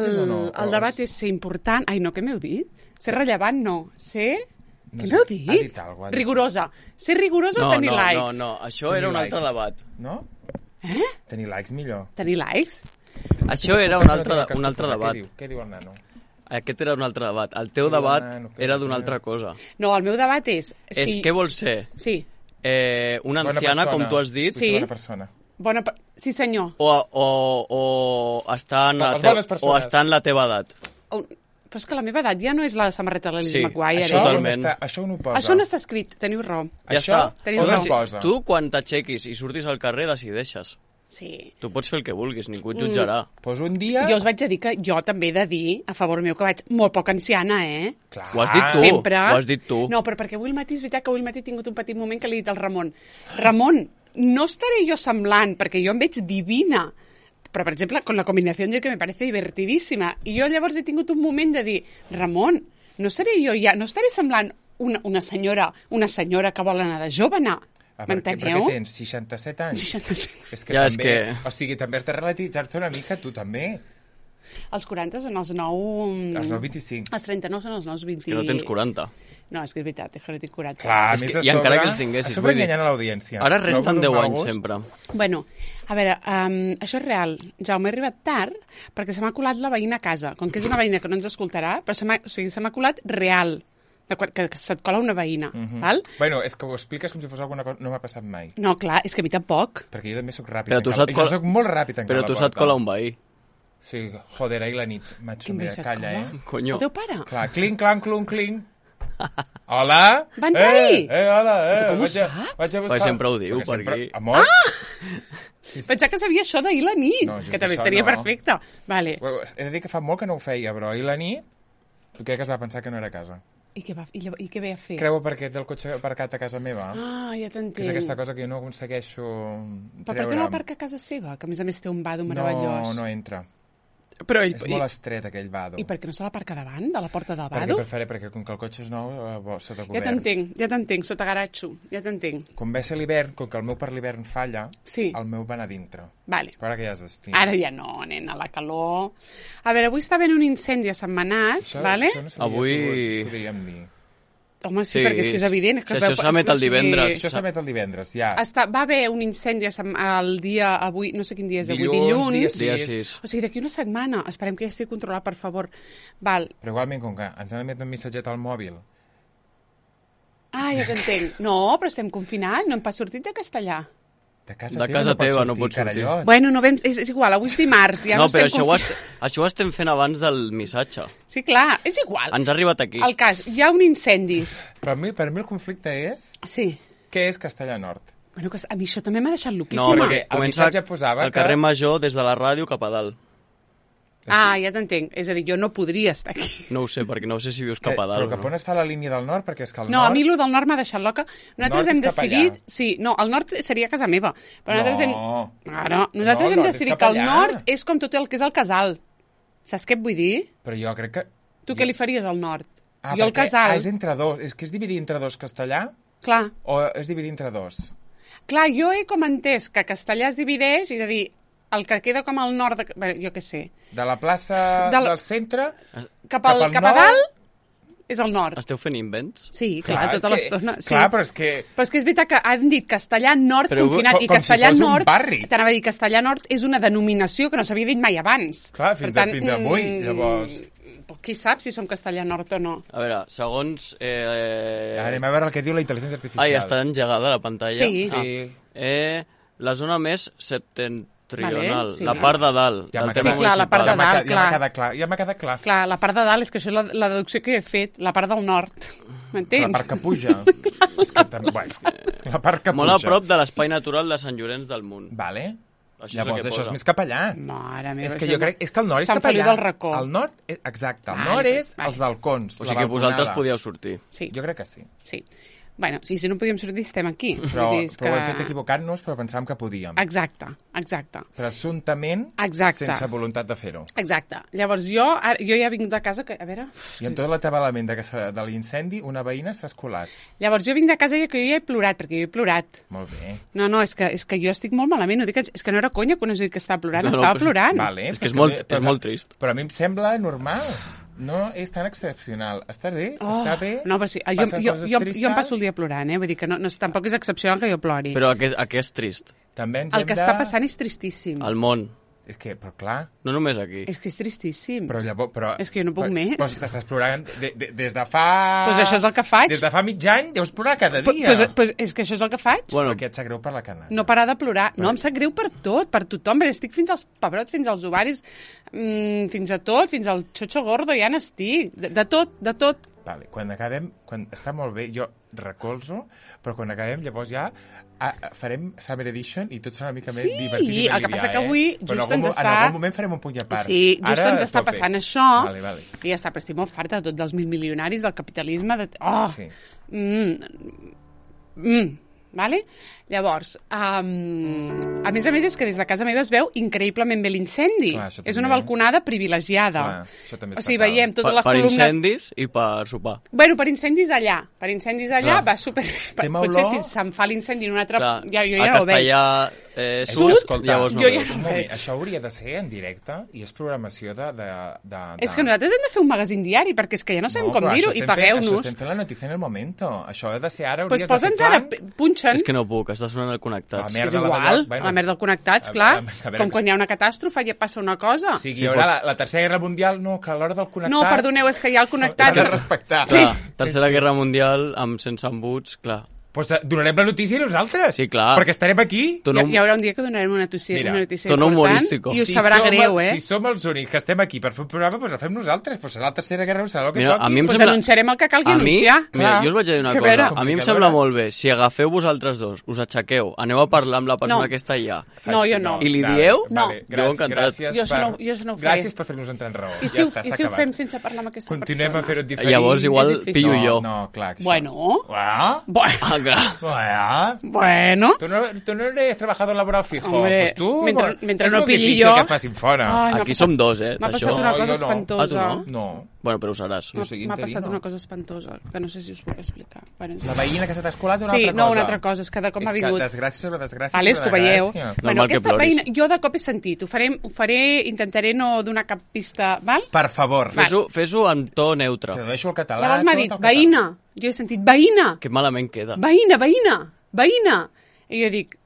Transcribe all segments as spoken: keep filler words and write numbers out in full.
El, no? el debat és ser important... Ai, no, què m'heu dit? Ser rellevant, no. Ser... No què sé, m'heu dit? ha dit alguna cosa. Rigorosa. Ser rigorosa no, o tenir no, likes? No, no, això Tenir era un likes. altre debat. No? Eh? Tenir likes millor. Tenir likes? Això era un altre, un altre debat. Què diu? Què diu el nano? Aquest era un altre debat. El teu Què diu el debat nano? Què era diu? d'una altra cosa. No, el meu debat és... És si... què vols ser? Sí. Eh, una Bona anciana, persona. com tu has dit, Sí. Bona persona. Bona... pe- Sí, senyor. o, o, o, estar en la Les teva, bones o persones. estar en la teva edat. O... Però és que la meva edat ja no és la samarreta de la Lizzie Sí, McGuire. Això, eh? totalment. on està, això on ho posa? Això no està escrit, teniu raó. Ja Això està. Teniu on raó. es posa? Tu, quan t'aixequis i surtis al carrer, decideixes. Sí. Tu pots fer el que vulguis, ningú et jutjarà. Pues un dia... Jo us vaig a dir que jo també he de dir, a favor meu, que vaig molt poc anciana, eh? Clar. Ho has dit tu. Sempre. Ho has dit tu. No, però perquè avui al matí és veritat que avui al matí he tingut un petit moment que li he dit al Ramon. Ramon, no estaré jo semblant, perquè jo em veig divina. Però, per exemple, con la combinació yo que me parece divertidíssima. I jo llavors he tingut un moment de dir, Ramon, no seré jo ja, no estaré semblant una, una senyora una senyora que vol anar de jove, anar. Ah, perquè, M'enteneu? perquè tens seixanta-set anys. seixanta-set. És que Ja, és també... que- O sigui, també has de relativitzar-te una mica, tu també. Els quaranta són els nou... Els nou vint-i-cinc. Els trenta-nou són els nous vint... Que no tens quaranta. No, és que és veritat, és que no tinc quaranta. Clar, a És més que- a i sobre... encara que els tinguessis, A sobre vull dir- enganyant a l'audiència. Ara resten No, deu mal anys, gust. sempre. Bueno, a veure, um, això és real. Jaume, he arribat tard perquè se m'ha colat la veïna a casa. Com que és una veïna que no ens escoltarà, però se m'ha o sigui, se m'ha colat real. De quan, que, que se't cola una veïna, Mhm. val? Bueno, és que ho expliques com si fos alguna cosa... No m'ha passat mai. No, clar, és que a mi tampoc. Perquè jo també sóc ràpid. Però en tu cal- se't Jo cola- soc molt ràpid en Però tu se't cola un veí. Sí, joder, ahir la nit. Macho, Quin mira, veí se't calla, cola? eh? Conyo. El teu pare? Clar, clinc, clanc, clung, clinc. Hola? Va entrar ahir? Eh, eh, hola, eh. Però com ho vaig a, saps? vaig a buscar... Perquè sempre ho diu, Perquè sempre... per aquí. Amor? Ah! Pensava que sabia això d'ahir la nit, No, just que també això estaria no. perfecte. Vale. Bueno, he de dir que fa molt que no ho feia, però ahir la nit crec que es va pensar que no era a casa. I què, va, i, lla- i què ve a fer? Creu perquè té el cotxe aparcat a casa meva. Ah, ja Que t'entenc. és aquesta cosa que jo no aconsegueixo Però per treure. què no aparca a casa seva? Que a més a més té un vado No, meravellós. no entra. Però ell, És molt estret, aquell vado. i, I per què no se l'aparca davant, de la porta del Perquè vado? preferé, perquè com que el cotxe és nou, eh, bo, sota Ja cobert. t'entenc, ja t'entenc, sota garatxo, ja t'entenc. Com ve a ser l'hivern, com que el meu per l'hivern falla, Sí. el meu va anar a dintre. Vale. Però ara que ja és estiu. Ara ja no, nena, la calor... A veure, avui està havent un incendi a Sant Manat, Això, vale? això no s'havia Avui- sabut, podríem dir. Home, sí, Sí, perquè és que és evident. És que si això veu- s'emet el o sigui, divendres. Això s'emet el divendres, ja. Està, va haver un incendi a Sant- el dia avui, no sé quin dia és avui, Dilluns, dilluns. dia Dia sis. sis. O sigui, d'aquí una setmana. Esperem que ja estigui controlat, per favor. Val. Però igualment, com que ens han emet un missatget al mòbil, Ah, ja t'entenc. No, però estem confinats, no hem pas sortit de castellà. de casa De teva casa no pots teva sortir, no pots sortir. carallot. Bueno, no vam, és, és igual, avui és dimarts, ja no, no, però estem això ho, confinats. est això ho estem fent abans del missatge. Sí, clar, és igual. Ens ha arribat aquí. El cas, hi ha un incendis. Però a mi, per mi el conflicte és... Sí. Què és Castellà Nord? Bueno, que a mi això també m'ha deixat No, loquíssima. perquè el comença missatge posava al carrer que- Major des de la ràdio cap a dalt. Ah, ja t'entenc. És a dir, jo no podria estar aquí. No ho sé, perquè no sé si vius Que, cap a però dalt. cap on es fa la línia del nord? Perquè és que el No, nord... a mi el del nord m'ha deixat loca. Nosaltres Nord hem és cap decidit... allà. Sí, no, el nord seria casa meva. Però nosaltres hem... No. Ara, nosaltres No, el hem nord és decidit cap que el allà. nord és com tot el que és el casal. Saps què et vull dir? Però jo crec que... Tu què li faries al nord? Ah, jo el perquè- casal. Ah, és entre dos. És que és dividir entre dos castellà Clar, o és dividir entre dos? clar, jo he com entès que castellà es divideix i de dir el que queda com al nord, de... Bé, jo què sé, De la plaça Del- del centre... cap, al, Cap al cap a nord? dalt és el nord. Esteu fent invents? Sí, clar, és tota que- l'estona. Sí. Clar, però és que... Però és que és veritat que han dit castellà nord Però confinat com- i com si castellà fos un nord... barri. T'anava a dir, castellà nord és una denominació que no s'havia dit mai abans. Clar, fins a- fins avui, mm, llavors. Doncs qui sap si som castellà nord o no. A veure, segons... Eh... Anem a veure el que diu la intel·ligència artificial. Ai, està engegada la pantalla. Sí. Ah. Sí. Eh, la zona més septentrional, Vale, sí. la part de dalt Ja del m'ha terme Sí, clar, la part de Ja m'ha dalt, quedat- ja clar. m'ha quedat clar. Ja m'ha quedat clar. Clar, la part de dalt és que això és la, la deducció que he fet, la part del nord. M'entens? La part que puja. És que també... Bueno, la part que Molt puja. a prop de l'espai natural de Sant Llorenç del Munt. Vale. Això Llavors, és el que això posa. és més cap allà. Mare meva, És que això jo no- crec... És que el nord és Sant cap allà. Feliu del Racó. El nord... És, exacte. El Vale, nord és vale. els balcons, O la sigui que vosaltres balconada. podíeu sortir. Sí, Jo crec que sí. sí. Bueno, sí, si no podíem sortir, estem aquí. Però, Vull dir, és però ho hem que- fet equivocant-nos, però pensàvem que podíem. Exacte, exacte. Presumptament, Exacte. sense voluntat de fer-ho. Exacte. Llavors jo, ara, jo ja he vingut a casa, que, a veure... I en tot l'atabalament de, que se- de l'incendi, una veïna s'ha escolat. Llavors jo vinc de casa i que jo ja he plorat, perquè jo he plorat. Molt bé. No, no, és que, és que jo estic molt malament. Ho dic, és que no era conya quan us he dit que estava plorant, No, no, estava però- plorant. Vale, És que és però molt, mi- és però- molt trist. Però a mi em sembla normal. No és tan excepcional. Està bé? Oh, Està bé? no, però sí, jo, Passen jo, coses jo, jo em tristes? passo el dia plorant, eh? Vull dir que no, no, tampoc és excepcional que jo plori. Però aquest, aquest és trist. També ens El hem que de... està passant és tristíssim. Al món. És que, però clar... No només aquí. És que és tristíssim. Però llavors... Però, És que jo no puc però, més. Però si t'estàs plorant de, de, des de fa... Pues això és el que faig. Des de fa mig any deus plorar cada Pues, dia. pues, pues és que això és el que faig. Bueno, Perquè et sap greu per la canalla. No parar de plorar. No, em sap greu per tot, per tothom. Perquè estic fins als pebrots, fins als ovaris, mmm, fins a tot, fins al xocho gordo, ja n'estic. De, de tot, de tot. Vale, quan acabem, quan està molt bé, jo recolzo, però quan acabem llavors ja a, a, farem Summer Edition i tot serà una mica Sí, més divertit i el que passa aliviar, que avui eh? just Però en algun, ens mo- està- En algun moment farem un puny a part. Sí, just Ara, ens està tope. passant això. Vale, vale. I ja està, però estic molt farta de tot, dels mil milionaris, del capitalisme, de... Oh! Sí. Mm. Mm. Vale? Llavors, um, a més a més és que des de casa meva es veu increïblement bé l'incendi. Clar, això És també. una balconada privilegiada. Clar, això també és o sigui, fatal. veiem totes per, les per columnes... incendis i per sopar. Bueno, per incendis allà. Per incendis allà Clar. va super... Té Potser olor? si se'm fa l'incendi en un altre... Clar, ja, jo a ja no ho veig. Castellà eh, És sud, que, escolta, llavors no jo ja veus. no Un moment, veig. això hauria de ser en directe i és programació de... de, de, de... És que nosaltres hem de fer un magazín diari, perquè és que ja no sabem No, com però dir-ho, això i estem fent- Això pagueu-nos. estem fent la notícia en el momento. Això ha de ser ara, Doncs hauries pues de fer posa'ns ara, plan. punxa'ns. És que no puc, està sonant el connectats. La merda És la igual, d'allò, bueno. la merda del connectats, A clar. veure, a veure, Com quan hi ha una catàstrofe ja passa una cosa. O sigui, Sí, hi haurà pues- la, la Tercera Guerra Mundial, no, que a l'hora del connectat... No, perdoneu, és que hi ha el S'ha de connectats. respectar. Clar, Tercera Guerra Mundial amb sense embuts, clar. Pues donarem la notícia nosaltres. Sí, clar. Perquè estarem aquí. Tu Hi, no, hi haurà un dia que donarem una notícia, Mira, una notícia tono important humorístico. i us sabrà som, greu, eh? Si som els únics que estem aquí per fer un programa, doncs la fem nosaltres. Pues serà la Tercera Guerra, serà el que Mira, toqui. a mi em Pues sembla- anunciarem el que calgui a mi, anunciar. mira, Clar. jo us vaig dir una És que a cosa. veure- A mi em Comunicadores. sembla molt bé. Si agafeu vosaltres dos, us aixequeu, aneu a parlar amb la persona No. que està allà. No, jo no. I li Vale, dieu? No. Vale, Jo gràcies, encantat. gràcies Jo això per, no- jo això no ho faré. gràcies per fer-nos entrar en raó. I si, ja ho, està, i s'ha si ho acabat. fem sense parlar amb aquesta Continuem persona? a fer-ho diferent. Llavors igual És difícil. pillo no, jo. No, clar. que això- Bueno, Ah, bueno, Ah, clar. ah. bueno. Tu no, tu no eres trabajador laboral fijo. Hombre, pues tu, mentre- mentre és no molt pilli difícil jo- que et facin fora. Ai, m'ha Aquí passat- som dos, eh, M'ha d'això. passat una No, cosa jo no. espantosa. Ah, tu no? No. Bueno, però ho seràs. Jo soy M'ha passat interino. una cosa espantosa, que no sé si us puc explicar. Bueno, La veïna que s'ha escolat una sí, altra no, cosa. una altra cosa, és que de cop m'ha És vingut. que desgràcia sobre desgràcia Vale, és que ho sobre veieu. desgràcia. Bueno, Normal que aquesta ploris. veïna, jo de cop he sentit, ho faré, ho faré, intentaré no donar cap pista, val? Per favor. Va. Fes-ho fes en to neutre. Tradueixo el català. Llavors m'ha tot dit, el català. veïna. Jo he sentit, veïna, Que malament queda. veïna, veïna, veïna. I jo dic,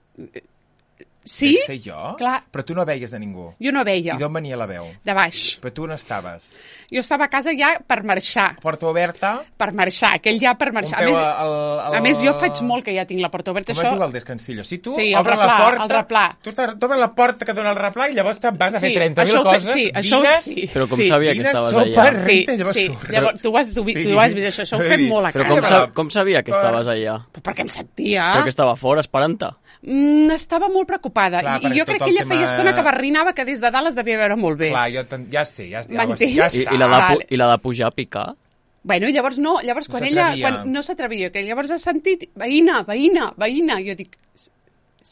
sí? Dec ser jo? Clar. Però tu no veies a ningú. Jo no veia, I d'on venia la veu? de baix. Però tu on estaves? Jo estava a casa ja per marxar, Porta oberta? per marxar, aquell ja per Un marxar. peu a, més, al, al... a més, jo faig molt que ja tinc la porta oberta. Com això... es diu el descansillo? Si tu Sí, el obres la replà, porta... el replà. Tu estàs- t'obres la porta que dona el replà i llavors te'n vas a fer Sí, trenta mil això ho fe- coses, sí, això ho- dines... sí. Però com Sí. sabia que Dines, estaves sopa, allà? Sí, renta, llavors sí. surt. Llavors, tu ho has, tu, Sí. tu ho has vist, això, això ho He fem vist. molt a Però casa. com, Però- sa com sabia que però- estaves allà? Perquè em sentia. Però que estava fora esperant-te. Mm, estava molt preocupada. Clar, I, I jo perquè crec tot que el ella feia tema- estona que barrinava que des de dalt es devia veure molt bé. Clar, jo ten... ja sé, ja, ja, ja, M'entens? ja I, saps. i, la de, pu- Vale. I la de pujar a picar? Bueno, i llavors no, llavors No quan ella s'atrevia. quan no s'atrevia, que llavors ha sentit veïna, veïna, veïna, jo dic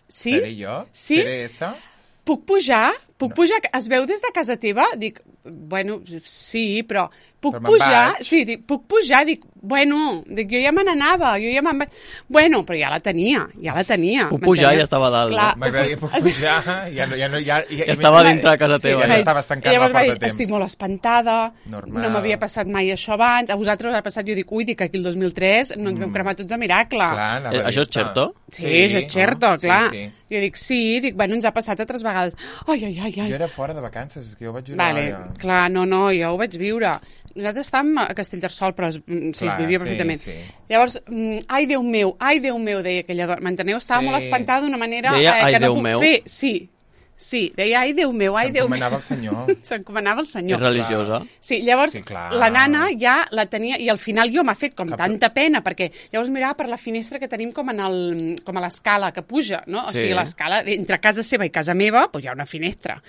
sí? Seré jo? Sí? Seré esa? Puc pujar? Puc no. pujar? Es veu des de casa teva? Dic, bueno, sí, però puc Però me'n pujar? vaig. Sí, dic, puc pujar? Dic, bueno, dic, jo ja me n'anava, jo ja me'n vaig... Bueno, però ja la tenia, ja la tenia. Puc pujar m'enteniu? i estava a dalt. Clar. No? M'agradaria puc pujar, ja no... Ja, no, ja, ja, Ja estava dintre de casa teva. ja no Ja. estaves tancant I llavors la porta va a dir, temps. estic molt espantada, Normal. no m'havia passat mai això abans, a vosaltres us ha passat, jo dic, ui, dic, aquí el dos mil tres no ens vam cremar tots a miracle. Clar, anava Eh, a això és dir-te. certo? Sí, sí, és certo, Sí, clar. sí. Jo dic, sí, dic, bueno, ens ha passat altres vegades. Ai, ai, ai, ai. Jo era fora de vacances, és que jo ho vaig jurar. Vale, ja. clar, no, no, jo ho vaig viure. Nosaltres estàvem a Castellterçol, però es, mm, sí, Clar, es vivia sí, perfectament. sí. Llavors, mm, ai, Déu meu, ai, Déu meu, deia aquella dona. M'enteneu? Estava Sí. molt espantada d'una manera Deia, eh, ai, que no Déu puc meu? fer. Sí, sí, deia, ai, Déu meu, ai, Déu meu. S'encomanava al Senyor. S'encomanava al Senyor. És religiosa? Sí, llavors Sí, clar. la nana ja la tenia, i al final jo m'ha fet com Cap- tanta pena, perquè llavors mirava per la finestra que tenim com, en el, com a l'escala que puja, no? O Sí. sigui, l'escala, entre casa seva i casa meva, doncs hi ha una finestra.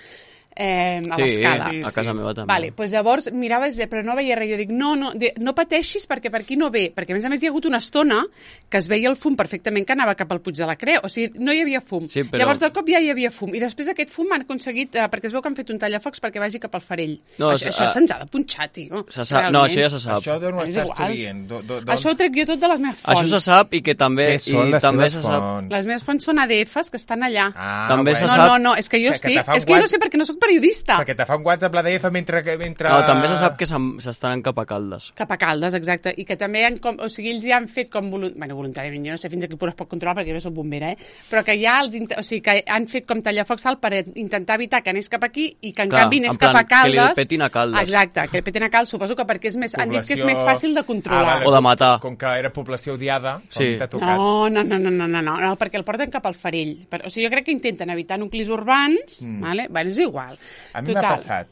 eh, a Sí, l'escala. sí, a casa meva també. Vale, doncs llavors mirava, però no veia res. Jo dic, no, no, de, no pateixis perquè per aquí no ve. Perquè a més a més hi ha hagut una estona que es veia el fum perfectament que anava cap al Puig de la Creu. O sigui, no hi havia fum. Sí, però... Llavors de cop ja hi havia fum. I després d'aquest fum han aconseguit, eh, perquè es veu que han fet un tallafocs perquè vagi cap al Farell. No, això a- això se'ns ha de punxar, tio. Se sap... No, això ja se sap. Això d'on ho És estàs igual. tu dient? Do, do, Això ho trec jo tot de les meves fonts. Això se sap i que també... Què són i les també teves se sap... fonts? Les meves fonts són A D Fs que estan allà. Ah, També se No, sap- no, no, és que jo Que- que estic... te fa un És que jo no guat- sé perquè no sóc periodista. Perquè te fa un WhatsApp l'A D F mentre... mentre... No, també se sap que se'n- s'estan cap a Caldes. Cap a Caldes, exacte. I que també han, com, o sigui, ells ja han fet com volu- bueno, voluntàriament, jo no sé fins a quin punt es pot controlar perquè jo no soc bombera, eh? Però que ja els, int- o sigui, que han fet com tallafocs al per intentar evitar que anés cap aquí i que en Clar, canvi anés en plan, cap a Caldes. que li petin a Caldes. Exacte, que li petin a Caldes, suposo que perquè és més, han dit que és més fàcil de controlar. Ah, vale, O de com- matar. Com que era població odiada, Sí. com t'ha tocat. No, no, no, no, no, no, no, no, perquè el porten cap al Farell. Per, o sigui, jo crec que intenten evitar nuclis urbans, mm. vale? Bueno, és igual. A mi m'ha passat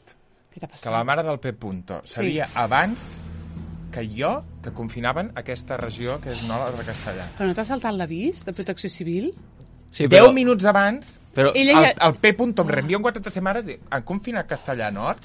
Què t'ha passat? que la mare del P. Punto sabia Sí. abans que jo que confinaven aquesta regió que és Nola de Castellà. Però no t'ha saltat l'avís de protecció civil? Sí, Deu però... minuts abans, Però... Ella el, ja- el P. Punto em reenvia un WhatsApp a sa mare, diu, han confinat Castellà Nord?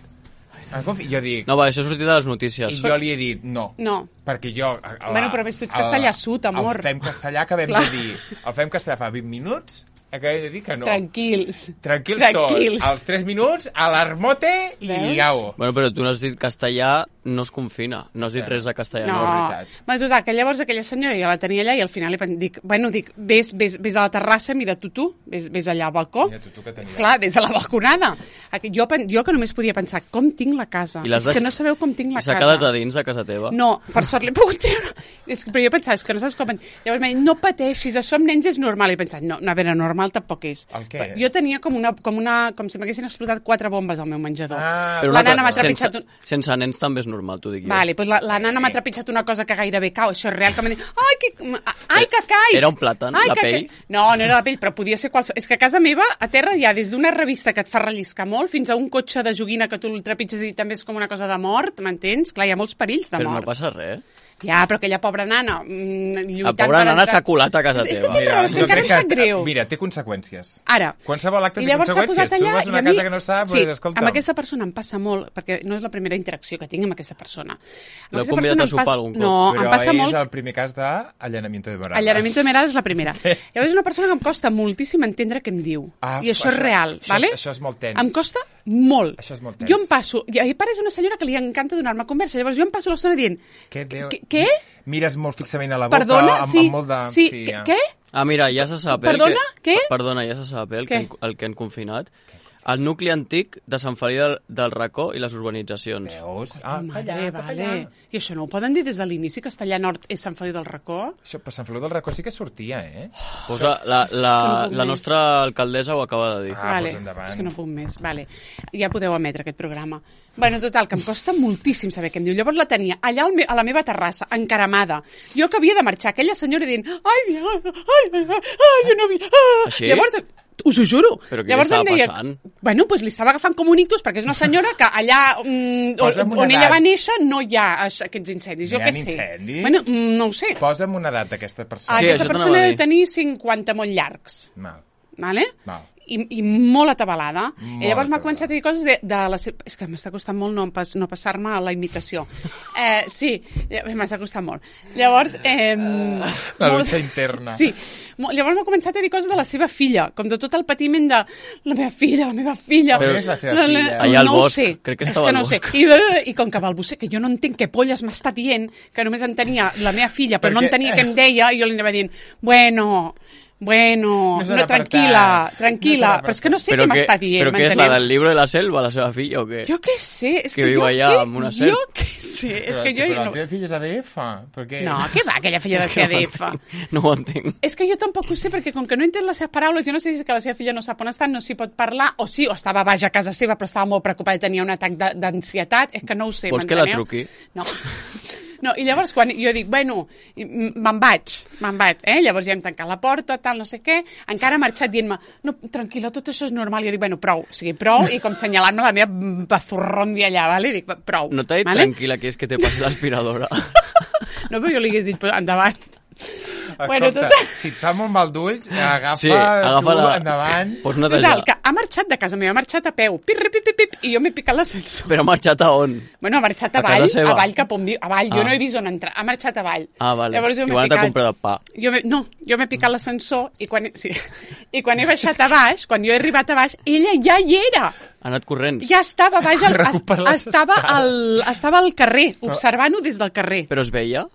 Han confi... Jo dic... No, va, això ha sortit de les notícies. I jo li he dit no. No. Perquè jo... A, a, Bueno, però més tu ets castellà sud, amor. El Fem Castellà acabem Clar. de dir... El Fem Castellà fa vint minuts, acabem de dir que no. Tranquils. Tranquils, Tranquils. tots. Als tres minuts, a l'armote Veus? i au. Bueno, però tu no has dit castellà, no es confina. No has dit Sí. res de castellà. No, és veritat. bueno, total, que llavors aquella senyora ja la tenia allà i al final li pen- dic, bueno, dic, ves, ves, ves a la terrassa, mira tu tu, ves, ves allà al balcó. Mira tu, tu que tenies. Clar, ves a la balconada. Aquí- Jo, pen- jo que només podia pensar, com tinc la casa? I l'has És que deix- no sabeu com tinc la I s'ha casa. quedat a dins de casa teva? No, per sort l'he pogut treure. És que, però jo pensava, és que no saps com... Llavors m'ha dit, no pateixis, això amb nens és normal. I he pensat, no, no, a veure, normal tampoc és. El què? Jo tenia com una, com una, com si m'haguessin explotat quatre bombes al meu menjador. Ah, Però la una nana m'ha cosa, sense, trepitjat un... sense nens també és normal, t'ho dic jo. Vale, pues la, la nana m'ha trepitjat una cosa que gairebé cau, això és real, que m'ha dit, ai, que, ai, que caic! Era un plàtan, Ai, la que pell? caic. No, no era la pell, però podia ser qualsevol... És que a casa meva, a terra hi ha des d'una revista que et fa relliscar molt fins a un cotxe de joguina que tu el trepitges i també és com una cosa de mort, m'entens? Clar, hi ha molts perills de Però no mort. passa res. Ja, però aquella pobra nana mm, La lluitant pobra per nana entrar- s'ha colat a casa És que teva. té raó, és que jo encara crec em sap greu. Mira, té conseqüències. Ara, Qualsevol acte i té llavors s'ha conseqüències. posat Tu allà vas a una i a mi... casa que no sap, sí, pues, escolta... amb aquesta persona em passa molt, perquè no és la primera interacció que tinc amb aquesta persona. Amb L'heu aquesta convidat persona a em sopar passa- algun cop? No, Però em passa és molt... el primer cas d'allanamiento de morada. Allanamiento de mirada és la primera. Llavors és una persona que em costa moltíssim entendre què em diu. Ah, I això, això- és real, això és- vale? això és molt tens. Em costa molt. Això és molt tens. Jo em passo... I a part és una senyora que li encanta donar-me conversa. Llavors jo em passo l'estona dient... Què, Déu... Què? Què? Mires molt fixament a la boca, Perdona? amb, Sí. amb molt de... Sí. ja. Què? Ah, mira, ja se sap, eh? el Perdona? Que... Què? Perdona, ja se sap, eh? El, que Què? han, el que han confinat. El nucli antic de Sant Feliu del, del Racó i les urbanitzacions. Veus? Ah, Madre, allà, cap vale. allà. I això no ho poden dir des de l'inici? Castellà Nord és Sant Feliu del Racó? Això, per Sant Feliu del Racó sí que sortia, eh? Posa, la, és que la, no puc la més. nostra alcaldessa ho acaba de dir. Ah, vale. doncs endavant. És que no puc més. Vale. Ja podeu emetre aquest programa. Bueno, total, que em costa moltíssim saber què em diu. Llavors la tenia allà al me a la meva terrassa, encaramada. Jo que havia de marxar, aquella senyora dient ai, ai, ai, ai, ai, jo no vi... Ah. Així? Llavors, us ho juro. Però què Llavors li em estava deia, passant? bueno, pues li estava agafant com un ictus, perquè és una senyora que allà mm, Posa'm on, una on ella edat. va néixer no hi ha això, aquests incendis. Jo Hi ha què sé. incendis? Bueno, mm, no ho sé. Posa'm una edat d'aquesta Ah, persona. Sí, aquesta això t'anava persona a deu dir. tenir cinquanta molt llargs. Mal, Vale? mal. I, i molt atabalada. Molt I llavors m'ha atabalada. començat a dir coses de, de la seva... És que m'està costant molt no, em pas, no passar-me a la imitació. Eh, sí, m'està costant molt. Llavors... Eh, La molt- lucha interna. Sí. Mo- Llavors m'ha començat a dir coses de la seva filla, com de tot el patiment de la meva filla, la meva filla... On és la seva filla? Allà al no ho bosc. sé. Crec que És estava que al no ho sé. bosc. I, I com que va al bosc, que jo no entenc què polles m'està dient, que només entenia la meva filla, però no Perquè- entenia què em deia, i jo li anava dient, bueno... Bueno, No se no, n'ha tranquil·la, apartat. tranquil·la, No se n'ha però és que no sé Però què que, m'està dient, però què és la m'enteneu? del llibre de la selva, la seva filla, o què? Jo què sé, és Que que, viu jo allà què, amb una serp. jo què sé, és Però, que jo... però la no, teva filla és A D F, perquè... no, què va, aquella filla de És que C D F? No ho entenc. És que jo tampoc ho sé, perquè com que no entén les seves paraules, jo no sé si és que la seva filla no sap on està, no s'hi pot parlar, o sí, o estava baix a casa seva, però estava molt preocupada i tenia un atac de- d'ansietat, és que no ho sé, Vols que la m'enteneu? truqui? No. No, i llavors quan jo dic, bueno, i m- me'n vaig, me'n vaig, eh? Llavors ja hem tancat la porta, tal, no sé què, encara ha marxat dient-me, no, tranquil·la, tot això és normal. Jo dic, bueno, prou, o sigui, prou, i com senyalant-me la meva bazurrón d'allà, vale? Dic, prou. No t'ha dit vale? tranquil·la que és que te passi l'aspiradora. No, però jo li hagués dit, però endavant. Bueno, Escolta, total. si et fa molt mal d'ulls, agafa, Sí, agafa tu la- endavant. Pots netejar. Total, que ha marxat de casa meva, ha marxat a peu, pip, pip, pip, pip, i jo m'he picat l'ascensor. Però ha marxat a on? Bueno, ha marxat A a avall, casa seva. avall cap on viu, avall, jo Ah. no he vist on entrar, ha marxat avall. Ah, vale. Llavors jo m'he Igual t'ha picat... comprat el pa. Jo m'he- no, jo m'he picat l'ascensor i quan, he- sí, i quan he baixat a baix, quan jo he arribat a baix, ella ja hi era. Ha anat corrents. Ja estava a baix, al, es, Recuperar les estava, al, escales. estava al carrer, observant-ho des del carrer. Però es veia?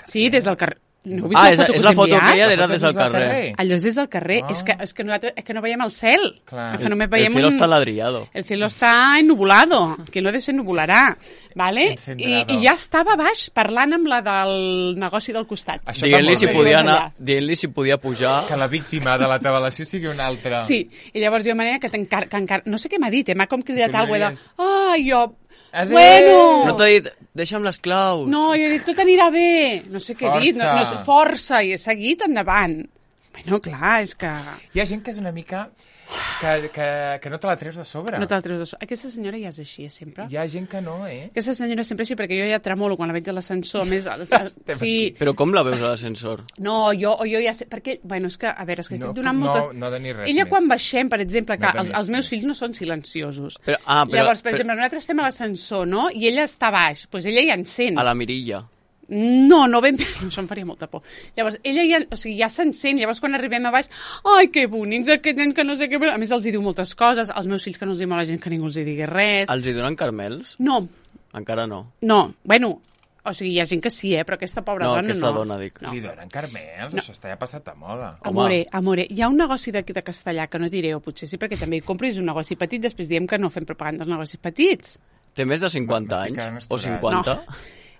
Sí, des del carrer. No heu vist Ah, la és, foto que és us la he foto que enviat? ella La era foto des és del del carrer. carrer. Allò és des del carrer. Ah. És, que, és, que nosaltres, és que no veiem el cel. Clar. És que només El veiem cielo un... està ladrillado. El cielo està ennubulado, que no de ser nubularà, ¿vale? I, Encendrado. I ja estava a baix parlant amb la del negoci del costat. Això Dient-li va si molt bé. podia Més anar, allà. dient-li si podia pujar. Que la víctima de la tabalació sigui una altra. Sí, i llavors jo manera que t'encar... Que encar... No sé què m'ha dit, eh? M'ha com cridat Que alguna m'ha cosa de... Ah, jo... Adéu! Bueno! No t'ha dit, deixa'm les claus. No, jo he dit, tot anirà bé. No sé què he dit, no, no sé, Força. força, i he seguit endavant. Bueno, clar, és que... Hi ha gent que és una mica... Que, que, que no te la treus de sobre. No te la treus de so- Aquesta senyora ja és així, eh, sempre. Hi ha gent que no, eh? Aquesta senyora sempre així, perquè jo ja tremolo quan la veig a l'ascensor. A més, sí, Però com la veus a l'ascensor? no, jo, o jo ja sé... Perquè, bueno, és que, a veure, és que estic No, donant no, moltes... no de ni res Ella més. quan baixem, per exemple, que No els, tenies els meus més. fills no són silenciosos. Però, ah, però, Llavors, per però, exemple, nosaltres estem a l'ascensor, no? I ella està baix. Doncs pues ella ja encén. a la mirilla. No, no ben bé, això em faria molta por. Llavors, ella ja, o sigui, ja s'encén, llavors quan arribem a baix, ai, que bonics aquest nen que no sé què... A més, els hi diu moltes coses, als meus fills que no els hi mola gent que ningú els hi digui res. Els hi donen carmels? No, Encara no. no, bueno, o sigui, hi ha gent que sí, eh, però aquesta pobra No, dona aquesta no. dona, dic. No. Li donen carmels? No. Això està ja passat de moda. Home. Amore, amore, hi ha un negoci de, de castellà que no diré, o potser sí, perquè també hi compro, i és un negoci petit, després diem que no fem propaganda dels negocis petits. Té més de cinquanta M'estic quedant anys? O estorat. cinquanta?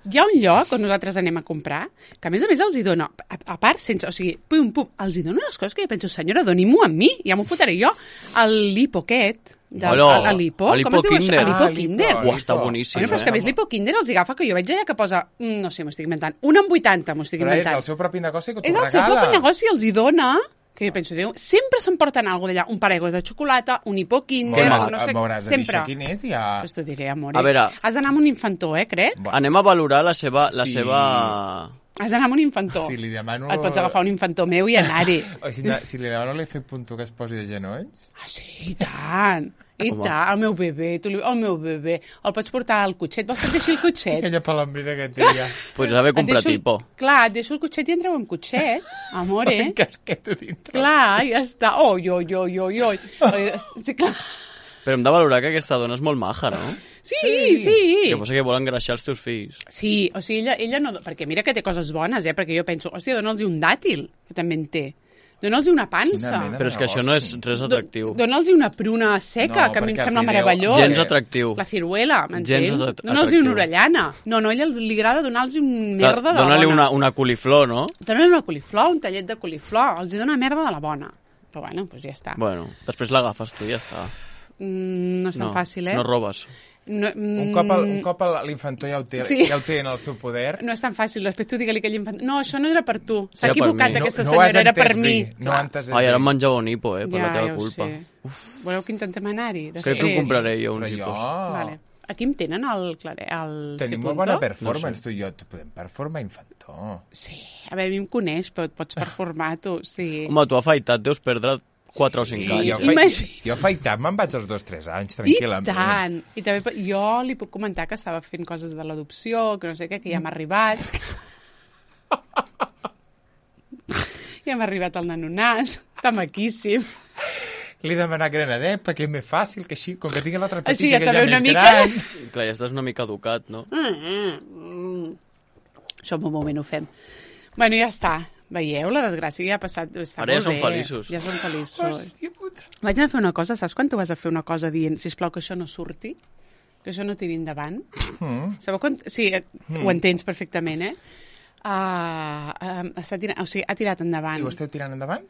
Hi ha un lloc on nosaltres anem a comprar que, a més a més, els hi dona, a, a part, sense, o sigui, pum, pum, els hi dona unes coses que jo penso, senyora, doni-m'ho a mi, ja m'ho fotré jo. El lipo aquest, del, Hola, el, el lipo, el com es diu Lipo això? El lipo Ah, Kinder. lipo. Uah, està boníssim. Bueno, però és que a més l'hipo Kinder els agafa, que jo veig allà que posa, mm, no sé, m'ho estic inventant, un en vuitanta, m'ho estic Però és inventant. el seu propi negoci que t'ho És el regala. seu propi negoci, els hi dona, que jo penso, Déu, sempre s'emporten alguna d'allà, un paraigua de xocolata, un hipo Kinder, M'hauràs no sé, m'hauràs de dir sempre. això quin és, ja... Pues t'ho diré, amor. A veure. Has d'anar amb un infantó, eh, crec? Bueno, Anem a valorar la seva... La Sí. seva... Has d'anar amb un infantó. si li demano... Et pots agafar un infantó meu i anar-hi. O si, si li demano l'efecte punto que es posi de genolls... Ah, sí, i tant. I Home. tant, el meu bebè, tu li... el meu bebè. El pots portar al cotxet, vols que et deixi el cotxet? Aquella palambrina que té ja. Podries haver Et comprat deixo el- tipo. Clar, et deixo el cotxet i entreu amb cotxet, amore. Un casquet a dintre. Clar, ja està. Oi, oi, oi, oi, oi. Sí, clar. Però hem de valorar que aquesta dona és molt maja, no? Sí, sí. sí. Que posa que vol engreixar els teus fills. Sí, o sigui, ella, ella no... Perquè mira que té coses bones, eh? Perquè jo penso, hòstia, dona'ls un dàtil, que també en té. Dona'ls una pansa. Quina mena. Però és que això no és res atractiu. Do- Dona'ls una pruna seca, No, que a mi em perquè sembla els hi deu- meravellós. Gens atractiu. La ciruela, Gens m'entens? atrac- Dona'ls atractiu. una orellana. No, no, a ella li agrada donar-los un merda de la Dóna-li bona. una, una coliflor, no? Dóna-li una coliflor, un tallet de coliflor. Els hi dona merda de la bona. Però bueno, doncs ja està. Bueno, després l'agafes tu i ja està. Mm, no és tan No, fàcil, eh? no robes. No, Un mm, cop, el, un cop el- l'infantó ja ho té, Sí. ja ho té en el seu poder... No és tan fàcil. Després tu digue-li que l'infant... No, això no era per tu. S'ha Era per equivocat mi. aquesta no, no ho has senyora, era per entès mi. bé, No ho has entès Ai, ara em bé. menjava un hipo, eh, per la teva ja ho culpa. sé. Voleu que intentem anar-hi? Crec que em Després? compraré jo uns Però hipos. jo... Vale. Aquí em tenen el, clare, el Tenim Cipunto? molt bona performance, No sé. tu i jo. Tu podem performar infantó. Sí, a veure, a mi em coneix, però et pots performar tu, sí. Home, tu afaitat deus perdre quatre o cinc Sí, anys. jo, fai, Imagina- jo afaitat me'n vaig als dos tres anys, I tranquil·lament. tant! I també po- jo li puc comentar que estava fent coses de l'adopció, que no sé què, que ja m'ha arribat. Ja m'ha arribat el nanonàs, està maquíssim. Li he demanat granadet perquè és més fàcil que així, com que tingui l'altre Així petit ja que també ja una més mica- gran. Clar, ja estàs una mica educat, no? Mm, mm. Això en un moment ho fem. Bueno, ja està. Veieu, la desgràcia ja ha passat. Està Ara ja molt som bé. feliços. Ja som feliços. Hòstia puta. Vaig anar a fer una cosa, saps quan tu vas a fer una cosa dient, sisplau, que això no surti? Que això no tiri endavant? Mm. Sabeu quan... Sí, eh, ho entens perfectament, eh? Uh, uh, està tirant... O sigui, ha tirat endavant. I ho esteu tirant endavant?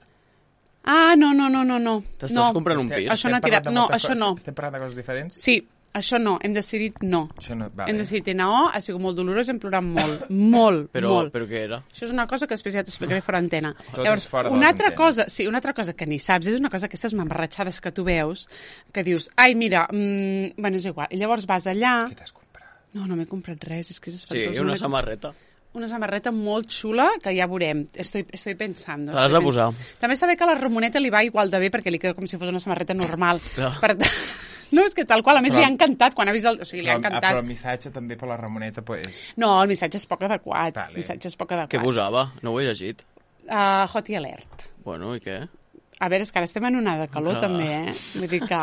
Ah, no, no, no, no, no. T'estàs no. comprant un Estem- pis? Això no ha estem tirat- parlant de no, moltes això coses- no. Estem parlant de coses diferents? Sí, això no. Hem decidit no. Això no, vale. Hem decidit N O, ha sigut molt dolorós, hem plorat molt, molt, Però, molt. però què era? Això és una cosa que després ja t'explicaré fora antena. Tot Llavors, és fora de una les altra antenes. cosa, sí, una altra cosa que ni saps, és una cosa, aquestes mamarratxades que tu veus, que dius, ai, mira, mm, bueno, és igual. I llavors vas allà... Què t'has comprat? No, no m'he comprat res, és que és Sí, espantós. i no una m'he- samarreta. una samarreta molt xula que ja veurem. Estoy, estoy pensando. Te l'has de posar. També està bé que a la Ramoneta li va igual de bé perquè li queda com si fos una samarreta normal. Clar. Per tant, no, és que tal qual, a més Però- li ha encantat quan ha vist el... O sigui, li ha Però, ah, encantat. però el missatge també per la Ramoneta, pues... No, el missatge és poc adequat. Vale. El missatge és poc adequat. Què posava? No ho he llegit. Uh, hot i alert. Bueno, i què? A veure, és que ara estem en onada de calor, Clar. també, eh? Vull dir que...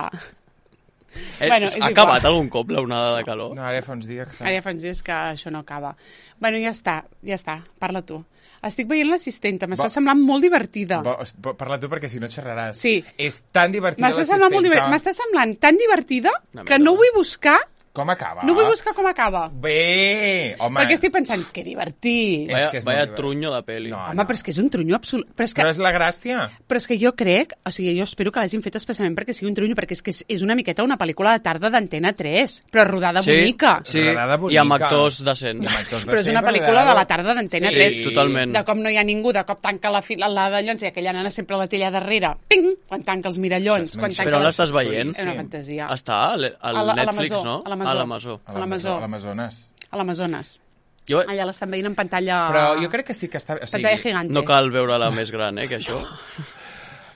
Eh, Bueno, és ha igual. acabat algun cop la onada de calor? No, ara fa uns dies que... Ara ja fa uns dies que això no acaba. Bueno, ja està, ja està. Parla tu. Estic veient l'assistenta, m'està Va- semblant molt divertida. Bo, bo, parla tu perquè si no xerraràs. Sí. És tan divertida M'està semblant, molt divertida. M'està semblant tan divertida Una que merda. no vull buscar, Com acaba? no vull buscar com acaba. Bé, home. Perquè estic pensant, que divertit. És Vaya, que és vaya molt trunyo de peli. No. Home, però és que és un trunyo absolut. Però és que, Però és la gràcia. però és que jo crec, o sigui, jo espero que l'hagin fet especialment perquè sigui un trunyo, perquè és que és, és una miqueta una pel·lícula de tarda d'Antena tres, però rodada Sí, bonica. sí, Rodada i amb bonica. actors decents. I amb actors Però és decents, una pel·lícula de la tarda d'Antena Sí, tres. totalment. De cop no hi ha ningú, de cop tanca la fila la d'allons i aquella nana sempre la té allà darrere. Ping! Quan tanca els mirallons. Això és Quan mentida. tanca Però on les- l'estàs veient? És una fantasia. Està al, al A la- a Netflix, l'Amazó, no? a l'Amazó. A l'Amazó. A A l'Amazó. l'Amazó- a l'Amazones. A l'Amazones. Jo Allà l'estan veient en pantalla... Però jo crec que sí que està... O sigui, Pantalla gigante. no cal veure-la més gran, eh, que això.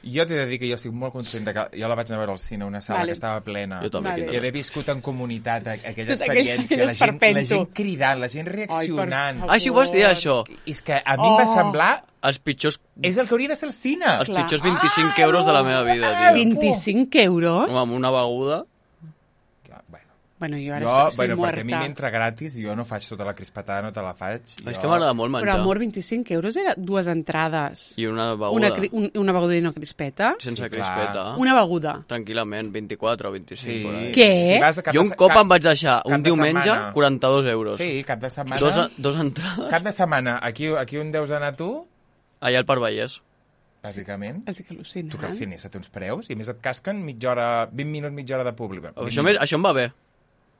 jo t'he de dir que jo estic molt content de que jo la vaig anar a veure al cine, una sala Vale. que estava plena. Jo també. Vale. quina I haver viscut en comunitat a- aquella Tot aquell- experiència, aquell la gent, la esperpento. gent cridant, la gent reaccionant. favor. Ah, sí, ho vas dir, això. I és que a mi em va Oh. semblar... Els pitjors, És el que hauria de ser el cine. els Clar. pitjors vint-i-cinc euros de la meva vida, tio. vint-i-cinc euros? Home, amb una beguda... Bueno, Bueno, jo ara jo, estic, estic bueno, muerta. perquè a mi m'entra gratis, jo no faig tota la crispatada, no te la faig. És jo... que m'agrada molt menjar. Però, amor, vint-i-cinc euros era dues entrades. I una beguda. Una, cri- un, una beguda i una crispeta. Sense Sí, clar. crispeta. Una beguda. Tranquil·lament, vint-i-quatre o vint-i-cinc. Sí. por ahí. Què? Si vas a cap Jo de un se- cop cap- em vaig deixar cap un de diumenge setmana. quaranta-dos euros. Sí, cap de setmana. Dos, dos entrades Cap de setmana. Aquí, aquí on deus anar tu, allà al Parc Vallès. bàsicament. Estic al·lucinant. Tu que al cine se té uns preus i a més et casquen mitja hora, vint minuts, mitja hora de públic. Això, m'he- això em va bé,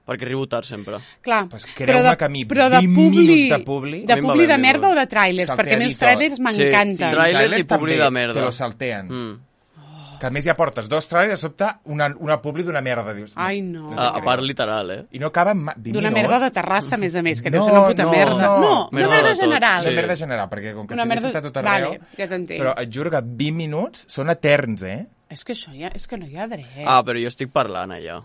perquè arribo tard sempre. Clar, Pues creu-me però de- que a mi però de vint publi, minuts de publi- de A mi em va publi bé, de a mi em merda va o de trailers, perquè a mi els Salteadito. trailers m'encanten. Sí, trailers i publi també de merda. Te lo saltean. Mm. Que a més ja portes dos trailers, a sobte una, una publi d'una merda. Dius, Ai, no. te A, a crec. part literal, eh? I no acaben ma- vint D'una minuts. merda de terrassa, a més a més, que deu No, ser una puta no, merda. no. No, una Merda merda de tot, general. Una sí. merda general, perquè com que Una el cine merda- està tot arreu... Vale, ja t'entenc. Però et juro que vint minuts són eterns, eh? És que això ja, és que no hi ha dret. Ah, però jo estic parlant allà.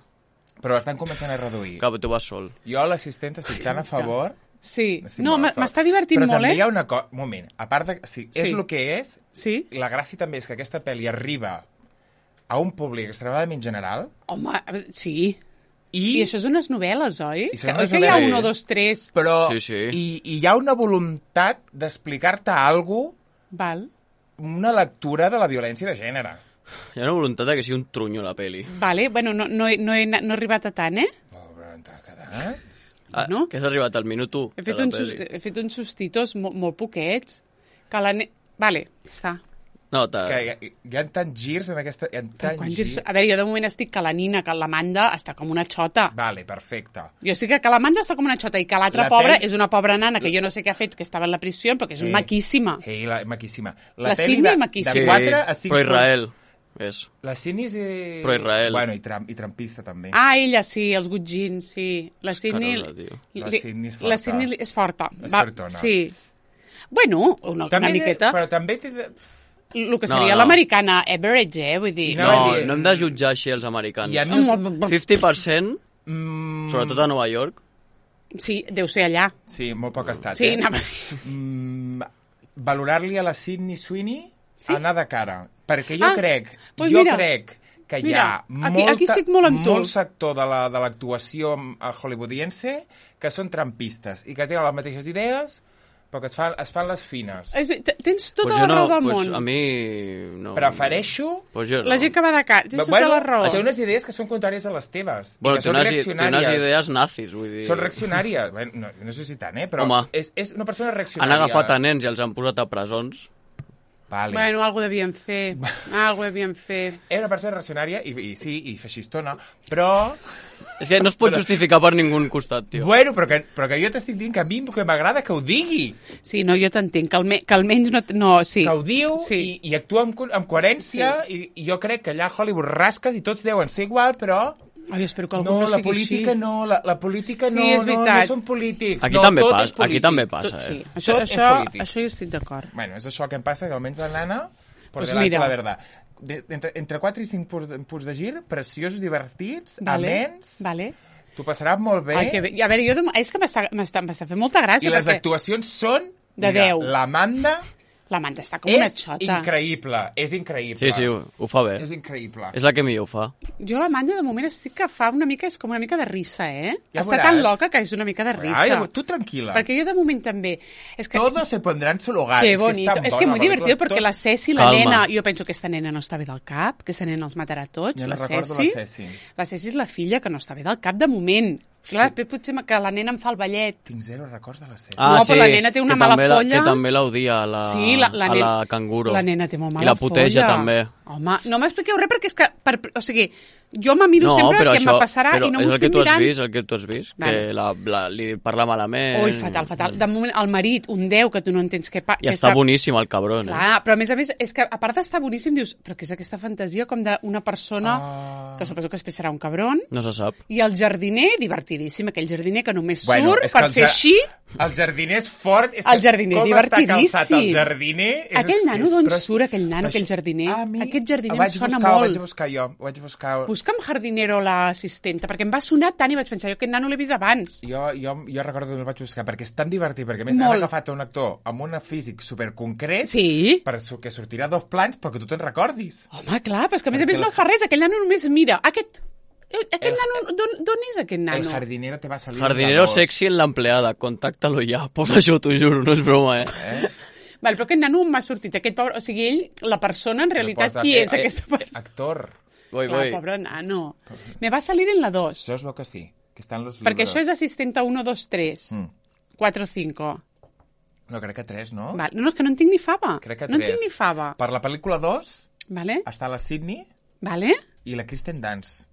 Però estan començant a reduir. Clar, tu vas sol. Jo, l'assistent, estic tan a favor... Sí, estic no, molt a m- favor. m'està divertint Però molt, també eh? hi ha una cosa... Un moment, a part de... Sí, és Sí. el que és, Sí? la gràcia també és que aquesta pel·li arriba a un públic extremadament general Home, sí. i... I això és unes novel·les, oi? I són Que- unes oi que hi ha novel·les. un o dos, tres... Però Sí, sí. I, i hi ha una voluntat d'explicar-te alguna Val, una lectura de la violència de gènere. Hi ha una voluntat de que sigui un trunyo la peli. vale. Bueno, no, no, he, no, he, no he arribat a tant, eh? Pobre, on t'ha quedat? Ah, No? que has arribat al minut u He de fet, la uns, sus- peli. he fet uns sustitos molt, molt poquets. Que la ne... Vale, està. No, És ta... que hi ha, hi ha tants girs en aquesta... Hi ha Però tants quants girs... girs... A veure, jo de moment estic que la Nina, que l'Amanda està com una xota. Vale, perfecte. Jo estic que l'Amanda està com una xota i que l'altra La pobra pel- és una pobra nana que jo no sé què ha fet, que estava en la prisió, però que és Sí. maquíssima. Ei, la, maquíssima. La pel·li Sydney de, maquíssima. de quatre a cinc però Israel. És. La Sydney és... Eh... Però Israel. Bueno, i, tram, i trampista també. Ah, ella sí, els gutgins, sí. La Sydney... Carola, tio. La li- Sydney és forta. La Sydney és forta. És fortona. Sí. Bueno, una, una També, miqueta. Però també té... de- El que No, seria no. l'americana average, eh? Vull dir... I No, Anava a dir- no hem de jutjar així els americans. I a mi... cinquanta per cent, Mm, sobretot a Nova York. Sí, deu ser allà. Sí, molt poc estat, Sí, eh? anava... Mm, valorar-li a la Sydney Sweeney Sí? anar de cara. Perquè jo Ah, crec, doncs jo mira, crec que hi mira, ha aquí- molta, aquí estic molt amb tu. molt sector de la- de l'actuació la, hollywoodiense que són trampistes i que tenen les mateixes idees però que es fan, es fan les fines. És, ve- t- tens tota Pues la jo raó no, del pues món. a mi... No. Prefereixo... Pues jo no. La gent que va de cara, tens tota la raó. té unes idees que són contràries a les teves. Bueno, i que té són unes, i- té reaccionàries. unes idees nazis, vull dir... Són reaccionàries. Bueno, no, no sé si tant, eh? Però Home. és, és una persona Han reaccionària. agafat a nens i els han posat a presons. Vale. Bueno, algo devien fer. Algo devien fer. Era una persona reaccionària i, i sí, i feixistona, però... És que no es pot justificar per ningun costat, tio. Bueno, però que, però que jo t'estic dient que a mi que m'agrada que ho digui, Sí, no, jo t'entenc, que, alme que almenys no... no sí. que ho diu Sí. i, i actua amb, co- amb coherència i, i jo crec que allà a Hollywood rasques i tots deuen ser igual, però Ai, espero que algú No, no, la sigui política així. no, la, la política Sí, no, és no, no veritat. són polítics. Aquí no, també tot passa, és polític. aquí també passa, Tot, eh? sí, això, Tot és això, polític. això hi estic d'acord. Bueno, és això que em passa, que almenys la nana, por Pues delante mira. la verdad. De, entre, entre quatre i cinc punts, punts de gir, preciosos, divertits, Vale, amens, vale. t'ho passaràs molt bé, Ai, que bé. A veure, jo de... és que m'està m'està- m'està fent molta gràcia. i les perquè actuacions són... De mira, deu. l'Amanda l'Amanda està com una és xota. increïble, és increïble. Sí, sí, ho, ho fa bé. És increïble. És la que millor ho fa. Jo l'Amanda de moment estic que fa una mica, és com una mica de risa, eh? Ja Està veuràs. tan loca que és una mica de risa. Ai, tu tranquil·la. Perquè jo de moment també... És que... Todo se pondrá en su lugar. Que és bonito. que, És que muy divertido perquè la Ceci, la Calma. nena... Jo penso que aquesta nena no està bé del cap, que aquesta nena els matarà tots. Jo la no recordo Ceci. la Ceci. La Ceci és la filla que no està bé del cap de moment. Clar, després potser que la nena em fa el ballet. Tinc zero records de la Ceci. No, però la nena té una que mala també la- folla. Que també l'odia a la, Sí, la, la, a nen- la canguro. La nena té molt mala I la puteja folla. també. Home, no m'expliqueu res perquè és que... Per, o sigui, jo me miro No, sempre però què això, me passarà però i no és m'ho el que estic tu has mirant. vist, el que tu has vist, Vale. que la, la, li parla malament. Ui, fatal, fatal. De moment, el marit, un deu, que tu no entens què... Pa, I que està boníssim el cabron, eh? Clar, però a més a més, és que a part d'estar boníssim, dius, però què és aquesta fantasia com d'una persona Ah. que suposo que després serà un cabron, No se sap. i el jardiner, divertidíssim, aquell jardiner que només Bueno, surt és que per el fer ja- així. El jardiner és fort. És El que jardiner, com està calçat divertidíssim. el jardiner... És, Aquell nano, és, d'on però- surt aquell nano, Això- aquell jardiner? A mi, Aquest jardiner ho em vaig sona buscar, Ho molt. vaig buscar jo, ho vaig buscar... Busca'm jardinero l'assistenta, perquè em va sonar tant i vaig pensar, jo aquest nano l'he vist abans. Jo, jo, jo recordo que el vaig buscar, perquè és tan divertit, perquè a més Molt. han agafat un actor amb un físic superconcret Sí. per su- que sortirà a dos plans perquè tu te'n recordis. Home, clar, però és que a més a Perquè més el- no fa res, aquell nano només mira. Aquest, eh, aquest El- nano, d'on d'on és aquest El nano? jardinero te va a salir... Jardinero de dos. sexy en l'empleada, contáctalo ja. Posa això, t'ho juro, no és broma, eh? Eh? Val, però aquest nano m'ha sortit, aquest pobre... O sigui, ell, la persona, en realitat, pots qui fer- és aquesta persona? Actor. Voy, Clar, voy. pobre nano. Me va salir en la dos, Això es veu que sí, que estan los perquè libros. això és assistenta uno, dos, tres, Mm. quatre, cinco. No, crec que tres, no? Val, no, no, és que no en tinc ni fava. Crec que no en tres. tinc ni fava. Per la pel·lícula dos Vale? està la Sydney Vale? i la Kristen Dunst.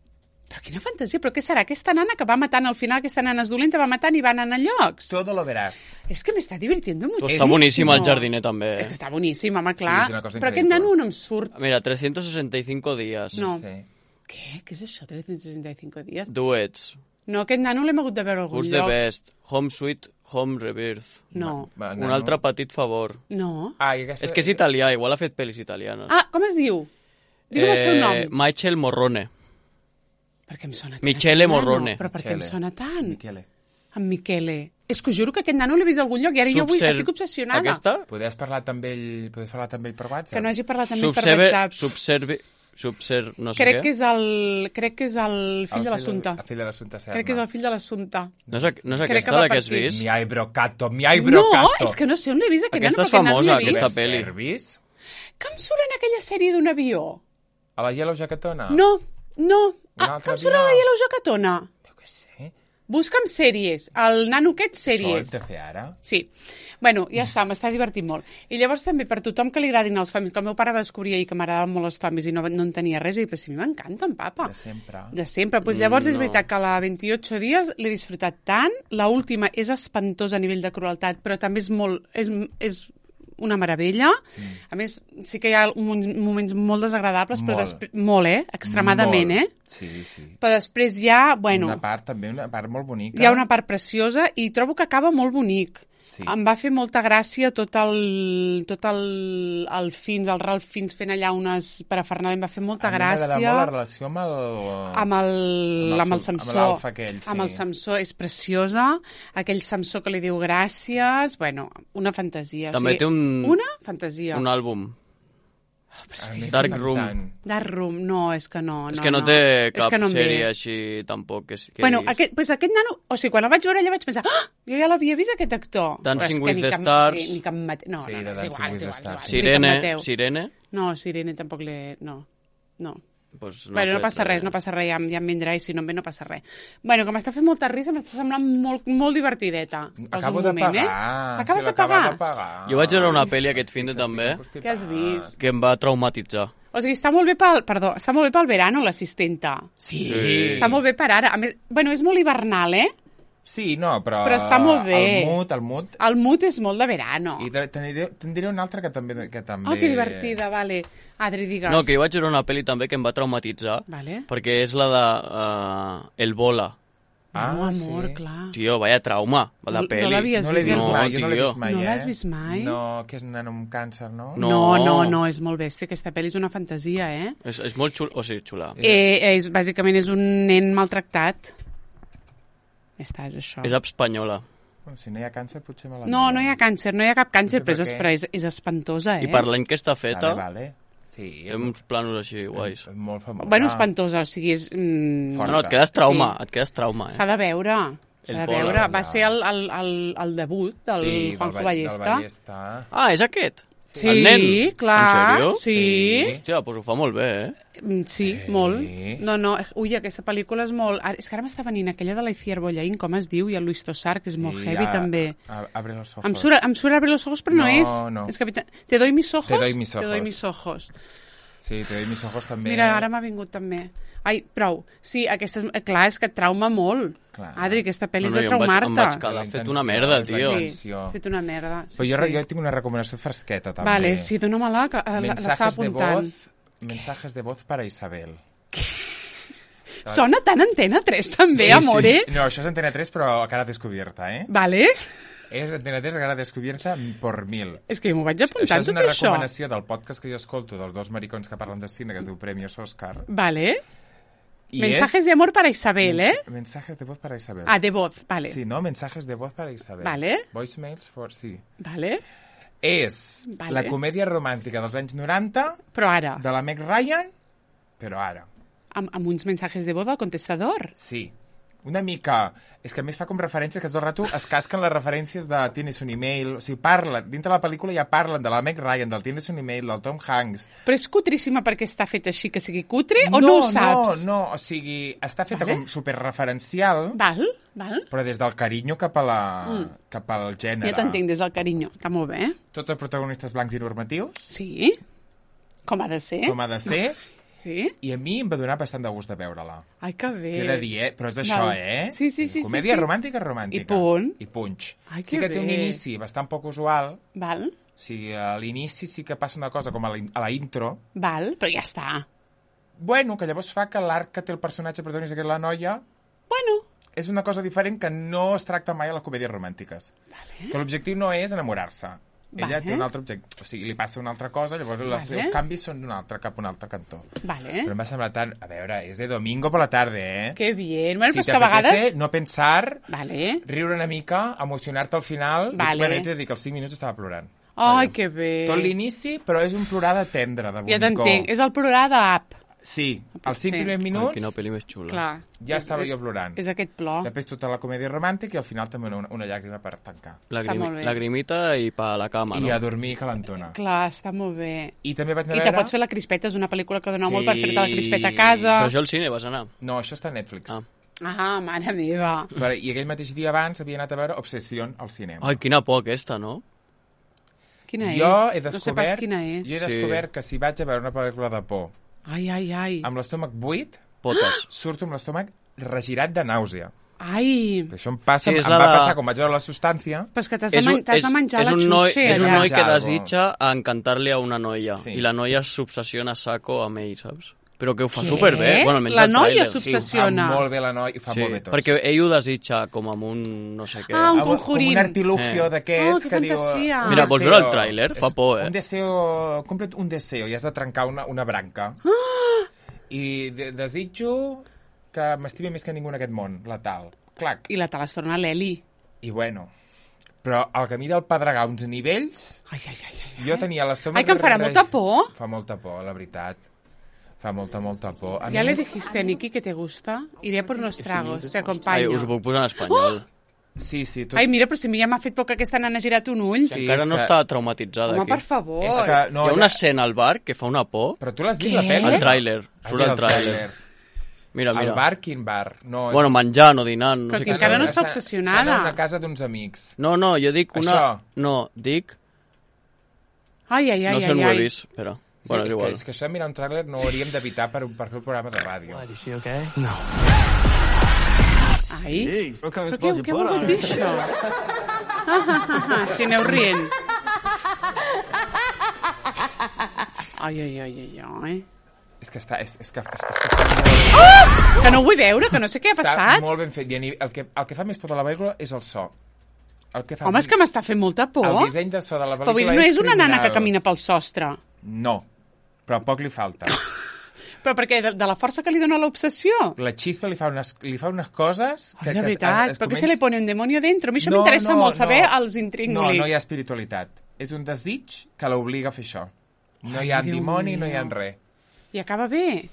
Però quina fantasia, però què serà? Aquesta nana que va matant al final, aquesta nana és dolenta, va matant i van anar a llocs. Todo lo verás. És que m'està divirtiendo Pues muchísimo. està boníssim el jardiner també, És que eh? està boníssim, home, clar. és una cosa però aquest increïble. nano no em surt. Mira, trescientos sesenta y cinco días. No. Sí. Què? Què és això, trescientos sesenta y cinco dies? Duets. No, aquest nano l'hem hagut de veure a algun Who's the lloc. best? Home Sweet Home Rebirth. No, Va, Un nano. altre petit favor. no. Ah, i aquesta... És que és italià, igual ha fet pel·lis italianes. Ah, com es diu? Digue'm el seu nom. Michael Morrone. Per què em sona tant? Michele aquest nano? Morrone. Però per què em Michele. sona tant? Michele. En Michele. És que us juro que aquest nano l'he vist a algun lloc i ara jo vull, Subser- estic obsessionada. Aquesta? Podries parlar també ell, podries parlar també ell per WhatsApp? Que no hagi parlat amb ell per Subserve, WhatsApp. subservi, subser, no sé Crec què. que és el, crec que és el fill El de l'assumpte. El fill de l'assumpte Serna. Crec que és el fill de l'assumpte. No és, a- no és Crec aquesta que va la per que has aquí. vist? Mi hay brocato, mi hay No, brocato. és que no sé on l'he vist, aquest Aquesta nano, és perquè aquest nano famosa, l'he vist. aquesta pel·li. Servis? Que em surt en aquella sèrie d'un avió? A la Yellow Jacketona? No, no. Un Ah, altre que em surt a la avió? Yellow Jacketona? Jo què sé. Busca'm sèries. El nano aquest, Això hem sèries. de fer ara? Sí. Bueno, ja està, m'està divertint molt. I llavors també per tothom que li agradin els zombies, que el meu pare va descobrir ahir que m'agradaven molt els zombies i no, no en tenia res, i dic, però si a mi m'encanten, papa. De sempre. De sempre. Pues llavors Mm, és no. veritat que la veintiocho dies l'he disfrutat tant. La última és espantosa a nivell de crueltat, però també és molt... És, és una meravella. Mm. A més, sí que hi ha uns moments molt desagradables, però Molt. després... Molt, eh? Extremadament, Molt. eh? Sí, sí. Però després hi ha, bueno, Una part, també, una part molt bonica. hi ha una part preciosa i trobo que acaba molt bonic. Sí. Em va fer molta gràcia tot el, tot el, el Fins, el Ralph Fins fent allà unes parafernades, em va fer molta A mi m'agrada gràcia. molt la relació amb el... Amb el, Amb el amb el Sam- amb Samsó. l'Alfa aquell, sí. Amb el Samsó, és preciosa. Aquell Samsó que li diu gràcies. Bueno, una fantasia. També té un- Una fantasia. Un àlbum. A mi Dark m'encanta. Room. Dark Room, no, és que no. és no, que no, no. té És cap que no em ve. sèrie així tampoc. Que, és- que Bueno, diguis. aquest, pues aquest nano... O sigui, quan el vaig veure allà vaig pensar ah, jo ja l'havia vist, aquest actor. Dancing Però és que with ni the cap- Stars. Sí, ni cap mate... No, Sí, no, de no, és Dancing igual, with és the igual, és igual. Stars. Ni cap Sirene, Mateu. Sirene, No, Sirene tampoc l'he... No, no. pues No bueno, no fet passa res, no passa res, ja, em- ja em vindrà i si no em ve no passa res. Bueno, que m'està fent molta risa, m'està semblant molt, molt divertideta. Posa Acabo un de moment, pagar. Eh? Acabes Sí, de l'acaba pagar? de pagar. Jo vaig veure una pel·li aquest fin de també Què has vist? que em va traumatitzar. O sigui, està molt bé pel, perdó, està molt bé pel verano, l'assistenta. Sí. Sí. Està molt bé per ara. A més, bueno, és molt hivernal, eh? Sí, no, però... Però està molt bé. El mood, el mood... El mood és molt de verano. I te- te'n diré, te'n diré una altra que també... Que també... Oh, que divertida, vale. Adri, digues. No, que jo vaig veure una pel·li també que em va traumatitzar, Vale. perquè és la de uh, El Bola. Ah, no, amor, sí. clar. Tio, vaya trauma, la No- pel·li. no l'havies No l'he vist, vist no, mai, jo no l'he tio. vist mai, No eh? l'has vist mai? No, que és un nen amb càncer, no? No. No, no, no, és molt bèstia. Aquesta pel·li és una fantasia, eh? És, és molt xula, o sigui, xula. eh és, bàsicament és un nen maltractat. Ja està, és això. Ah. És espanyola. Bueno, si no hi ha càncer, potser me la No, miro. no hi ha càncer, no hi ha cap càncer, No sé però per és, què. però és, és espantosa, eh? I per l'any que està feta, Vale, vale. Sí. té uns planos així guais. És molt famosa. Bueno, espantosa, o sigui, és... Mm, Fort. No, no, et quedes trauma, Sí. et quedes trauma, eh? S'ha de veure, s'ha El de Bola, veure. Va ja. ser el, el, el, el debut del sí, Juanjo del, Ballesta. Del Ballesta. Ah, és aquest? Sí, El nen? clar. En sèrio? Sí. Sí. Hòstia, doncs ho fa molt bé, eh? Mm, Sí, Sí. molt. No, no, ui, aquesta pel·lícula és molt... Ara- És que ara m'està venint aquella de la Iciar Bollaín, com es diu, i el Luis Tossar, que és molt Sí, heavy, a- també. a- Abre los ojos. Em surt, em surt Abre los ojos, però no, No, és. no. És capità... Te doy mis ojos? Te doy mis Te doy ojos. mis ojos. Sí, te doy mis ojos també. Mira, ara m'ha vingut també. Ai, prou. Sí, aquesta és... Clar, és que et trauma molt. Clar. Adri, aquesta pel·li No, no, és de jo em vaig- em vaig traumar-te. quedar La fet una intenció, merda, la tio. intenció. Sí, Atenció. fet una merda. Sí, Però jo, sí. jo tinc una recomanació fresqueta, també. Vale, sí, dóna-me-la, que eh, l'estava Mensajes de apuntant. voz, mensajes de voz para Isabel. Sona tan Antena tres, també, amore. No, això és Antena tres, però a cara descobierta, eh? Vale? És Antena tres a cara descobierta por mil. És que m'ho vaig Això apuntar, és tot una això. recomanació del podcast que jo escolto dels dos maricons que parlen de cine, que es diu Premios Oscar. Vale. I Mensajes és... de amor para Isabel, eh? Mens- Mensajes de voz para Isabel. Ah, de voz, vale. Sí, no? Mensajes de voz para Isabel. Vale. Voicemails for... Sí. Vale. És Vale. la comèdia romàntica dels anys noranta Però ara, de la Meg Ryan, però ara. amb, amb uns mensajes de voz al contestador. Sí. Una mica... És que a més fa com referències que tot el rato es casquen les referències de Tienes un email... O sigui, parlen, dintre la pel·lícula ja parlen de la Meg Ryan, del Tienes un email, del Tom Hanks... Però és cutríssima perquè està fet així, que sigui cutre, o no ho saps? No, no, o sigui, està feta Vale. com superreferencial, Val, val. però des del carinyo cap, a la, mm. cap al gènere. Ja t'entenc des del carinyo. Està molt bé. Tots els protagonistes blancs i normatius, Sí. Com ha de ser. com ha de ser, Sí. i a mi em va donar bastant de gust de veure-la. Ai, que bé. T'he de dir, eh? Però és això, Val. eh? Sí, sí, sí, Comèdia sí, sí. romàntica, romàntica. I punt. I punx. Ai, sí que que té un bé. inici bastant poc usual. Val, O sigui, a l'inici sí que passa una cosa com a la, a la intro. val, però ja està. Bueno, que llavors fa que l'arc que té el personatge protagonista, que és la noia, Bueno, és una cosa diferent que no es tracta mai a les comèdies romàntiques. vale. Que l'objectiu no és enamorar-se. Ella Vale. té un altre objectiu. O sigui, li passa una altra cosa, llavors els Vale. seus canvis són d'un altre, cap a un altre cantó. Vale. Però em va semblar tant... A veure, és de domingo per la tarda, eh? Que bien. Bueno, si però és que a vegades... t'apetece no pensar, Vale. riure una mica, emocionar-te al final... Vale. I, bueno, t'he de dir que als cinc minuts estava plorant. Ai, Vaja. que bé. Tot l'inici, però és un plorar de tendre, de Ja bonicó. t'entenc. És el plorar d'app. Sí, als cinc Sí. primers Ai, minuts quina pel·li més xula. Clar. ja estava jo plorant. És aquest plor. Després tota la comèdia romàntica i al final també una, una llàgrima per tancar. Està molt bé. Lagrimita i pa a la cama, I no? a dormir calentona. Clar, està molt bé. I també vaig I anar a te veure... pots fer la crispeta, és una pel·lícula que dona Sí. molt per fer-te la crispeta a casa. Però això al cine vas anar. No, això està a Netflix. Ah. Ah, mare meva. Però, I aquell mateix dia abans havia anat a veure Obsessió al cinema. Ai, quina por aquesta, no? Quina jo és? he descobert, No sé pas quina és. Jo he Sí. descobert que si vaig a veure una pel·lícula de por Ai, ai, ai. amb l'estómac buit, Potes. surto amb l'estómac regirat de nàusea. Ai. Això em passa, Sí, és em la va de- passar quan vaig veure la substància. Però és que t'has de, És un- man t'has de és- menjar és la un noi, xutxa, És un allà. noi que Menjar desitja encantar-li a una noia Sí. i la noia s'obsessiona a saco amb ell, saps? Però que ho fa Què? superbé. Bueno, almenys La el noia tràiler. s'obs- Sí, ho fa Obsessiona. molt bé la noia i fa Sí, molt bé tot. perquè ell ho desitja com amb un no sé què. Ah, un Com- conjurín. Com un artilugio Eh. d'aquests Oh, que que diu... fantasia. un Mira, vols veure el deseo. tràiler? Fa És por, eh? Un deseo... Complet un deseo i has de trencar una, una branca. Ah! I de desitjo que m'estimi més que ningú en aquest món, la tal. Clac. I la te les torna l'Eli. I bueno... Però al camí del Pedregar, a uns nivells, Ai, ai, ai, ai. jo tenia l'estómac... Ai, que em farà re- molta por. Fa molta por, la veritat. Fa molta, molta por. A Ya le més- dijiste a Niki que te gusta. Iré por unos tragos, te Ai, acompaño. us ho puc posar en espanyol. Sí, sí. Tot... Ai, mira, però si ja m'ha fet por que aquesta nana ha girat un ull. Sí, Encara és no que- està traumatitzada Home, aquí. per favor. És que no, Hi ha una ja- escena al bar que fa una por. Però tu l'has vist, Què? la pel·li? El tràiler. Has Surt vist el tràiler. Mira, Al mira. bar, quin bar? No, és- Bueno, menjant o dinant. No Però sé que què. encara no Està- està obsessionada. Està en una casa d'uns amics. No, no, jo dic una... Això. No, dic... Ai, ai, ai, no sé ai, on ho he ai. vist. Espera. Sí, Bueno, és, és que, igual. és que això, mirar un tràiler, no ho hauríem d'evitar per, per fer el programa de ràdio. What, is she okay? No. Ai, Però que però què, què vol dir això? Ah, ah, ah, ah, si aneu rient. Ai, ai, ai, ai, ai. És que està... És, és que, és, és que està molt, Oh! Que no ho vull veure, que no sé què ha està passat. molt ben fet. I a ni- el, que, el que fa més por de la pel·lícula és el so. El que fa Home, és que m'està fent molta por. El disseny de so de la Però vull dir, pel·lícula no és és una nana que criminal. camina pel sostre. No, però poc li falta. Però perquè de, de la força que li dona l'obsessió. L'hechizo li, fa unes, li fa unes coses... Ai, de veritat, es però que comença- se li pone un demonio dentro. A mi això No, m'interessa no, molt saber no. els intríngulis. No, no hi ha espiritualitat. És un desig que l'obliga a fer això. No Ai, hi ha Déu dimoni, no hi ha meu. res. I acaba bé?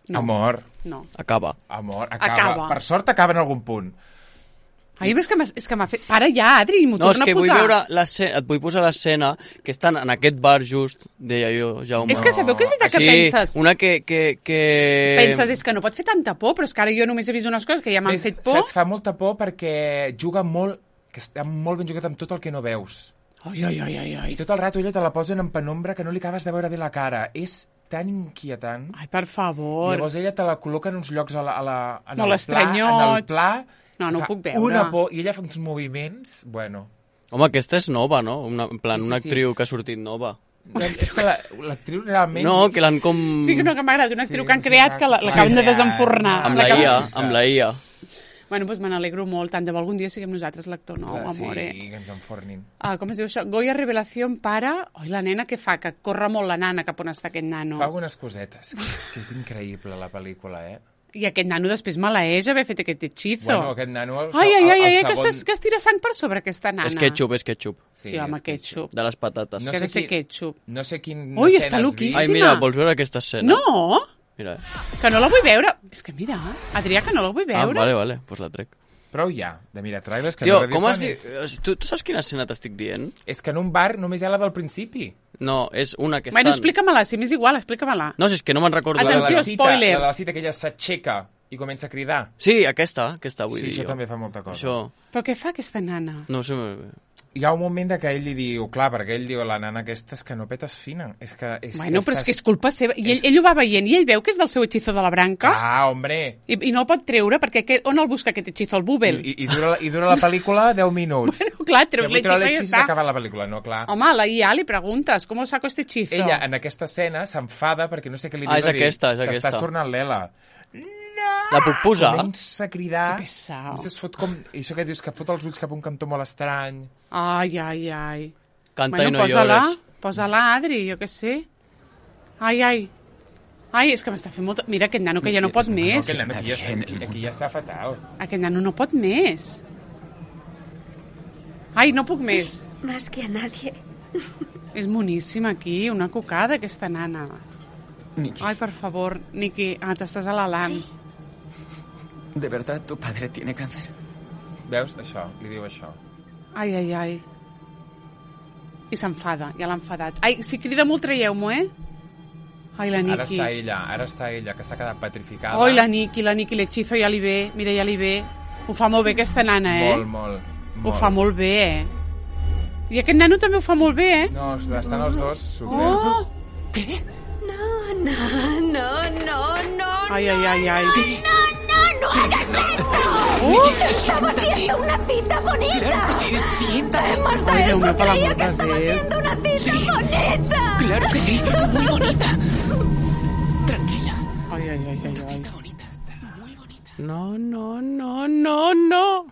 No. Amor, No. Acaba. amor, acaba. Acaba. Per sort acaba en algun punt. Ai, és que m'ha és que m'ha fet... Para ja, Adri, m'ho No, és torna que a vull posar. veure l'escena, et vull posar l'escena que estan en aquest bar just, deia jo, Jaume. És que sabeu que és veritat que sí, penses... una que... que, que... Penses, és que no pot fer tanta por, però és que ara jo només he vist unes coses que ja m'han Ves, fet por. Saps, fa molta por perquè juga molt... que està molt ben jugat amb tot el que no veus. Ai, ai, ai, ai, ai. I tot el rato ella te la posen en penombra que no li acabes de veure bé la cara. És tan inquietant. Ai, per favor. Llavors ella te la col·loca en uns llocs a la, a la, en, Molt el pla, en el estranyots. pla. No, no ho fa puc veure. Una por, i ella fa uns moviments, bueno... Home, aquesta és nova, no? Una, en plan, Sí, sí, una sí. actriu que ha sortit nova. És que la- l'actriu realment... No, que l'han com... Sí que no, que m'agrada, una actriu Sí, que han sí, creat sí, que la- sí, l'acaben de sí, desenfornar. Amb la la L'acaben- I A, amb la I A. Bueno, doncs me n'alegro molt, tant de bo algun dia siguem nosaltres l'actor nou, Ah, sí, amore. que ens enfornin. Ah, com es diu això? Goya Revelación para... Oi, la nena que fa? Que corre molt la nana cap on està aquest nano. Fa algunes cosetes, que és, que és increïble la pel·lícula, eh? I aquest nano després maleeix haver fet aquest hechizo. Bueno, aquest nano... El, Ai, ai, ai, el, ai, el que, segon... es, que es tira sang per sobre aquesta nana. És ketchup, és ketchup. Sí, home, és ketchup. De les patates. No que ha de sé ser qui- ketchup. No sé quin Ui, escena està has loquíssima. vist. Ai, mira, vols veure aquesta escena? No, Mira. que no la vull veure. És que mira, Adrià, que no la vull Ah, veure. vale, vale, doncs la trec. Prou ja, de mirar trailers que Tio, no com has redifen. dit... Tu, tu saps quina escena t'estic dient? És que en un bar només hi ha la del principi. No, és una que Bueno, estan... explica-me-la, si m'és igual, explica-me-la. No, si és que no me'n recordo. La de Atenció, la cita, spoiler. La de la cita que ella s'aixeca i comença a cridar. Sí, aquesta, aquesta vull Sí, dir això jo. també fa molta cosa. Això... Però què fa aquesta nana? No sé... Hi ha un moment de que ell li diu, clar, perquè ell diu a la nana aquesta és que no petes fina. És que, és Bueno, que però és estàs- que és culpa seva. I ell, és- ell ho va veient i ell veu que és del seu hechizo de la branca Ah, hombre! i, i no el pot treure perquè aquest, on el busca aquest hechizo? El I, Bubel? i, i, dura, I dura la pel·lícula deu minuts. Bueno, clar, treus Que vull treure l'hechizo i ja l'hechizo i està. s'acaba la pel·lícula, no, clar. Home, a la I A li preguntes, com saco este hechizo? Ella, en aquesta escena, s'enfada perquè no sé què li Ah, diu. és va dir, aquesta, és aquesta. T'estàs tornant l'Ela. La puc posar? Comença a cridar. Que pesau. I es fot com... I això que dius, que fot els ulls cap a un cantó molt estrany. Ai, ai, ai. Canta bueno, i no posa-la, llores. posa-la, Adri, jo què sé. Ai, ai. Ai, és que m'està fent molt... Mira, aquest nano que ja no pot No, més. que el nen aquí, ja, aquí, aquí ja està fatal. Aquest nano no pot més. Ai, no puc més. Más que a nadie. És moníssima aquí, una cocada, aquesta nana. Nikki, Ai, per favor, Niki, ah, t'estàs alaltant. Sí. ¿de verdad tu padre tiene cáncer? Veus? Això, li diu això. Ai, ai, ai. I s'enfada, ja l'ha enfadat. Ai, si crida molt, traieu-m'ho, eh? Ai, la Ara Niki. està ella, ara està ella, que s'ha quedat petrificada. Ai, la Niki, la Niki, l'hechizo ja li ve. Mira, ja li ve. Ho fa molt bé, aquesta nana, eh? Molt, molt, molt. Ho fa molt bé, eh? I aquest nano també ho fa molt bé, eh? No, estan els dos super. Oh! No, no, no, no, no. Ai, ai, ai, ai. No, no, no hagas eso. Uh! Estaba haciendo una cita bonita. Claro que sí, siéntate. Además Ay, de Dios eso, mío, por el creía amor que de estaba Dios. haciendo una cita bonita. Claro que sí, muy bonita. Tranquila, Ai, ai, ai, ai, ai. está bonita, muy bonita. No, no, no, no, no.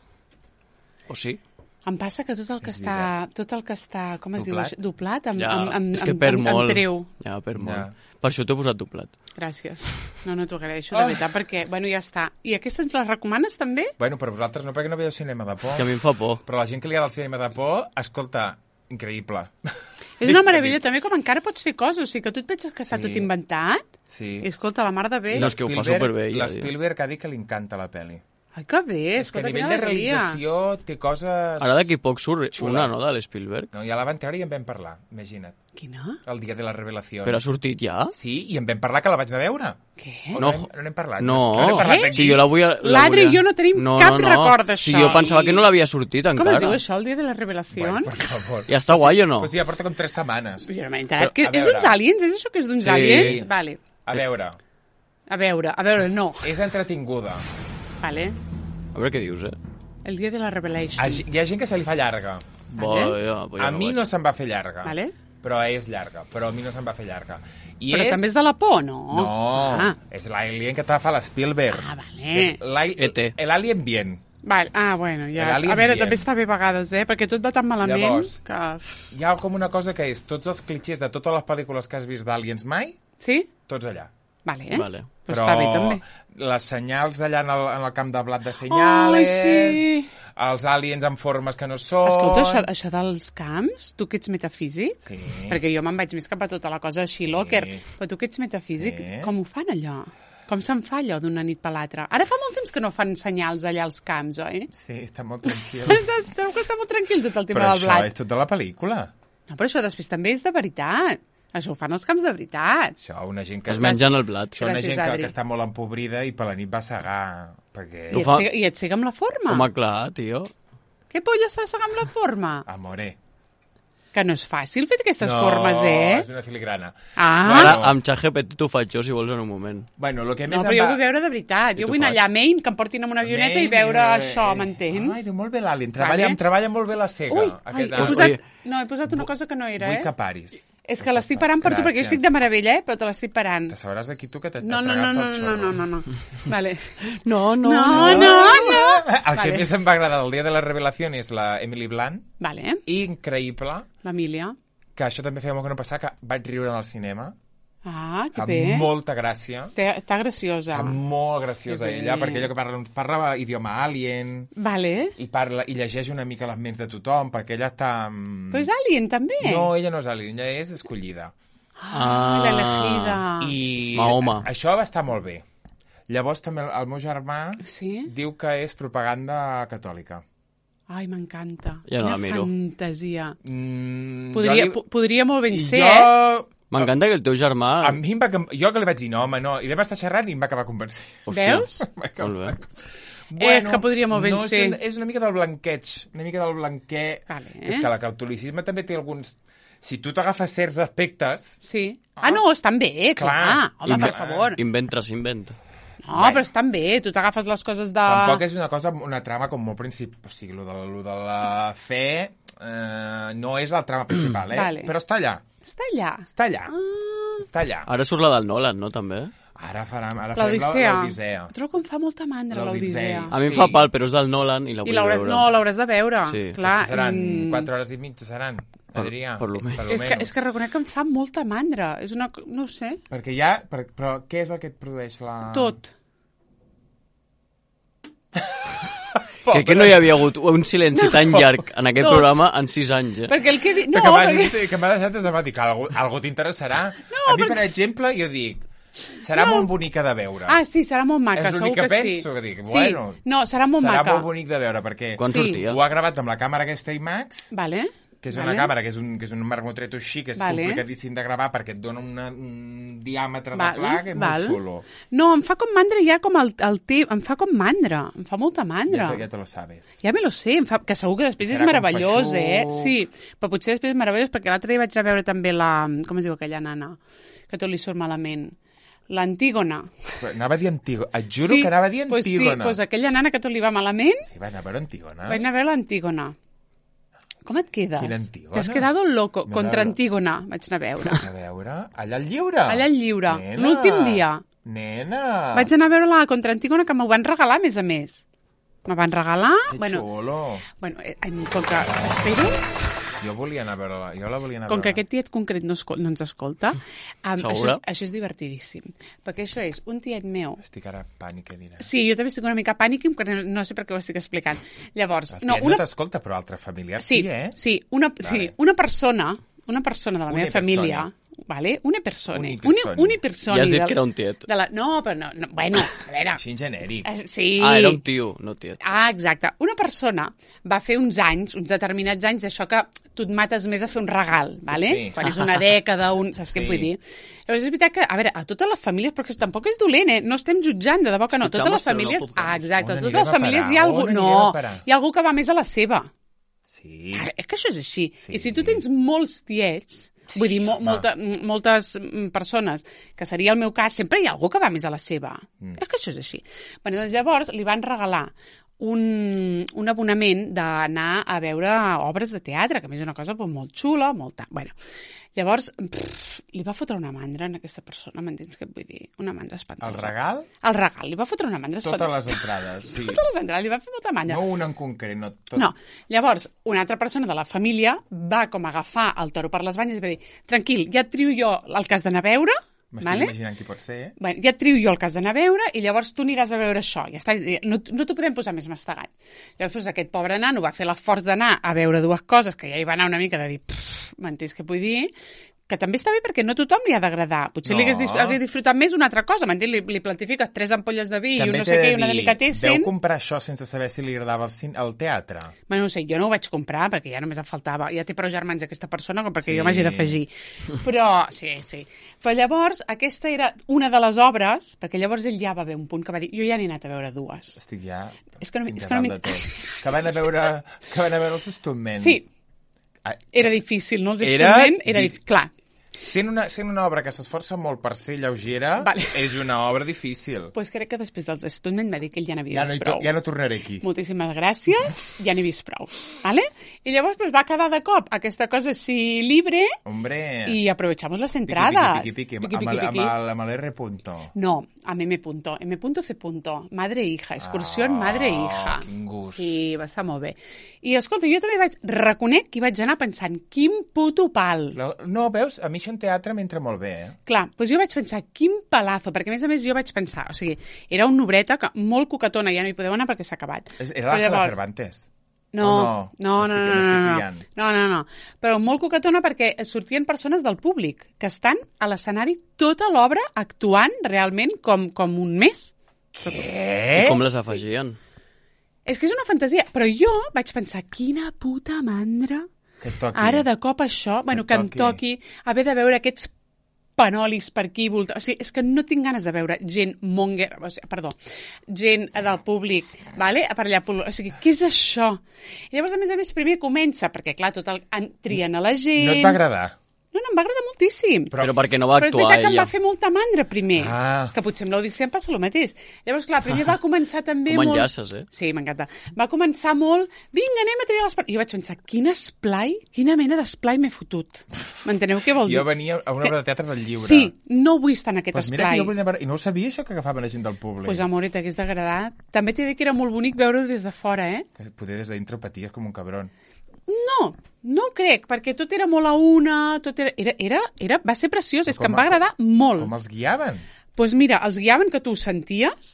O sí? Em passa que tot el que És està... Tot el que està... Com es diu? Doblat? això? Doblat? Em, Ja, em, em, és que em, perd em, molt. em treu. Ja, perd molt. Ja. Per això t'he posat doblat. Gràcies. No, no t'ho agraeixo, de veritat, perquè, bueno, ja està. I aquestes les recomanes, també? Bueno, però vosaltres no, perquè no veieu cinema de por. Que a mi em fa por. Però la gent que li agrada el cinema de por, escolta, increïble. És una meravella, també, com encara pots fer coses. O sigui, que tu et penses que està Sí. tot inventat. Sí. I, escolta, la mar de bé. No, és que ho fa Spielberg- superbé, ja, L'Spielberg ha dit que li encanta la pel·li. Ai, que bé. És que a escolta, nivell quina de alegria. realització té coses... Ara d'aquí poc surt Xules. una, no, de l'Spielberg? No, ja la van treure i en vam parlar, imagina't. Quina? El dia de la revelació. Però ha sortit ja? Sí, i en vam parlar que la vaig anar a veure. Què? O No. No, hem- no n'hem parlat. No, no n'hem parlat Eh? aquí. si jo la vull... la L'Adri volia- i jo no tenim cap record d'això. Si jo pensava que no l'havia sortit Com encara. es diu això, el dia de la revelació? Bueno, per favor. Ja està guai o no? Pues sí, ja porta com tres setmanes. Jo no m'he enterat. Però, Que a és veure. d'uns aliens? És això que és d'uns Sí. aliens? Vale. A veure, A veure, a veure, no. és entretinguda. Vale. A veure què dius, eh? El dia de la Revelation. A- Hi ha gent que se li fa llarga. Bo, Vale. ja, bo, ja A mi veig. no se'm va fer llarga. Vale. Però és llarga. Però a mi no se'm va fer llarga. I Però és... també és de la por, no? No, Ah, és l'alien que te fa l'Spielberg. Ah, vale. Que és l'ali- E T. L'Alien bien. vale. ah bueno, ja. L'Alien A veure, bien. també està bé a vegades, eh? Perquè tot va tan malament Llavors, que... Hi ha com una cosa que és tots els clitxers de totes les pel·lícules que has vist d'Aliens mai, Sí? tots allà. Vale, eh? Vale. Però està bé, també. les senyals allà en el, en el camp de blat de Ai, senyales, sí! els aliens en formes que no són... Escolta, això, això dels camps, tu que ets metafísic, Sí. perquè jo me'n vaig més cap a tota la cosa així, locker, però tu que ets metafísic, Sí. com ho fan allò? Com se'n fa allò d'una nit per l'altra? Ara fa molt temps que no fan senyals allà als camps, oi? Sí, està molt tranquil. Sabeu que està molt tranquil tot el tema Però del això blat. és tot de la pel·lícula. No, però això després també és de veritat. Això ho fan els camps de veritat. Això, una gent que... Es mengen el blat. Això, una Gràcies, gent que, Adri. que està molt empobrida i per la nit va segar, perquè... I Ho et, fa- cega, I et cega amb la forma. Home, clar, tio. Què polla està cega amb la forma? Amore. Que no és fàcil fer aquestes no, formes, eh? és una filigrana. Ah, Ara, Bueno. amb ChatGPT t'ho faig jo, si vols, en un moment. Bueno, el que més no, em però jo va... vull veure de veritat. I Jo tu vull anar faig. allà a Maine, que em portin amb una avioneta i veure eh, això, Ai, m'entens? diu, molt bé l'Alien. Treballa, Vale. em treballa molt bé la cega. Ui, ai, aquest he Alien. posat... Ui. No, he posat una cosa que no era, Vull eh? que paris. És que l'estic parant per tu, perquè jo estic de meravella, eh? Però te l'estic parant. Te sabràs d'aquí tu que t'ha No, no, no, tragat no, el no, xorro. no, no, no. Vale. No, no, No, no, no. El que Vale. més em va agradar del dia de la revelació és la Emily Blunt. Vale, Increïble. l'Emília. Que això també feia molt que no passava, que vaig riure en el cinema. Ah, que Amb bé. molta gràcia. Té- Està graciosa. Està molt graciosa Que bé. ella, perquè ella que parla, parla idioma alien Vale. i, parla, i llegeix una mica les ments de tothom, perquè ella està... mm, Però és Alien, també. No, ella no és alien, ella és escollida. Ah, l'elegida. I Mahoma. això va estar molt bé. Llavors també el, el meu germà Sí? diu que és propaganda catòlica. Ai, m'encanta. Ja no la Quina miro. fantasia. Mm, Podria, jo po- podria molt ben I ser, eh? jo... M'encanta que el teu germà... A mi em va... Jo que li vaig dir, no, home, no. I vam estar xerrant i em va acabar convencent. Veus? Molt bé. Eh, que podria molt ben no, ser. És, és una mica del blanqueig, una mica del blanquer. Vale. Que és que el catolicisme també té alguns... Si tu t'agafes certs aspectes... Sí. Ah, no, estan bé, clar. Clar. Home, Inve- per favor. Inventa, s'inventa. No, Bueno. però estan bé. Tu t'agafes les coses de... Tampoc és una cosa, una trama com molt principal. O sigui, lo de, lo de la fe eh, no és la trama principal, eh? Vale. Però està allà. Està allà. Està allà. Ah, Està allà. Ara surt la del Nolan, no, també? Ara farem, ara farem la- L'Odissea. l'Odissea. Trobo que em fa molta mandra, L'Odissea. l'Odissea. A mi em Sí. fa pal, però és del Nolan i la I vull l'hauràs... veure. No, l'hauràs de veure. Sí. Clar. Seran mm, quatre hores i mitja, seran, Adrià. per lo menys. lo És que, menys. és que reconec que em fa molta mandra. És una... co- No ho sé. Perquè hi ha... Per, però què és el que et produeix la... Tot. Crec que no hi havia hagut un silenci tan llarg en aquest Tot. programa en sis anys, eh? Perquè el que... vi- No, No, que m'has perquè... dit, que m'ha deixat desempati, que algú, algú t'interessarà. No, a mi, perquè- per exemple, jo dic, serà No. molt bonica de veure. Ah, sí, serà molt maca, És segur l'únic que que, penso, sí. que dic, sí. bueno, No, serà molt serà maca. molt bonic de veure, perquè Quan Sí. sortia? ho ha gravat amb la càmera aquesta IMAX, Vale. que és una vale. càmera, que és un, que és un marmotret així, que és Vale. complicadíssim de gravar perquè et dona una, un diàmetre de Vale, pla que és val. molt xulo. No, em fa com mandra ja com el, el té, em fa com mandra, em fa molta mandra. Ja, te- ja te lo sabes. Ja me lo sé, em fa, que segur que després és Serà com meravellós, feixuc. eh? Sí, però potser després és meravellós, perquè l'altre dia vaig anar a veure també la... Com es diu aquella nana? Que tot li surt malament. L'Antígona. Però anava a dir Antígona. Et juro sí, que anava a dir pues sí, Antígona. pues aquella nana que tot li va malament, Sí, va anar a veure Antígona. vaig anar a veure l'Antígona. Com et quedes? Quina Antígona? T'has quedado loco. Me Contra la- Antígona vaig anar a veure. A veure, allà al lliure. Allà al lliure, Nena. l'últim dia. Nena. Vaig anar a veure la Contra Antígona, que m'ho van regalar, a més a més. Me van regalar... Que bueno, xulo. bueno, eh, em- com que... Espero... Jo volia anar a veure-la. Jo la volia anar a Com que veure. aquest tiet concret no, escol no ens escolta, um, això, Segura? és, això és divertidíssim. Perquè això és un tiet meu... Estic ara en pànic, què dirà. Sí, jo també estic una mica pànic, perquè no sé per què ho estic explicant. Llavors, El no, tiet una... no t'escolta, però altre familiar Sí, sí, eh? sí, una, sí, Vale. una persona, una persona de la Una meva persona. família, vale? Una persona. Unipersona. Una, unipersona. Ja has dit de- que era un tiet. De la... No, però no, no, bueno, a veure... Així en genèric. eh, Sí. Ah, era un tio, no tiet. Ah, exacte. Una persona va fer uns anys, uns determinats anys, d'això que tu et mates més a fer un regal, vale? Sí. Quan és una dècada, un... saps què Sí. em vull dir? Llavors és veritat que, a veure, a totes les famílies, perquè tampoc és dolent, eh? No estem jutjant, de debò que no. Escuchamos, Totes les però no famílies... juzgamos. Ah, exacte. On Totes anirem les a famílies parar? hi ha algú... On anirem No, a parar? hi ha algú que va més a la seva. Sí. Ara, és que això és així. Sí. I si tu tens molts tiets, Sí, vull dir, mo home. molta, m- moltes mm, persones, que seria el meu cas, sempre hi ha algú que va més a la seva. Mm. És que això és així. Bueno, doncs llavors li van regalar un, un abonament d'anar a veure obres de teatre, que a més és una cosa pues, molt xula, molt... Ta... Bueno, llavors, pff, li va fotre una mandra en aquesta persona, m'entens què et vull dir? Una mandra espantosa. El regal? El regal, li va fotre una mandra espantosa. Totes les entrades, sí. Totes les entrades, li va fer molta mandra. No una en concret, no tot. No, llavors, una altra persona de la família va com agafar el toro per les banyes i va dir, tranquil, ja et trio jo el que has d'anar a veure. M'estic vale? imaginant qui pot ser, eh? Bueno, ja et trio jo el que has d'anar a veure i llavors tu aniràs a veure això. Ja està, no, no t'ho podem posar més mastegat. Llavors aquest pobre nano va fer l'esforç d'anar a veure dues coses que ja hi va anar una mica de dir, m'entens què vull dir? Que també està bé perquè no tothom li ha d'agradar. Potser No. li hagués, dis- hagués disfrutat més una altra cosa, m'entens? Li, li plantifiques tres ampolles de vi i També un no t'he sé de què, i una dir, delicatessen. Veu comprar això sense saber si li agradava el, cin el teatre? Bueno, no sé, jo no ho vaig comprar perquè ja només em faltava. Ja té prou germans aquesta persona com perquè Sí. jo m'hagi d'afegir. Però, sí, sí. Però llavors, aquesta era una de les obres, perquè llavors ell ja va haver un punt que va dir jo ja n'he anat a veure dues. Estic ja És que no, fins és a que no dalt de tot. Que van a veure, que van a veure els Stuntmen. Sí, Ah, era difícil, no? Els Era Stuntmen era di- difícil. Clar, Sent una, sent una obra que s'esforça molt per ser lleugera, Vale. és una obra difícil. doncs crec que després dels Stuntmen va dir que ell ja n'havia Ja no, hi vist to prou. ja no tornaré aquí. Moltíssimes gràcies, ja n'he vist prou. Vale? I llavors pues, va quedar de cop aquesta cosa així libre Hombre, y aprovechamos las piqui, entradas. piqui, piqui, Piqui, amb, piqui, el, amb, piqui. el, amb el R punto. No, amb M punto. M punto C punto. Madre e hija. Excursió Ah, madre e hija. quin gust. Sí, va estar molt bé. I escolta, jo també vaig... Reconec que hi vaig anar pensant, quin puto pal. La- No, veus? A mi això en teatre m'entra molt bé, eh? Clar, doncs jo vaig pensar, quin palazo, perquè a més a més jo vaig pensar, o sigui, era una obreta que, molt coquetona, ja no hi podeu anar perquè s'ha acabat. És, és Però l'Àngela llavors- Cervantes. No, O no, no, no, no? no, M'estic- no, m'estic no, liant. no, no, no, però molt coquetona perquè sortien persones del públic que estan a l'escenari tota l'obra actuant realment com, com un mes. Què? I com les afegien? És que és una fantasia, però jo vaig pensar, quina puta mandra, Que et toqui. ara de cop això, bueno, que em toqui haver de veure aquests panolis per aquí, volta... o sigui, és que no tinc ganes de veure gent monger, o sigui, perdó, gent del públic, vale? Per allà, o sigui, què és això? I llavors, a més a més, primer comença, perquè clar, tot el... en- trien a la gent... No et va agradar? No, no, em va agradar moltíssim. Però, Però perquè no va Però és actuar veritat que em ella. va fer molta mandra primer, Ah. que potser amb l'Odissea em passa el mateix. Llavors, clar, primer va començar també Com molt... enllaces, eh? Sí, m'encanta. Va començar molt... Vinga, anem a triar l'esplai. I jo vaig pensar, quin esplai, quina mena d'esplai m'he fotut. M'enteneu què vol dir? Jo venia a una obra de teatre del lliure. Sí, no vull estar en aquest Pues mira esplai. que jo venia a veure... I no ho sabia, això, que agafaven la gent del públic. Pues, amor, t'hagués d'agradar. També t'he de dir que era molt bonic veure-ho des de fora, eh? Que poder des de dintre paties com un cabron. No, no ho crec, perquè tot era molt a una, tot era... era, era, era va ser preciós, és que com em va a- agradar molt. Com els guiaven? Doncs pues mira, els guiaven que tu ho senties,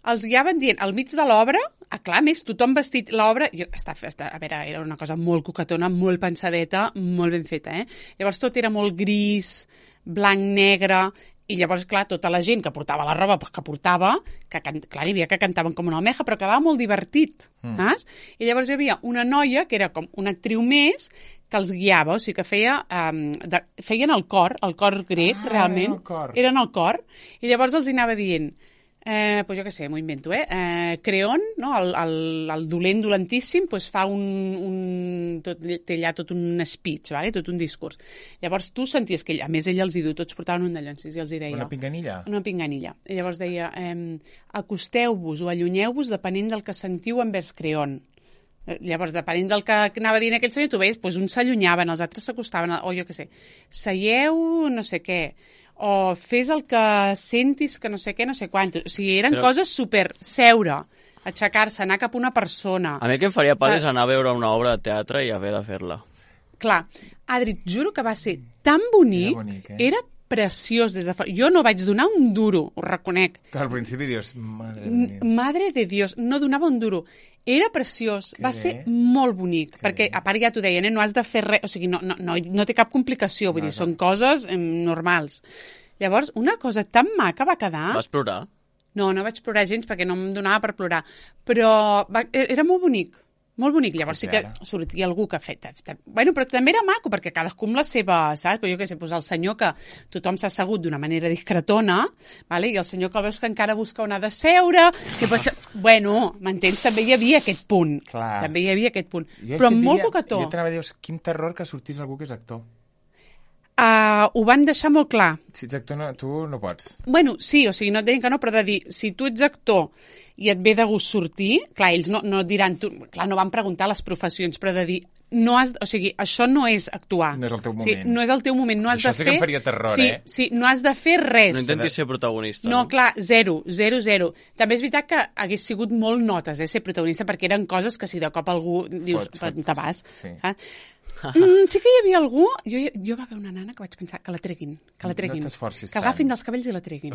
els guiaven dient, al mig de l'obra, ah, clar, a més, tothom vestit l'obra... jo- Està, està, a veure, era una cosa molt coquetona, molt pensadeta, molt ben feta, eh? Llavors tot era molt gris, blanc, negre, i llavors, clar, tota la gent que portava la roba pues, que portava, que can... clar, hi havia que cantaven com una almeja, però quedava molt divertit, mm. saps? I llavors hi havia una noia que era com una actriu més que els guiava, o sigui que feia, um, de... feien el cor, el cor grec, Ah, realment. era el cor. Eren el cor, i llavors els hi anava dient, eh, pues jo què sé, m'ho invento, eh? eh Creon, no? el, el, el dolent dolentíssim, pues fa un, un tot, té allà tot un speech, vale? Tot un discurs. Llavors tu senties que ell, a més ell els hi diu, tots portaven un dallons, i els hi deia... Una pinganilla? Una pinganilla. I llavors deia, eh, acosteu-vos o allunyeu-vos depenent del que sentiu envers Creon. Eh, Llavors, depenent del que anava dient aquell senyor, tu veies, doncs uns s'allunyaven, els altres s'acostaven, o jo què sé, seieu no sé què, o fes el que sentis que no sé què, no sé quant. O sigui, eren Però- coses super... Seure, aixecar-se, anar cap a una persona. A mi el que em faria pal Clar. és anar a veure una obra de teatre i haver de fer-la. Clar, Adri, et juro que va ser tan bonic, Era bonic, eh? era preciós des de fora. Jo no vaig donar un duro, ho reconec. Que al principi dius, madre de N- Déu. Madre de Dios, no donava un duro. Era preciós, Que va bé. ser molt bonic, Que perquè bé. a part ja t'ho deien, eh? No has de fer res, o sigui, no, no, no, no té cap complicació, vull No, dir, no. són coses em, normals. Llavors, una cosa tan maca va quedar... Vas plorar? No, no vaig plorar gens perquè no em donava per plorar, però va, era molt bonic, molt bonic. Llavors sí que ara. sortia algú que ha fet... Bueno, però també era maco, perquè cadascú amb la seva, saps? Però jo què sé, doncs el senyor que tothom s'ha assegut d'una manera discretona, vale? I el senyor que el veus que encara busca on ha de seure, que pot ser... Bueno, m'entens? També hi havia aquest punt. Clar. També hi havia aquest punt. Jo Però és que molt diria- coquetó. Jo t'anava a dir, quin terror que sortís algú que és actor. uh, ho van deixar molt clar. Si ets actor, no, tu no pots. Bueno, sí, o sigui, no et deien que no, però de dir, si tu ets actor i et ve de gust sortir, clar, ells no, no et diran, tu, clar, no van preguntar les professions, però de dir, no has, o sigui, això no és actuar. No és el teu moment. Sí, no és el teu moment, no has Això de sí fer... que em faria terror, sí, eh? Sí, no has de fer res. No intentis ser protagonista. No, clar, zero, zero, zero. També és veritat que hagués sigut molt notes, eh, ser protagonista, perquè eren coses que si de cop algú dius, Fot, fot, te vas, sí. saps? mm, sí que hi havia algú... Jo, jo va haver una nana que vaig pensar que la treguin, que la treguin. No t'esforcis que l'agafin tant. dels cabells i la treguin.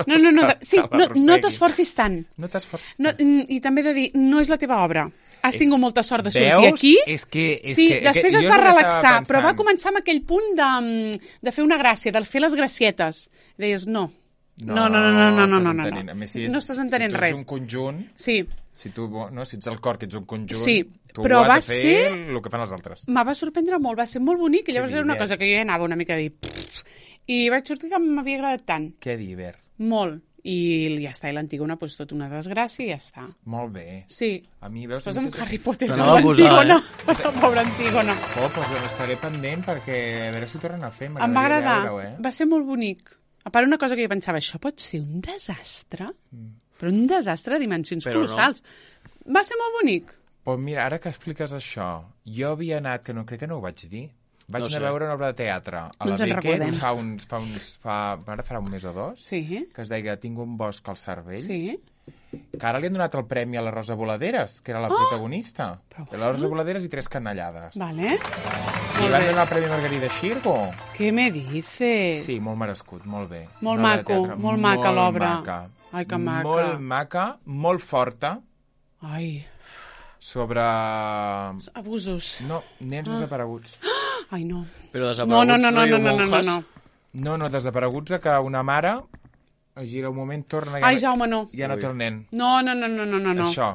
No, no, no, de, sí, no, no t'esforcis tant. No t'esforcis No, tant. I també de dir, no és la teva obra. Has És- tingut molta sort de sortir Veus? aquí. És que- és sí, que- després que es jo va no l'estava relaxar, però va pensant. començar amb aquell punt de, mm, de fer una gràcia, de fer les gracietes. Deies, no. No, no, no, no, no, no, no, no. estàs entenent. A més, si és- No estàs entenent si tu res. ets un conjunt, Sí, si tu, no, si ets el cor, que ets un conjunt, Sí, tu però has va de fer ser- el que fan els altres. me va sorprendre molt, va ser molt bonic, i llavors era una divert. cosa que jo ja anava una mica a dir... "Pff", i vaig sortir que m'havia agradat tant, Què divert. molt. I ja està, i l'Antígona, doncs tot una desgràcia i ja està. Molt bé. Sí, A mi, veus... posa'm Harry Potter, Però la no va posar, Antígona, eh? la pobra Antígona. Oh, doncs estaré pendent perquè a veure si ho tornen a fer. Em va M'agradaria agradar, veure-ho, eh? va ser molt bonic. A part, una cosa que jo pensava, això pot ser un desastre? Però un desastre de dimensions Però no. colossals. Va ser molt bonic. Pues mira, ara que expliques això, jo havia anat, que no crec que no ho vaig dir, vaig No anar sé. a veure una obra de teatre a No la ens en Beckett recordem. fa uns, fa uns, fa, ara farà un mes o dos, Sí, que es deia Tinc un bosc al cervell, sí. que ara li han donat el premi a la Rosa Voladeres, que era la protagonista. Però De la Rosa Voladeres i tres canallades. Vale. I Molt van bé. donar el premi a Margarida Xirgo. Què me dices? Sí, molt merescut, molt bé. Molt Una obra de maco, teatre molt maca l'obra. maca. Ai, que maca. Molt maca, molt forta, Ai, sobre... abusos. No, nens desapareguts. Ai, no. Però No, desapareguts no, no, no, rotllo no, no, no, monjas. no. No, no, desapareguts a que una mare es gira un moment, torna... Ai, Jaume, no. Ja no té el nen. No, no, no, no, no, no. no. Això.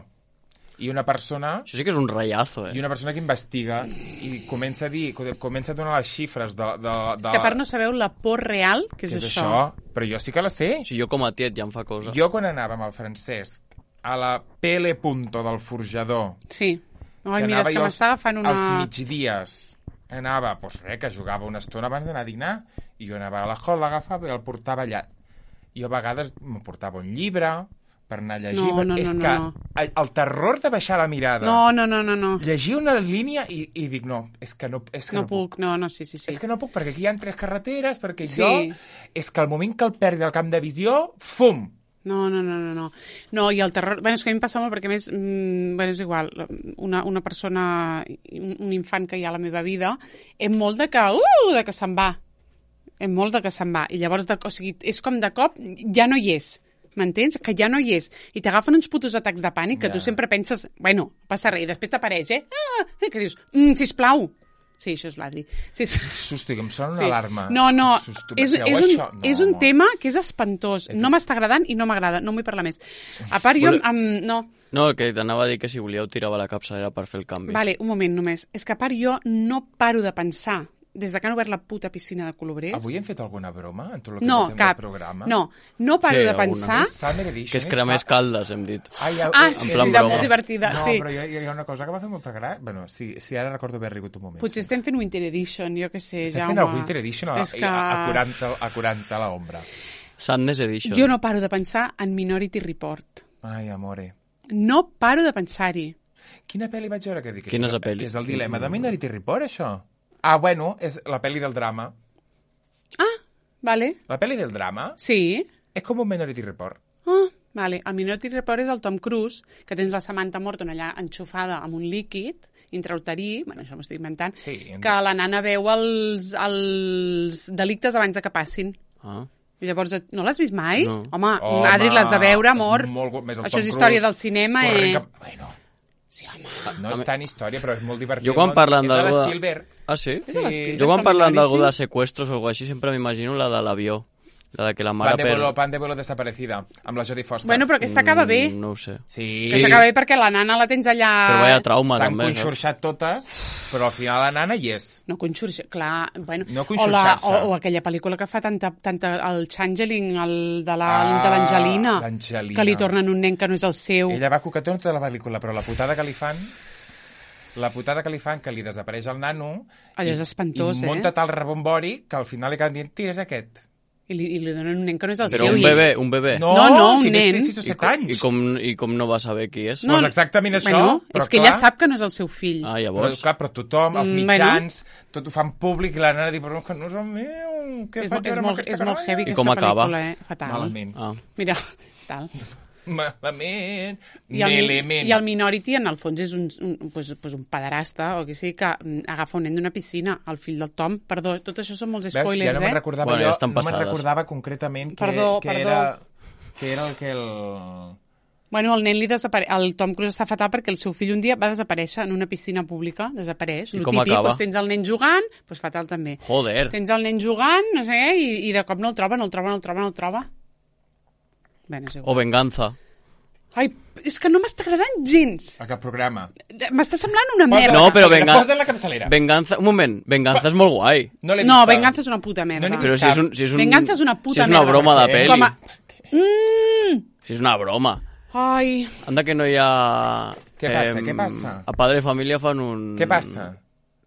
I una persona... Això sí que és un ratllazo, eh? I una persona que investiga i comença a dir, comença a donar les xifres de... de, de És que a part no sabeu la por real que és, que és això. això. Però jo sí que la sé. Si jo com a tiet ja em fa cosa. Jo quan anava amb el Francesc a la P L Punto del forjador, Sí. Ai, que mira, és anava que jo m'estava fent una... als migdies, anava, doncs res, que jugava una estona abans d'anar a dinar, i jo anava a l'escola, l'agafava i el portava allà. I a vegades me portava un llibre per anar a llegir. No, no, és no, que no. el, el terror de baixar la mirada, No, no, no, no, no. llegir una línia i, i dic, no, és que no, és que No no, puc. puc, no, no, sí, sí, sí. És que no puc, perquè aquí hi ha tres carreteres, perquè Sí. jo... És que al moment que el perdi el camp de visió, fum! No, no, no, no, no. No, i el terror... Bueno, és que a mi em passa molt perquè, a més, mm, bueno, és igual, una, una persona, un, un infant que hi ha a la meva vida, és molt de que, uh, de que se'n va. És molt de que se'n va. I llavors, de, o sigui, és com de cop, ja no hi és. M'entens? Que ja no hi és. I t'agafen uns putos atacs de pànic que Ja. tu sempre penses, bueno, passa res, i després t'apareix, eh? Ah, eh, que dius, mm, sisplau. Sí, això és l'Adri. Sí, Susto, que em sona una alarma. no, no, Susto, és, creu és, un, això? No, és un amor. tema que és espantós. És No es- m'està agradant i no m'agrada. No en vull parlar més. A part, jo... Vol- Amb, no, No, que t'anava a dir que si volíeu tirava la capçalera per fer el canvi. vale, un moment només. És que a part jo no paro de pensar, des de que han obert la puta piscina de Colobrers... Avui hem fet alguna broma en tot el que No, portem cap. del programa? No, no paro Sí, de alguna. pensar... És Summer Edition. Que és és cremés fa- caldes, hem dit. Ai, ja- Ah, eh, sí, eh, plan sí, de broma. molt divertida, No, sí. però hi ha, hi ha una cosa que va fer molta gràcia. Bueno, sí, sí, ara recordo haver rigut un moment. Potser sí. estem fent Winter Edition, jo què sé, Estem Jaume. fent el Winter Edition a, És que... a, quaranta, a quaranta a l'ombra. Sadness Edition. Jo no paro de pensar en Minority Report. Ai, amore. No paro de pensar-hi. Quina pel·li vaig veure que dic? Quina és Això la pel·li? Que és el dilema de Minority Report, això. Ah, bueno, és la pel·li del drama. Ah, vale. La pel·li del drama Sí. és com un Minority Report. Ah, vale. El Minority Report és el Tom Cruise, que tens la Samantha Morton allà enxufada amb un líquid intrauterí, bueno, això m'ho estic inventant, Sí, en- que la nana veu els, els delictes abans de que passin. Ah. I llavors, no l'has vist mai? No. Home, Home, Adri, l'has de veure, amor. és molt gu- més el Això Tom és història Cruise del cinema, corrent eh? cap- Bueno, Sí, home. no és tan història, però és molt divertit. Jo quan molt- parlen és la d'algú... de- d'Spielberg. Ah, sí? És de l'Spielberg, Jo quan però parlen d'algú Minority. de seqüestros o alguna així sempre m'imagino la de l'avió. La de que la mare Pan de per... vuelo, pan de vuelo desaparecida, amb la Jodie Foster. Bueno, però aquesta acaba bé. Mm, No ho sé. Sí. Aquesta acaba bé perquè la nana la tens allà... Però vaya trauma, S'han també. saps? conxorxat totes, però al final la nana hi és. No conxorxa, clar, bueno... No o, la, conxorxar-se. o, o aquella pel·lícula que fa tanta, tanta el Changeling, el de la- Ah, de l'Angelina, l'Angelina. que li tornen un nen que no és el seu. Ella va coquetona tota la pel·lícula, però la putada que li fan... la putada que li fan, que li desapareix el nano... Allò és espantós, i, eh? I munta tal rebombori que al final li acaben dient, tira, és aquest. I li, i li donen un nen que no és el Però seu. un i- bebè, un bebè. No, No, no, un si nen. té sis o I, set com, anys. i, com, I com no va saber qui és? No, doncs exactament això. Bueno, però és que clar, ella sap que no és el seu fill. Ah, Però, llavors... clar, però tothom, els Mm, mitjans, tot ho fan públic i la nena diu, però que no és el meu, què és, faig és, ara amb molt, aquesta és molt canalla? heavy I aquesta com acaba? pel·lícula, eh? Fatal. Malament. Ah. Mira, tal. Malament. I el, Malament. I el Minority, en el fons, és un, un, pues, pues un pederasta, o que sigui, que mm, agafa un nen d'una piscina, el fill del Tom. Perdó, tot això són molts Ves? spoilers, ja no me'n eh? recordava Bueno, ja jo, estan no me'n passades. recordava concretament que, Perdó, que, perdó. Era, que era el que el... Bueno, el nen li desapare... El Tom Cruise està fatal perquè el seu fill un dia va desaparèixer en una piscina pública, desapareix. I Lo com típic, acaba? doncs tens el nen jugant, doncs fatal també. Joder. Tens el nen jugant, no sé què, i, i de cop no el troba, no el troba, no el troba, no el troba. Bé, no és O igual. venganza. Ai, és que no m'està agradant gens. Aquest programa. M'està semblant una Posa merda. No, la però capçalera, venga- Posa la capçalera. Venganza... Un moment, venganza és molt guai. No l'he No, vista. Venganza és una puta merda. No n'he Però vist si és, un, si és un... Venganza és una puta Si és una merda. broma de Per què? peli. Com a... Mm. Si és una broma. Ai, Anda que no hi ha... Què passa, què passa? A Padre Família fan un... Què passa?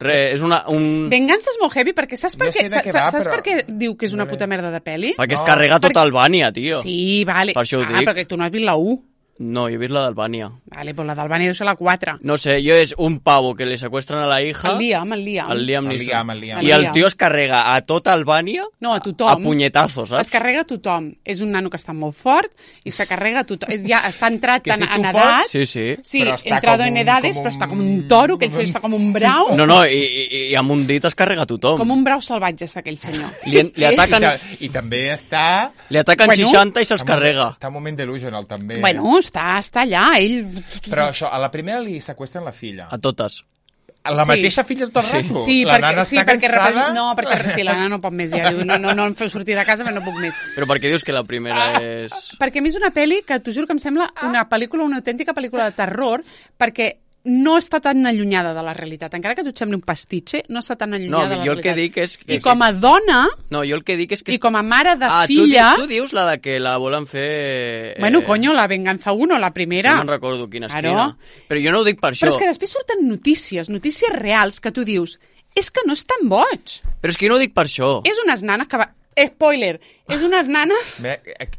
Re, és una... Un... Venganza és molt heavy perquè saps per Jo què, sé de què sa- va, saps però- per què diu que és una No puta merda de peli? Perquè es No, carrega perquè- tota Albània, tio. Sí, vale. Per això ho ah, dic. perquè tu no has vist la u. No, jo he vist la d'Albània. Vale, pues la d'Albània deu ser la quatre. No sé, jo és un pavo que li seqüestren a la hija... El Liam, el Liam. El Liam El Neeson. Liam, el Liam. I el tio es carrega a tota Albània No, a tothom. a punyetazos, saps? Es carrega a tothom. És un nano que està molt fort i se carrega a tothom. És- Ja està entrat Que en, si tu en pots- edat. Sí, sí. Sí, Però està entrado com en un- edades, com però està com un- un toro, que ell està com un brau. No, no, i, i, i amb un dit es carrega a tothom. Com un brau salvatge està aquell senyor. Li, li I, ataquen, ta- I també està... li ataquen Bueno. seixanta i se'ls carrega. Està un moment delusional, també. Bueno, està, està allà, ell... Però això, a la primera li seqüestren la filla. A totes. A la Sí. mateixa filla tot el rato. Sí, la perquè, nana sí, està perquè, cansada. repre- no, perquè sí, la nana no pot més, ja diu, no, no, no em feu sortir de casa, però no puc més. Però per què dius que la primera Ah, és... Perquè a mi és una pel·li que t'ho juro que em sembla una pel·lícula, una autèntica pel·lícula de terror, perquè no està tan allunyada de la realitat. Encara que tu et sembli un pastitxe, no està tan No, allunyada de la jo el que realitat. dic és... Que, I com a dona, No, jo el que dic és que... i com a mare de ah, filla... tu, dius, tu dius la de que la volen fer... Bueno, coño, la Venganza uno, la primera. No me'n recordo quina és Claro. quina. Però jo no ho dic per això. Però és que després surten notícies, notícies reals, que tu dius, és que no és tan boig. Però és que jo no ho dic per això. És unes nanes que va... Spoiler, és unes nanes... Bé,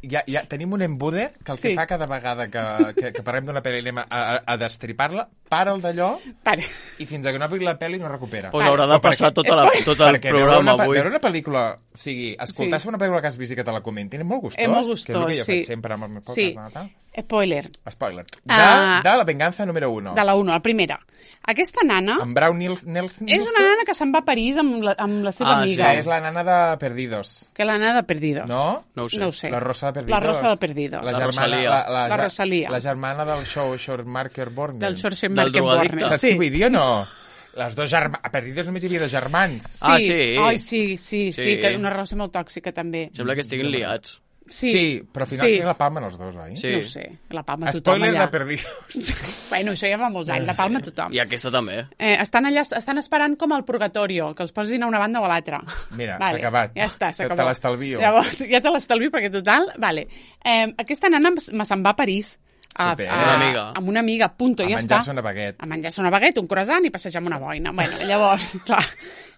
ja, ja tenim un embude que el que Sí. fa cada vegada que, que, que parlem d'una pel·li i anem a, a, a destripar-la, para el d'allò Pare. i fins que no acabi la pel·li no recupera. Pues haurà de O perquè- passar tota la, tot el Perquè veure programa una, pe- avui. veure una pel·lícula, o sigui, escoltar-se Sí. una pel·lícula que has vist i que te la comentin és molt gustós. És molt Que és el gustós, que jo sí. faig sempre amb els meus Sí, podcasts. No? spoiler, Spoiler. De, Ah. de la venganza número uno. de la uno, la primera. Aquesta nana Amb Brown Nils, Nelson. és una nana que se'n va a París amb la, amb la seva Ah, amiga. Que és la nana de Perdidos. Que la nana de Perdido. No? No ho sé. No ho sé. La Rosa de Perdidos. La Rosa de Perdidos. La, La germana, Rosalia. La, la, La Rosalia. La germana del show Schwarzenegger Borgen. Del Del Schwarzenegger drogadicte. Borne. Saps Sí. què vull dir o no? Les dos germans... A Perdidos només hi havia dos germans. Ah, sí? Ai, sí, sí, sí, Sí. que una relació molt tòxica, també. Sembla que estiguin liats. Sí, sí però al final sí. sí. la palmen els dos, oi? Sí. No ho sé, la palma tothom Spoiler allà. de Perdidos. Bueno, això ja fa molts anys, la palma tothom. I aquesta també. Eh, estan allà, estan esperant com al purgatorio, que els posin a una banda o a l'altra. Mira, s'ha acabat. Ja està, s'ha Te- te acabat. l'estalvio. Llavors, ja te l'estalvio perquè total, vale. Eh, aquesta nana me se'n va a París. A, Super. a, Una amiga. Amb una amiga, punto, A ja menjar-se està. una baguette. A menjar-se una baguette, un croissant i passejar amb una boina. Bueno, llavors, clar,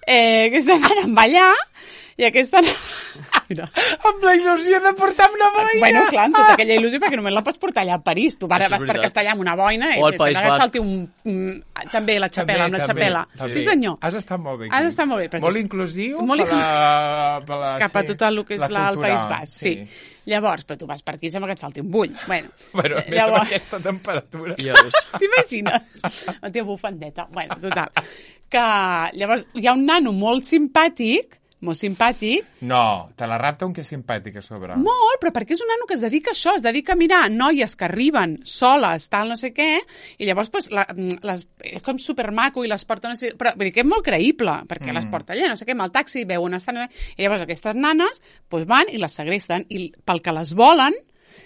eh, aquesta nana em va allà i aquesta nana... Mira. Amb la il·lusió de portar una boina. Bueno, clar, amb tota aquella il·lusió, perquè només la pots portar allà a París. Tu ara Això és vas per veritat. castellà amb una boina i O al et País sembla que et Basc. falti un... Mm, també la xapela, amb la xapela. també. Sí, senyor. Has estat molt bé aquí. Has estat molt bé, però Molt tu- inclusiu molt per la, per la, Cap a sí, tot el que és la la, el cultura. País Basc, sí. Llavors, però tu vas per aquí i sembla que et falti un bull. Bueno, Bueno, eh, més amb llavors, aquesta temperatura. Ja ves. t'imagines? La teva bufandeta. Bueno, total. Que llavors hi ha un nano molt simpàtic, molt simpàtic, No, te la rapta un que és simpàtic a sobre. molt, però perquè és un nano que es dedica a això, es dedica a mirar noies que arriben soles, tal, no sé què, i llavors pues, la, les, és com supermaco i les porta, no sé, però vull dir que és molt creïble, perquè mm. les porta allà, no sé què, amb el taxi, veuen estan... I llavors aquestes nanes pues, van i les segresten, i pel que les volen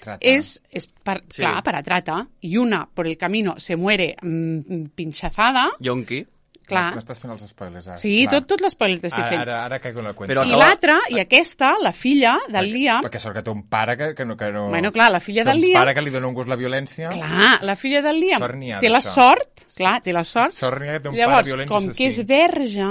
Trata. és, és per, Sí. clar, para trata, i una por el camino se muere mm, pinchazada, Yonki. Clar. M'estàs fent els spoilers, ara. Sí, clar. tot, tot l'espoiler t'estic Ara, fent. ara, ara caigo en la cuenta. Però I acaba- l'altra, i aquesta, la filla del Liam... Perquè sort que té un pare que, que no... Que no Bueno, clar, la filla que del un Liam... pare que li dona un gust la violència. Clar, la filla del Liam Sort n'hi ha té la d'això. sort, clar, té la sort. Sort n'hi ha que té un Llavors, pare violent i com assassí. que és verge,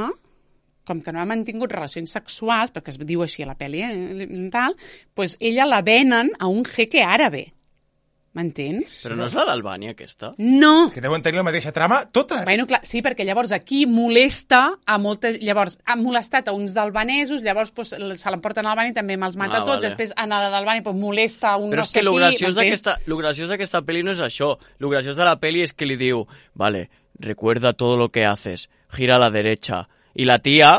com que no ha mantingut relacions sexuals, perquè es diu així a la pel·li, eh, tal, doncs ella la venen a un jeque àrabe. M'entens? Però no és la d'Albània, aquesta? No! Que deuen tenir la mateixa trama, totes. Bueno, clar, sí, perquè llavors aquí molesta a moltes... Llavors, ha molestat a uns d'albanesos, llavors pues, se l'emporten a Albània i també me'ls mata Ah, tots, vale. després a la d'Albània pues, molesta a un Però no és sé que lo qui, graciós m'entens? d'aquesta lo graciós d'aquesta pel·li no és això. Lo graciós de la pel·li és que li diu, vale, recuerda todo lo que haces, gira a la derecha. I la tia,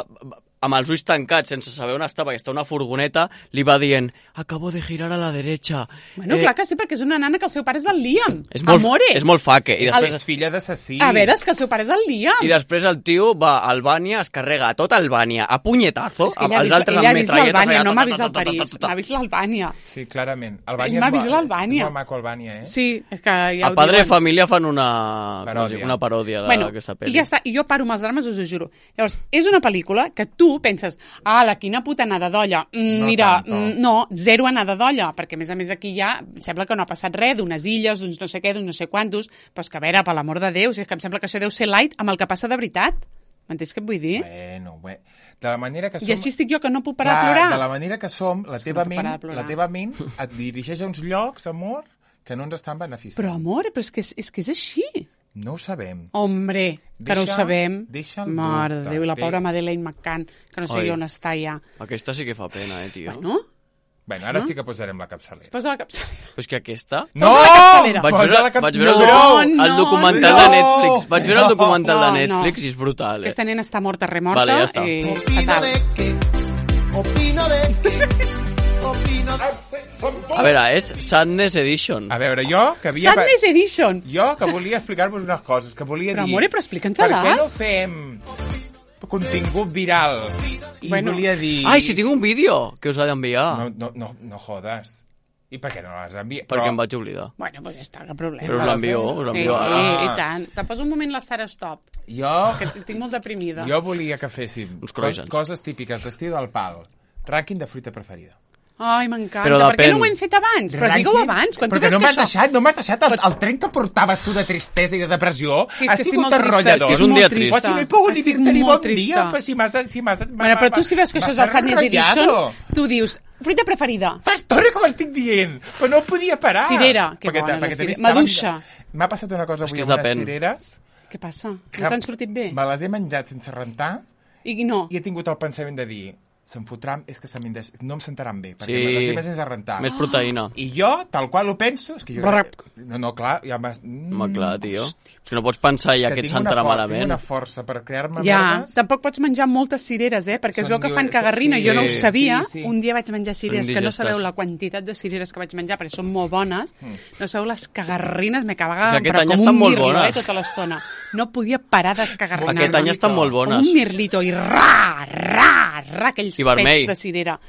amb els ulls tancats, sense saber on està, perquè està a una furgoneta, li va dient, acabo de girar a la derecha. Bueno, clar que sí, perquè és una nana que el seu pare és el Liam. És molt, Amore. és molt faque. I després, És filla d'assassí. A veure, és que el seu pare és el Liam. I després el tio va a Albània, es carrega a tota Albània, a punyetazo, És que amb ella ha els vist, altres ella ha amb vist metralletes. l'Albània, allà, no ta, m'ha ta, vist ta, el ta, ta, París, ta, ta, ta. m'ha vist l'Albània. Sí, clarament. Ell Albània m'ha és vist bo- l'Albània. És molt maco Albània, eh? Sí, és que ja A ho Padre de diuen. Família fan una Paròdia. una paròdia Bueno, d'aquesta i pel·li. ja està, i jo paro amb els drames, us ho juro. Llavors, és una pel·lícula que tu penses, ah, la quina puta anada d'olla. Mm, No mira, tanto. mm, no, zero anada d'olla, perquè a més a més aquí ja sembla que no ha passat res, d'unes illes, d'uns no sé què, d'uns no sé quantos, però és que a veure, per l'amor de Déu, si és que em sembla que això deu ser light amb el que passa de veritat. M'entens què et vull dir? Bueno, bé. De la manera que som... I així estic jo, que no puc parar Clar, de plorar. de la manera que som, la És que teva, no puc parar ment, de plorar. la teva ment et dirigeix a uns llocs, amor, que no ens estan beneficiant. Però, amor, però és que és, és que és així. No ho sabem. Hombre, que no ho Deixa- sabem. deixa el Mare de dubte. Déu, i la Té- pobra Madeleine McCann, que no sé Oi. jo on està ja. Aquesta sí que fa pena, eh, tio. Bueno, Bueno, ara sí que posarem la capçalera. posa la capçalera. Però és que aquesta... No! Posa la capçalera. Vaig Posa veure, la cap- vaig veure no, el, docu- no, el documental no, de Netflix. Vaig veure el no, documental no, de no. Netflix i és brutal, eh? Aquesta nena està morta, remorta. Vale, ja està. I Opino fatal. de que, opino de que, opino de... A veure, és Sadness Edition. A veure, jo que havia... Sadness Edition. Jo que volia explicar-vos unes coses, que volia Però, dir... amore, però explica'ns-les. Per què no fem contingut viral? I Bueno. volia dir... Ai, si tinc un vídeo que us ha d'enviar. No, no, no, no jodes. I per què no l'has enviat? Perquè em vaig oblidar. Bueno, doncs ja està, cap problema. Però us l'envio, us Eh, l'envio ara. eh, I tant. Te poso un moment la Sara Stop, Jo, que estic molt deprimida. jo volia que féssim Uns cos, croissants. coses típiques d'estiu del pal. Rànquing de fruita preferida. Ai, m'encanta. Però Per què depèn. no ho hem fet abans? Però digue-ho Rànquing- abans. Quan tu Perquè veus no que m'has això... deixat, no m'has deixat el, el tren que portaves tu de tristesa i de depressió. Sí, és ha que estic sigut molt trista. enrotllador. És que és un molt dia trista. trist. Però si no he pogut ni Estic dir-te ni molt bon dia, trista. però si m'has... Si m'has Bueno, però tu si veus que això és el Sadness Edition, tu dius, fruita preferida. Fa estona que m'estic dient, però no podia parar. Cirera, que Perquè bona, te- la perquè cirera. t'he vist- Maduixa. M'ha passat una cosa És avui que amb unes depèn. cireres. Què passa? que No t'han sortit bé? Me les he menjat sense rentar I no. i he tingut el pensament de dir se'm fotran, és que se m'hem de... no em sentaran bé, perquè Sí. me les he menjat sense rentar. Més proteïna. I jo, tal qual ho penso, és que jo... Brrr. No, no, clar, ja m'has... Mm, Home, clar, tio. És que no pots pensar ja que et tinc una sentarà for- Tinc malament. una força per crear-me Ja, merdes. tampoc pots menjar moltes cireres, eh? Perquè es Són veu que fan diu- cagarrina. sí, Jo no ho sí, sabia. sí, sí. Un dia vaig menjar cireres, Són que no indigestes. sabeu la quantitat de cireres que vaig menjar, perquè són molt bones. Mm. No sabeu les cagarrines, me És que cagaven, aquest però any com estan un molt mirlo, bones. eh, tota l'estona. No podia parar d'escagarrinar-me. Aquest any estan molt Com bones. un mirlito, i ra, ra, ra, aquells I vermell. pets de cirera.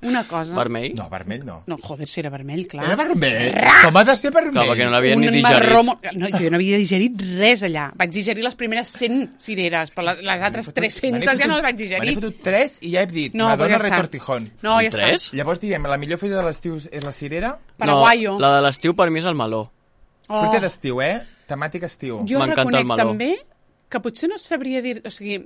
Una cosa... Vermell? No, vermell no. No, joder, si era vermell, clar. Era vermell? Com ha de ser vermell? Clar, perquè no l'havia ni Un digerit. marró mo- No, jo no havia digerit res allà. Vaig digerir les primeres cent cireres, però les, les altres tres-centes ja no les vaig Me n'he digerir. fotut tres i ja he dit, No, Madonna pues ja està. retortijón. No, ja Tres? està. Llavors diem, la millor fruita de l'estiu és la cirera? Paraguayo. No, la de l'estiu per mi és el meló. Oh. Fruita d'estiu, eh? Temàtica estiu. Jo M'encanta reconec el meló. també que potser no sabria dir... O sigui,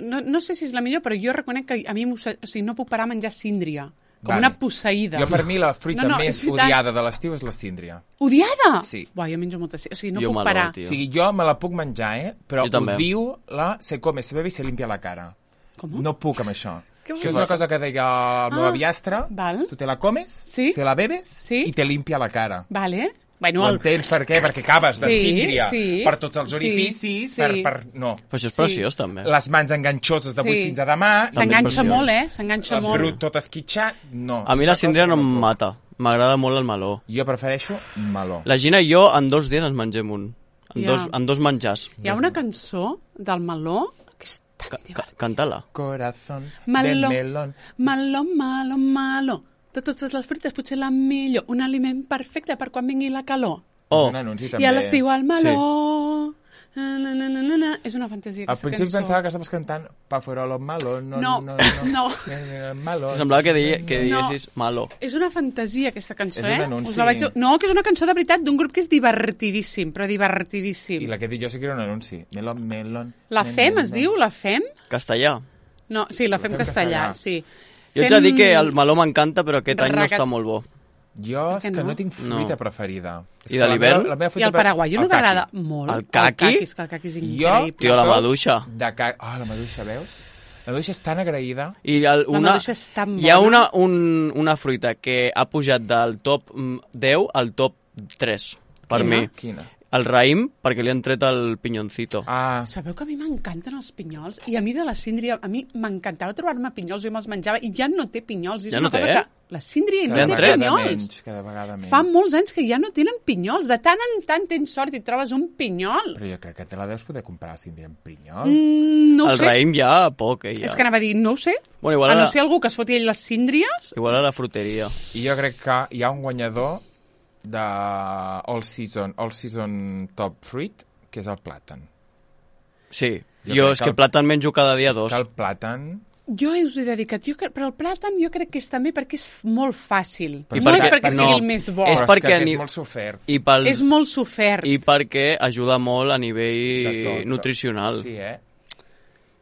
no, no sé si és la millor, però jo reconec que a mi m'obse- o sigui, no puc parar a menjar síndria. Com Vale. una posseïda. Jo, per mi, la fruita No, no, més és veritat. odiada de l'estiu és la síndria. Odiada? Sí. Buah, jo menjo molta síndria. O sigui, no Jo puc meló, parar. tio. O sigui, jo me la puc menjar, eh? Però Jo també. odio la se come, se bebe i se limpia la cara. Com? No puc amb això. Que Això és bo. una cosa que deia el meu Ah, aviastre. val. Tu te la comes, Sí. te la bebes Sí. i te limpia la cara. Vale. Bueno, Ho el... entens per què? Perquè acabes de Sí, síndria sí. per tots els Sí, orificis, sí. per, per... No. Però això és Sí. preciós, també. Les mans enganxoses de avui Sí. fins a demà. També és S'enganxa preciós. molt, eh? S'enganxa El molt. brut tot esquitxat, no. A mi És la una síndria cosa no que em puc. mata. M'agrada molt el meló. Jo prefereixo meló. La Gina i jo en dos dies ens mengem un. En, Ja. dos, en dos menjars. Hi ha una cançó del meló que és tan Ca ca divertida. Canta-la. Corazón Meló, de melón. meló, meló, meló. De totes les fruites, potser la millor. Un aliment perfecte per quan vingui la calor. Oh, És un anunci, també. I a l'estiu el meló Na, na, na, na, na. És una fantasia, Al aquesta principi cançó. pensava que estaves cantant Pa farolo malo, no, No, no, no. no. Eh, malo. Semblava que, deia, que No. diguessis malo. És una fantasia, aquesta cançó, És un eh? anunci. Us la vaig... No, que és una cançó de veritat d'un grup que és divertidíssim, però divertidíssim. I la que he dit jo sí que era un anunci. Melon, melon. La nen, Fem, nen, es nen. diu? La Fem? Castellà. No, sí, la Fem Fem castellà, castellà. sí. Jo haig de dir que el meló m'encanta, però aquest any no Ragat- està molt bo. Jo és Que que no? no tinc fruita No. preferida. És I que de la l'hivern? meva- la meva I fruita el pre- paraguaio no el caqui. t'agrada molt? El caqui? El caqui, és que el caqui és Jo, increïble. Tio, la soc maduixa. De ca... Oh, la maduixa, veus? La maduixa és tan agraïda. I el, La una, maduixa és tan hi ha bona. una, un, una fruita que ha pujat del top mm, deu al top tres, per Quina? mi. Quina? El raïm, perquè li han tret el pinyoncito. Ah, Sabeu que a mi m'encanten els pinyols? I a mi de la síndria, a mi m'encantava trobar-me pinyols, jo me'ls menjava, i ja no té pinyols. I és Ja una no té, cosa eh? que la síndria Li no han té tret. pinyols. menys, cada vegada menys. Fa molts anys que ja no tenen pinyols. De tant en tant tens sort i et trobes un pinyol. Però jo crec que te la deus poder comprar, si tindríem pinyol. Mm, no ho el sé. raïm ja, poc, eh, ja. És que anava a dir, no ho sé. Bueno, igual a no ara- ser algú que es foti ell les síndries. Igual a la fruteria. I jo crec que hi ha un guanyador de All Season, All Season Top Fruit, que és el plàtan. Sí, Jo jo, crec és que que el- plàtan menjo cada dia És dos. que el plàtan... Jo us he dedicat, jo, cre- però el plàtan jo crec que és també perquè és molt fàcil. Però no perquè- és perquè no, sigui el més bo. és Però perquè que a és ni- molt sofert. I, pel, És molt sofert. I perquè ajuda molt a nivell De tot. nutricional. Sí, eh?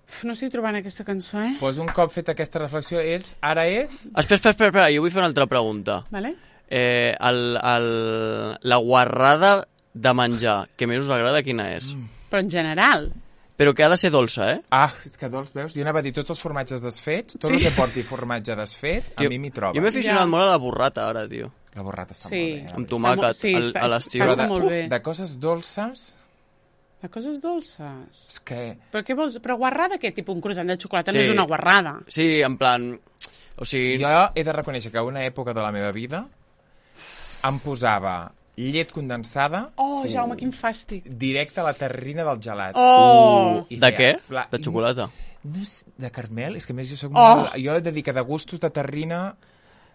Uf, no estic trobant aquesta cançó, eh? Pues un cop fet aquesta reflexió, és, ara és... Espera, espera, espera, espera, jo vull fer una altra pregunta. Vale? Eh, el, el, la guarrada de menjar que més us agrada, quina és? Mm. Però en general. Però que ha de ser dolça, eh? Ah, és que dolç, veus? Jo anava a dir tots els formatges desfets, tot Sí. el que porti formatge desfet, a Jo- mi m'hi troba. Jo m'he aficionat Ja. molt a la burrata, ara, tio. La borrata està Sí. molt bé. Amb eh? tomàquet, Sí, al- està- a l'estiu. està Però de, molt bé. de coses dolces, De coses dolces. és que... Però què vols? Però guarrada què? Tipus un croissant de xocolata Sí. no és una guarrada. Sí, en plan... O sigui... Jo he de reconèixer que a una època de la meva vida em posava llet condensada Oh, Jaume, quin fàstic. directe a la terrina del gelat. Oh! I De feia què? fla- De xocolata. No és de caramel? És que a més jo soc Oh! molt... Jo he de dir que de gustos de terrina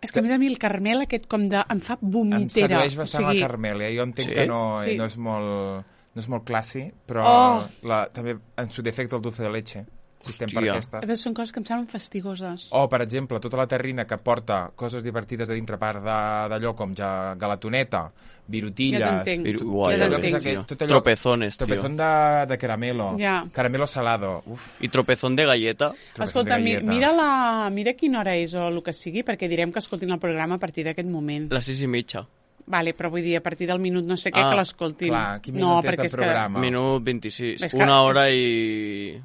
És que a més a mi el carmel aquest com de... em fa em vomitera. sedueix bastant o sigui, la caramel. Eh? Jo entenc Sí? que no, Sí. no és molt... No és molt classi, però Oh! la, també en su defecte el dulce de leche. Si estem per Hòstia. aquestes. Però són coses que em semblen fastigoses. O, per exemple, tota la terrina que porta coses divertides a dintre, a part de- d'allò com ja galatoneta, virutilles... Ja t'entenc. Viru- Ja Uai, t'entenc. ja Tot ves, aquell- tio. tot allò- Tropezones, tio. Tropezón de, de caramelo. Ja. Caramelo salado. Uf, I tropezón de galleta. tropezón Escolta, de mi, galleta. mira, la, mira quina hora és o el que sigui, perquè direm que escoltin el programa a partir d'aquest moment. Les sis i mitja. Vale, però vull dir, a partir del minut no sé què, Ah, que l'escoltin. clar, quin no, minut és perquè de és programa? Home. Minut vint-i-sis. És que- Una hora i...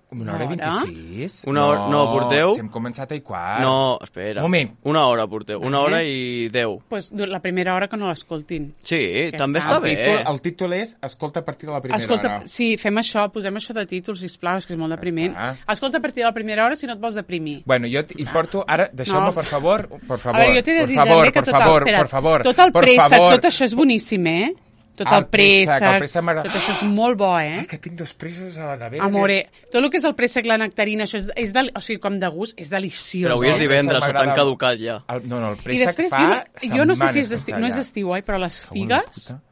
Una hora i Una hora? vint-i-sis? Una hora- no, porteu? Si hem començat a i quart. No, espera. Moment. Una hora porteu. Una Vale. hora i deu. Pues, la primera hora que no l'escoltin. Sí, Ja també està. està El bé. títol, el títol és Escolta a partir de la primera Escolta, hora. sí, fem això, posem això de títol, sisplau, és que és molt depriment. està. Escolta a partir de la primera hora si no et vols deprimir. Bueno, jo t- hi porto... Ara, deixeu-me, No. per favor, per favor, a veure, jo t'he de por dir, favor, Germà, que por tot favor, el, espera, por favor, tot el por préssec, favor. tot això és boníssim, eh? Tot El el préssec, préssec, el préssec m'agrada. tot això és molt bo, eh? Ah, que tinc dos pressos a la nevera. Amore, tot el que és el préssec, la nectarina, això és, és del, o sigui, com de gust, és deliciós. Però avui és el divendres, préssec o t'han m'agrada- caducat ja. El, no, no, el I préssec després, fa jo, jo no sé si és setmanes d'estiu, que no està és allà. d'estiu, oi? Però les Cago en la figues, puta.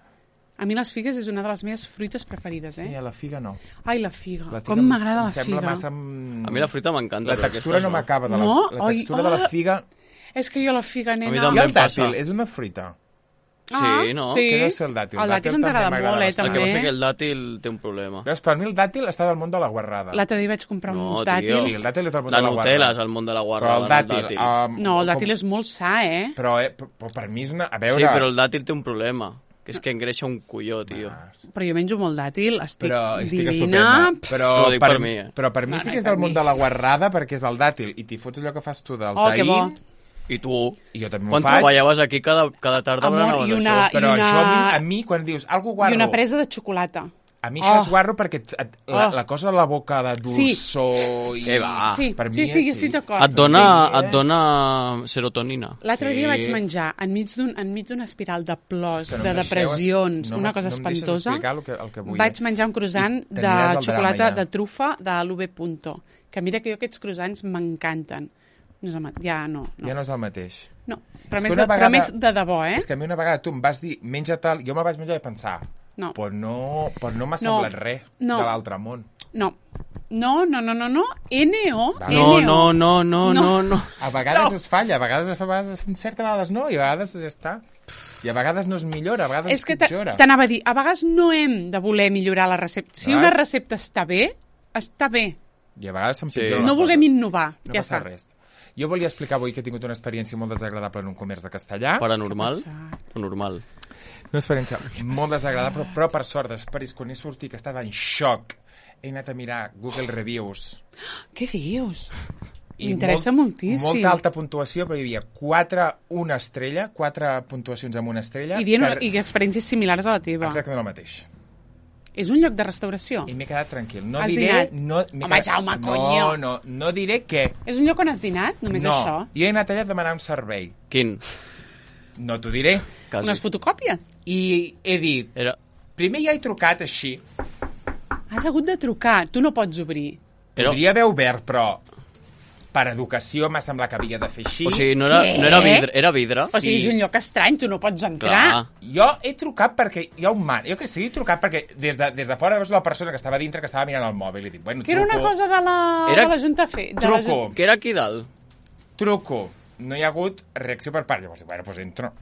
a mi les figues és una de les meves fruites preferides, eh? Sí, a la figa no. Ai, la figa, La figa com em- m'agrada em la sembla figa. massa... mm, A mi la fruita m'encanta. La però textura aquestes no m'acaba de la, No? la Ai, textura de la ah. figa... És que jo la figa, mi nena... també. I em el dàtil, passa. és una fruita. Ah, Sí, no? Sí. Que no sé el dàtil. El dàtil ens també agrada m'agrada molt, eh, bastant. El que també. passa que el dàtil té un problema. Veus, per mi el dàtil està del món de la guarrada. L'altre dia vaig comprar No, uns tio. dàtils. Sí, el dàtil és del món La de la Nutella guarda. és el món de la Però guarrada, el dàtil... no el Um, No, el dàtil com- és molt sa, eh? Però, eh, però per mi és una... A veure... Sí, però el dàtil té un problema, que és que engreixa un colló, tio. Ah, Però jo menjo molt dàtil, estic, però estic divina. estupenda. Però Ho dic per mi, eh. Però per mi No, sí no, que és per del món mi. de la guarrada perquè és el dàtil. I t'hi fots allò que fas tu del Oh, que bo. taïm. I tu? I jo també m'ho Quan faig. treballaves aquí cada, cada tarda Amor, berenaves i una- això? Però i una- això a mi, a mi, quan dius algo guarro... I una presa de xocolata. A mi això Oh. és guarro perquè et, et, la, Oh. la cosa a la boca de dolçor... I... Què va? sí, per mi sí, és sí, sí. estic d'acord. Et dona, Sí, et dona serotonina. L'altre Sí. dia vaig menjar enmig d'un enmig d'una espiral de plors, És que no de em deixeu- depressions, no una m'es- cosa no em deixes espantosa. explicar el que, el que vull. Vaig menjar un croissant I de t'aniràs al xocolata drama, ja. de trufa de l'U V Punto. Que mira que jo aquests croissants m'encanten. No és el mat- ja no, no. Ja no és el mateix. no. Però, És més que una de, però vegada- més de debò, eh? És que a mi una vegada tu em vas dir menja tal, jo me vaig menjar i pensar No. Però no, però no m'ha No. semblat res No. de l'altre món. No. No, no, no, no, no. N O. Va. No, N O. no, no, no, no, no. A vegades No. es falla, a vegades es fa, a vegades s'encerta, a vegades no, i a vegades ja està. I a vegades no es millora, a vegades És es que t'a- pitjora. t'anava a dir, a vegades no hem de voler millorar la recepta. Si Veus? una recepta està bé, està bé. I a vegades Sí. s'empitjoren No les vulguem coses. innovar. No ja passa està. res. Jo volia explicar avui que he tingut una experiència molt desagradable en un comerç de castellà. Paranormal Què ha passat? o normal? Una experiència molt desagradable, però, però per sort, després, quan he sortit, que estava en xoc, he anat a mirar Google Reviews. Què dius? I M'interessa molt- moltíssim. Molta alta puntuació, però hi havia quatre, una estrella, quatre puntuacions amb una estrella. I, dient, que- I experiències similars a la teva. Exactament el mateix. És un lloc de restauració? I m'he quedat tranquil. No Has diré... dinat? No, m'he Home, Jaume, no, conyo. no, no diré què. És un lloc on has dinat? Només no, això? jo he anat allà a demanar un servei. Quin? No t'ho diré. Quasi. Unes fotocòpies? I he dit... Era, Primer ja he trucat així. Has hagut de trucar. Tu no pots obrir. era, Podria haver obert, però per educació m'ha semblat que havia de fer així. o sigui, no era, Què? no era vidre, era vidre. O sigui, és un lloc estrany, tu no pots entrar. Clar. Jo he trucat perquè hi ha un man. Jo que sé, he trucat perquè des de, des de fora veus la persona que estava dintre que estava mirant el mòbil i dic, bueno, Que era una truco, cosa de la, Era- de la Junta Fe. De la truco, Jun- Que era aquí dalt. truco. No hi ha hagut reacció per part. Llavors, dic, bueno, doncs entro.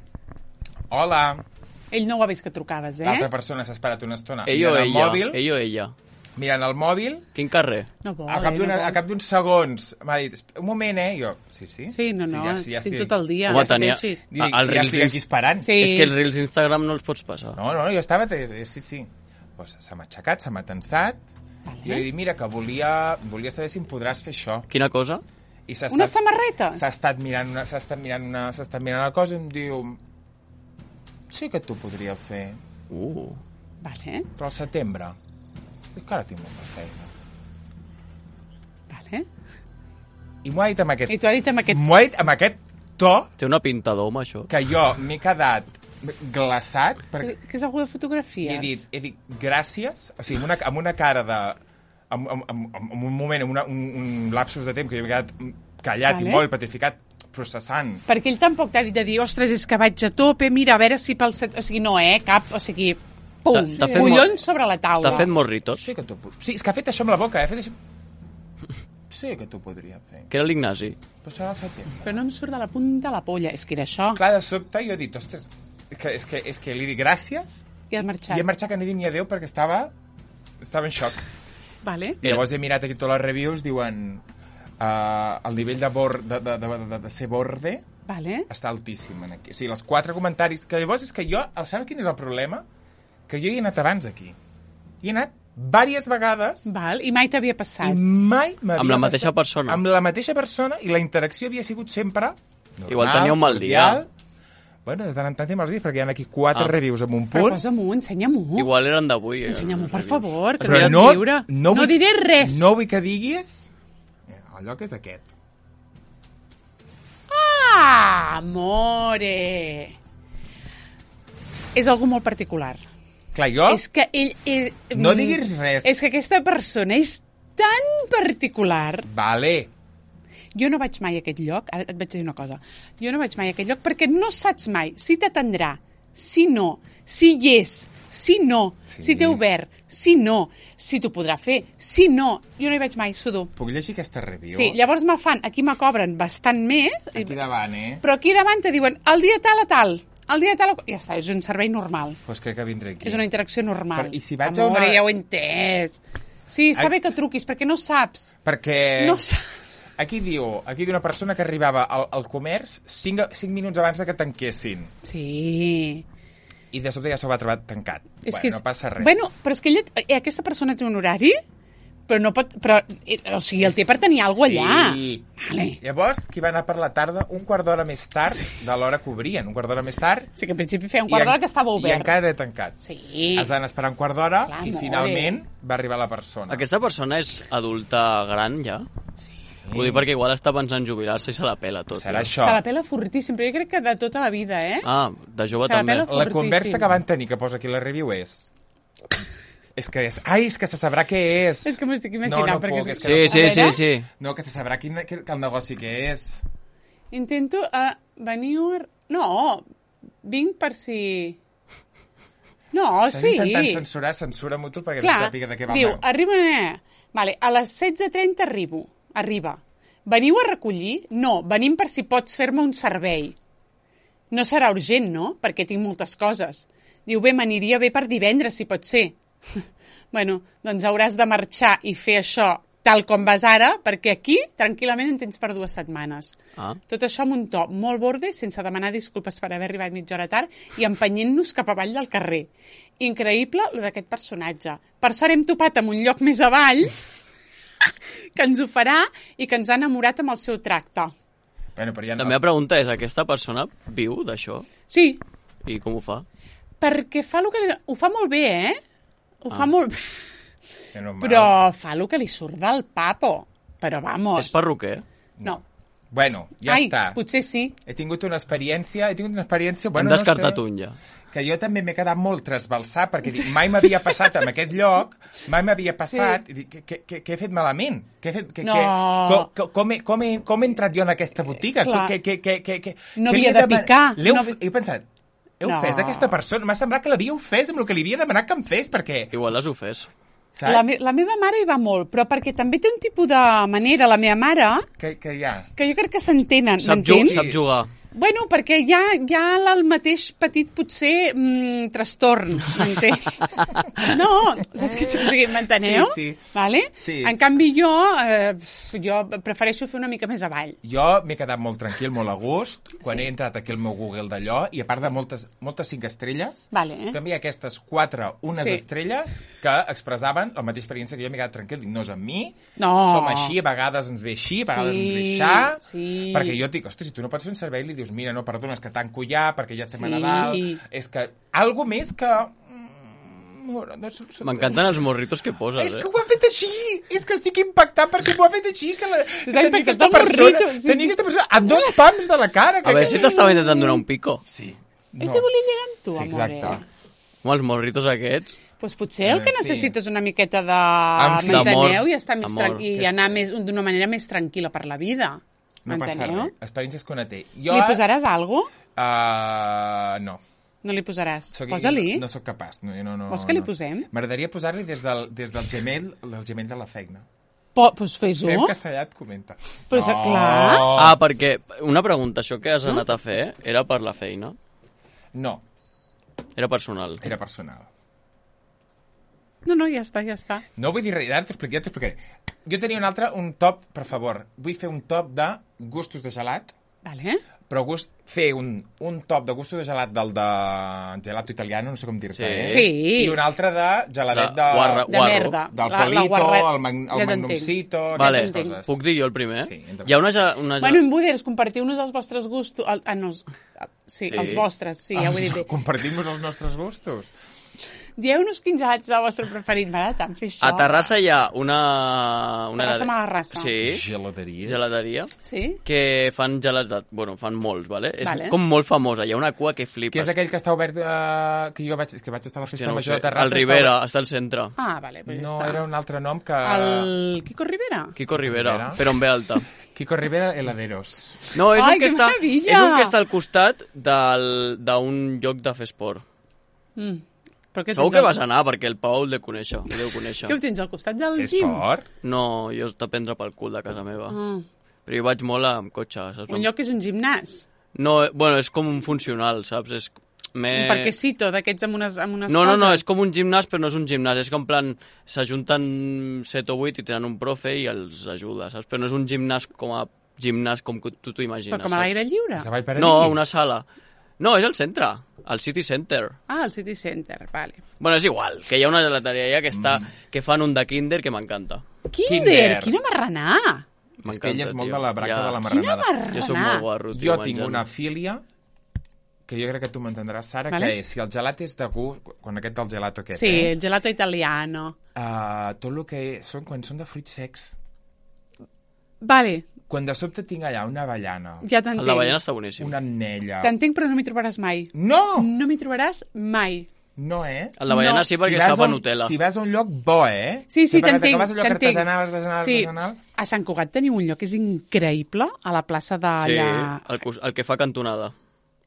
Hola. Ell no ho ha vist que trucaves, eh? L'altra persona s'ha esperat una estona Ell o mirant el ella. mòbil, Ell o ella. mirant el mòbil. Quin carrer? No vol, A cap eh, d'una- no vol. a cap d'uns segons m'ha dit, un moment, eh? Jo, sí, sí. Sí, no, no, ja, sí, ja estic estic... tot el dia. Home, ja tenia- pateixis. Dic, Ah, els si ja reels estic aquí inst- esperant. Sí. És que els reels d'Instagram no els pots passar. No, no, jo estava... eh, Sí, sí. Pues se m'ha aixecat, se m'ha tensat. Vale. I jo li he dit, mira, que volia, volia saber si em podràs fer això. Quina cosa? I s'ha Una estat- samarreta? S'ha estat mirant una, s'ha estat mirant una, s'ha estat mirant una cosa i em diu, sí que t'ho podria fer, Uh. Vale, però al setembre. Dic que ara tinc molta feina. vale. I m'ho ha dit amb aquest... I t'ho ha dit amb aquest... M'ho ha dit amb aquest to Té una pinta d'home, això. que jo m'he quedat glaçat perquè Que és algú de i fotografies? he dit, he dit gràcies, o sigui, amb una, amb una cara de... Amb, amb, amb, amb un moment, amb una, un, un lapsus de temps que jo m'he quedat callat Vale. i molt petrificat, processant. Perquè ell tampoc t'ha dit de dir, ostres, és que vaig a tope, mira, a veure si pel... Set... O sigui, no, eh, cap, o sigui, pum, T'ha- t'ha fet collons molt- sobre la taula. T'ha fet morritos. Sí que t'ho... pu- Sí, és que ha fet això amb la boca, eh? Ha fet això... Sí que t'ho podria fer. Que era l'Ignasi. Però serà al setembre. Però no em surt de la punta de la polla, és que era això. Clar, de sobte jo he dit, ostres, és que, és que, és que li dic gràcies I has marxat. i he marxat que no he dit ni adéu perquè estava, estava en xoc. Vale. I llavors he mirat aquí totes les reviews, diuen uh, el nivell de, bor, de, de, de, de, de ser borde Vale. està altíssim en aquí. O sigui, els quatre comentaris, que llavors és que jo, sabeu quin és el problema? Que jo hi he anat abans aquí. Hi he anat diverses vegades Val. I mai t'havia passat. i mai m'havia Amb la mateixa passat- persona. Amb la mateixa persona i la interacció havia sigut sempre normal, Igual tenia un mal dia. cordial. Bueno, de tant en tant té mals dies perquè hi ha aquí quatre Ah. reviews amb un Però punt. posa-m'ho, ensenya-m'ho. Igual eren d'avui. eh, Ensenya-m'ho, per els favor, que Però no, no, lliure. no, no vull, diré res. No vull que diguis... El lloc és aquest. Ah, amore. És algú molt particular. Clar, jo... És que ell... ell No mm, diguis res. És que aquesta persona és tan particular. Vale. Jo no vaig mai a aquest lloc, ara et vaig dir una cosa, jo no vaig mai a aquest lloc perquè no saps mai si t'atendrà, si no, si hi és, si no, Sí. si té obert, si no, si t'ho podrà fer, si no. Jo no hi vaig mai, sudo. Puc llegir aquesta review? Sí, llavors me fan, aquí me cobren bastant més, Aquí davant, eh? però aquí davant te diuen el dia tal a tal, el dia tal a... Ja està, és un servei normal. Doncs pues crec que vindré aquí. És una interacció normal. Però, i si vaig a Amore, una- ja ho he entès. Sí, està Ai. bé que truquis, perquè no saps. Perquè... No saps. Aquí diu, aquí diu una persona que arribava al, al comerç cinc, cinc minuts abans de que tanquessin. Sí. I de sobte ja s'ho va trobar tancat. És bueno, que és... no passa res. Bueno, però és que ella, eh, aquesta persona té un horari, però no pot... Però, eh, o sigui, el té per tenir alguna cosa allà. Sí. Vale. Llavors, qui va anar per la tarda, un quart d'hora més tard sí. de l'hora que obrien. Un quart d'hora més tard. Sí, que en principi feia un quart i en- d'hora que estava I obert. encara era tancat. Sí. Es van esperar un quart d'hora Clar, i amore. finalment va arribar la persona. Aquesta persona és adulta gran, ja? Sí. Ho dic perquè igual està pensant jubilar-se i se la pela tot. Serà ja. això. Se la pela fortíssim, però jo crec que de tota la vida, eh? Ah, de jove Se la també. pela La fortíssim. conversa que van tenir, que posa aquí la review, és... és que és... Ai, és que se sabrà què és. És que m'ho estic No, imaginant. no perquè puc, és- és que Sí, no sí, A sí, veure. sí. No, que se sabrà quin, que, que el negoci que és. Intento uh, venir... A... No, vinc per si... No, Estàs sí. intentant censurar, censura mutu perquè Clar, no sàpiga de què va diu, el meu. arriba... Vale, a les setze trenta arribo. Arriba. Veniu a recollir? No, venim per si pots fer-me un servei. No serà urgent, no? Perquè tinc moltes coses. Diu, bé, m'aniria bé per divendres, si pot ser. Bueno, doncs hauràs de marxar i fer això tal com vas ara, perquè aquí, tranquil·lament, en tens per dues setmanes. Ah. Tot això amb un to molt borde, sense demanar disculpes per haver arribat mitja hora tard i empenyent-nos cap avall del carrer. Increïble, lo d'aquest personatge. Per sort hem topat amb un lloc més avall que ens ho farà i que ens ha enamorat amb el seu tracte. Bueno, però ja La no... meva pregunta és, aquesta persona viu d'això? Sí, I com ho fa? perquè fa el que li... Ho fa molt bé, eh? Ho Ah. fa molt bé. Ja no em Però val. fa el que li surt del papo. Però vamos. És perruquer? No. Bueno, ja Ai, està. potser sí. He tingut una experiència, he tingut una experiència... Hem Bueno, descartat no sé, un ja. que jo també m'he quedat molt trasbalsat, perquè dic, mai m'havia passat en aquest lloc, mai m'havia passat, sí. i dic, què, què, què he fet malament? Què he fet, que, No. que, com, com, he, com, he, com he entrat jo en aquesta botiga? Clar. Que, que, que, que, que, No que li havia he de deman- picar. L'he No of- havia- He pensat, he No. ofès aquesta persona? M'ha semblat que l'havia ofès amb el que li havia demanat que em fes, perquè... Igual les ho fes. Saps? La, me la meva mare hi va molt, però perquè també té un tipus de manera, la meva mare, Que, que hi ha... que jo crec que s'entenen, Sap, ju m'entens? sap jugar. Bueno, perquè hi ha, hi ha el mateix petit, potser, mm, trastorn, m'entens? No, saps què? O sigui, m'enteneu? Sí, sí. Vale? Sí. En canvi, jo, eh, jo prefereixo fer una mica més avall. Jo m'he quedat molt tranquil, molt a gust, quan Sí. he entrat aquí al meu Google d'allò, i a part de moltes, moltes cinc estrelles, Vale, eh? també hi ha aquestes quatre, unes Sí. estrelles, que expressaven la mateixa experiència que jo m'he quedat tranquil. Dic, no és amb mi, No. som així, a vegades ens ve així, a vegades Sí, ens ve aixà, sí. perquè jo et dic, ostres, si tu no pots fer un servei, li dius, mira, no, perdona, és que tanco ja, perquè ja estem a Sí. Nadal, és que... Algo més que... mm, no, no, no, M'encanten els morritos que poses, És eh? que ho ha fet així! És que estic impactat perquè m'ho ha fet així, que, la, que T'ha tenia impactat aquesta el persona, morrito, sí, tenia sí. aquesta persona a dos pams de la cara. Que A veure que- si t'estava intentant donar un pico. Sí. No. I si volia lligar amb tu, Sí, amore? exacte. Home, els morritos aquests... Pues potser el que Eh, sí. necessites una miqueta de... En fi. M'enteneu? D'amor. I estar més Amor. tran... i anar més d'una manera més tranquil·la per la vida. No passa M'enteneu? res. Experiències que una té. Jo, Li posaràs alguna cosa? Uh, no. No li posaràs? Soc, Posa-li. No sóc capaç. No, no, no, Vols que li no. posem? M'agradaria posar-li des del, des del Gmail, el Gmail de la feina. Po pues fes-ho. Fem castellà, et comenta. Pues, clar. Ah, perquè una pregunta, això que has anat a fer era per la feina? No, Era personal. era personal. No, no, ja està, ja està. No vull dir res, ara t'ho explicaré, t'ho explicaré. Jo tenia un altre, un top, per favor. Vull fer un top de gustos de gelat, Vale. però gust, fer un, un top de gustos de gelat del de gelato italiano, no sé com dir-te, Sí. eh? Sí. I un altre de geladet De de... guarra- De Guarro. merda. Del La- la Polito, guarra- el, mag, Ja el t'entenc. Magnumcito, Vale, aquestes coses. puc dir jo el primer? Sí, endavant. Hi ha una... ge- una ge- Bueno, en Buders, compartiu-nos els vostres gustos. El, ah, no, els- sí, Sí. els vostres, sí, ja ho he dit bé. Compartim-nos els nostres gustos. Dieu-nos quins gelats és el vostre preferit. M'agrada tant fer això. A Terrassa hi ha una... una Terrassa Malarrassa. Sí, Gelateria. gelateria, Sí? que fan gelats, de- bueno, fan molts, vale? És Vale. com molt famosa, hi ha una cua que Que flipes. és aquell que està obert, eh, que jo vaig, és que vaig estar a la festa Hòstia, no ho major sé. de Terrassa. El Rivera, està al centre. Ah, vale, pues No, ja està. era un altre nom que... El Quico Rivera? Kiko Rivera, Rivera. però en ve alta. Kiko Rivera Heladeros. No, és Ai, un que que està, meravella! és un que està al costat del- d'un lloc de fer esport. Mm. Però què Segur tens que al- vas anar, perquè el Pau el de conèixer, el deu conèixer. Què ho tens al costat del És gym? esport? No, jo està a prendre pel cul de casa meva. Ah. Però jo vaig molt amb cotxe, saps? Un lloc que és un gimnàs. No, bueno, és com un funcional, saps? És me... Un parquecito d'aquests amb unes, amb unes No, no, coses. no, és com un gimnàs, però no és un gimnàs. És que en plan, s'ajunten set o vuit i tenen un profe i els ajuda, saps? Però no és un gimnàs com a gimnàs com que tu t'ho imagines. Però com a l'aire lliure. És a Vallparadís? No, una sala. No, és el centre, el City Center. Ah, el City Center, vale. Bueno, és igual, que hi ha una gelateria allà que, està, que fan un de Kinder que m'encanta. Kinder, Kinder. quina marranà! És que ell és molt tio. de la braca Ja. de la Quina marranada. marranà! Jo soc molt guarro, tio, Jo tinc menjant. una filia que jo crec que tu m'entendràs, Sara, Vale. que és, si el gelat és de gust, quan aquest del gelato aquest, Sí, eh? el gelato italiano. Uh, tot el que són, quan són de fruits secs. Vale, Quan de sobte tinc allà una avellana, ja El t'entenc. d'avellana està boníssim. una ametlla... T'entenc, però no m'hi trobaràs mai. No! No m'hi trobaràs mai. No, eh? El d'avellana No. sí, perquè vas sap a a un- Nutella. Si vas a un lloc bo, eh? Sí, sí, Sempre que t'entenc, vas a un lloc t'entenc. artesanal, artesanal, Sí, artesanal... a Sant Cugat teniu un lloc que és increïble, a la plaça Sí, d'allà... el, cos- el que fa cantonada.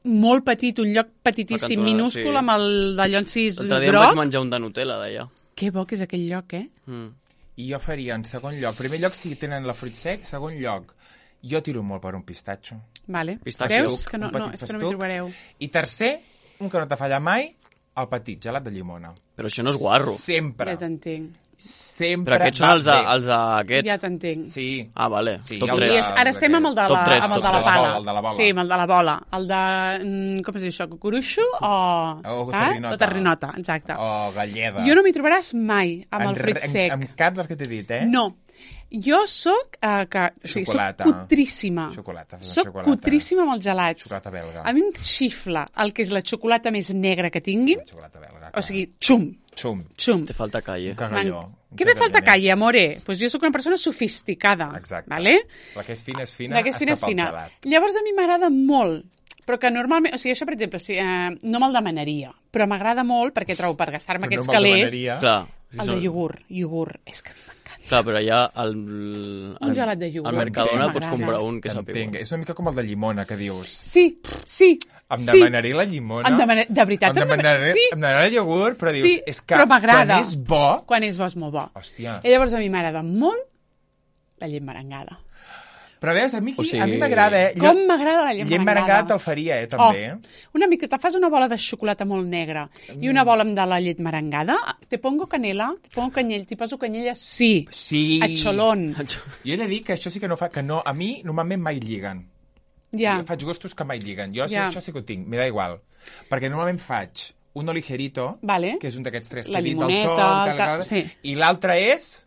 molt petit, un lloc La petitíssim, cantonada, minúscul, sí. amb el d'allò encís L'altre dia em vaig groc. menjar un de Nutella, d'allà. Que bo que és aquell lloc, eh? Mm. I jo faria en segon lloc. Primer lloc si tenen la fruit sec, segon lloc jo tiro molt per un pistatxo. Vale. Pistatxo. Veus? Que no, Un no, petit és que no m'hi festuc. trobareu. I tercer, un que no t'ha fallat mai, el petit, gelat de llimona. Però això no és guarro. Sempre. Ja t'entenc. Sempre Però aquests són va els de, bé. els de aquest. Ja t'entenc. Sí. Ah, vale. Sí, Top el I tres. de- és, ara estem amb el de Top la, tres, amb el top de la tres. pala. El de la bola. Sí, amb el de la bola. El de... mm, Com es diu això? Cucuruixo o... O ah? terrinota. O terrinota, exacte. O galleda. Jo no m'hi trobaràs mai amb En el fruit re- sec. En, en cap dels que t'he dit, eh? No. Jo soc, eh, que, o sigui, soc Xocolata. cutríssima. Xocolata, fes Soc xocolata. cutríssima amb els gelats. Xocolata belga. A mi em xifla el que és la xocolata més negra que tinguin. Xocolata belga. O sigui, xum, Xum. xum. Te falta calle. Un cagalló. Què me falta calle, amore? Pues jo sóc una persona sofisticada. Exacte. Vale? La que és fina és fina, La que és fina és està pel fina. gelat. Llavors a mi m'agrada molt, però que normalment, o sigui, això, per exemple, si, eh, no me'l demanaria, però m'agrada molt perquè trobo per gastar-me Però aquests no me'l calés, demanaria. Clar. el de iogurt, iogurt, és que m'encanta. Clar, però allà al, Un gelat de iogurt. al Mercadona Sí, pots m'agrada. comprar un que sàpiga. T'entenc. És una mica com el de llimona, que dius. Sí, sí, Em sí. demanaré la llimona. Em demana- de veritat, Em em demana- demanaré, sí. em demanaré el iogurt, però dius, Sí, és que però m'agrada. quan és bo... Quan és bo és molt bo. Hòstia. I llavors a mi m'agrada molt la llet merengada. Però veus, a mi, O sigui- a mi m'agrada, eh? Com m'agrada la llet Llet merengada. merengada te'l faria, eh, també. Oh, una mica, te fas una bola de xocolata molt negra i una bola amb de la llet merengada, te pongo canela, te pongo canyell, t'hi poso canyella, sí. Sí. A xolón. Jo he de dir que això sí que no fa... Que no, a mi normalment mai lliguen. Ja. Jo faig gustos que mai lliguen. Jo Ja. això sí que ho tinc, m'he da igual. Perquè normalment faig uno ligerito, Vale. que és un d'aquests tres La que he dit del limoneta, tot, tal, el tal, ca- sí. i l'altre és...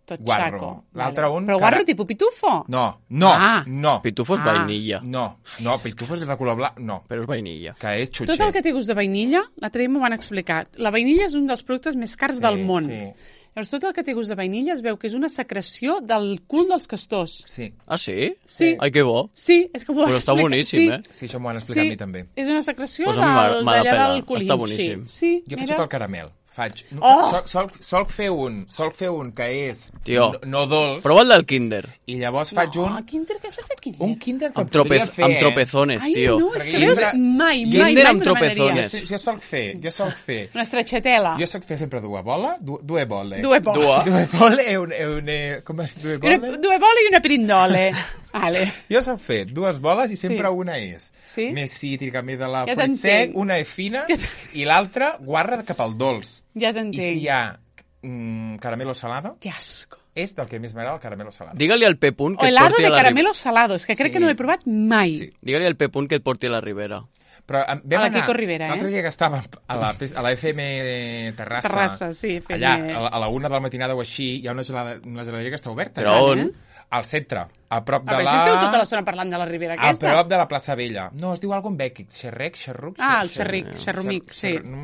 Tot Guarro. xaco. L'altre un Però que guarro ara- tipus pitufo? No, no, Ah. no. Pitufo és Ah. vainilla, No, no, pitufos és de color blanc, no, però és vainilla. que és xutxer. Tot el que té gust de vainilla, l'altre dia m'ho van explicar. La vainilla és un dels productes més cars Sí, del món. sí. Llavors, tot el que té gust de vainilla es veu que és una secreció del cul dels castors. Sí, Ah, sí? Sí. Ai, que bo. Sí, és que m'ho van Però està explicar. boníssim, sí. eh? sí, això m'ho han explicat Sí, a mi també. és una secreció Pues a mi m'ha- del- m'ha de d'allà pelar. del culín. Està boníssim. Sí, sí Jo faig mira. tot el caramel. Faig... Oh! Sol, sol, sol, fer un, sol fer un que és Tio. no, no dolç, Prova el del Kinder. i llavors faig No, un... Kinder, què s'ha fet Kinder? Un Kinder que Amb, podria tropez, fer... amb eh? tropezones, Ai, tio. no, és Perquè que jo veus, sempre- mai, mai, Kinder mai amb m'ho demanaria. tropezones. Jo, jo sol fer, jo sol fer... Una estretxatela. Jo soc fer sempre due bola, du, due bole. Due bola. Dua. Due bole e un... E un e, com es diu? Due Una, bole? due bolle i una pirindole. Vale. Jo soc fer dues boles i sempre Sí. una és Sí? més cítrica, més de la Ja fruit t'entenc. sec, una és fina Ja t'entenc. i l'altra guarra cap al dolç. Ja I t'entenc. si hi ha mm, caramelo salado, Que asco. és del que més m'agrada el caramelo salado. Digue-li al Pepunt que O et helado porti de a la caramelo Ribera. salado, és que crec Sí. que no l'he provat mai. Sí. Digue-li al Pepunt que et porti a la Ribera. Però em, vam A la anar, Quico Rivera, eh? l'altre dia que estàvem a la, a la F M Terrassa, Terrassa, sí, F M. allà, a la, a la una de la matinada o així, hi ha una, gelada, una geladeria que està oberta. Però eh? on? Al centre, a prop A de veure la... si esteu tota l'estona parlant de la Ribera A aquesta. prop de la plaça Vella. No, es diu algo en bèquic. Xerrec, xerruc... Ah, el xer- xerric, xer- xerrumic, xer- sí. xer- no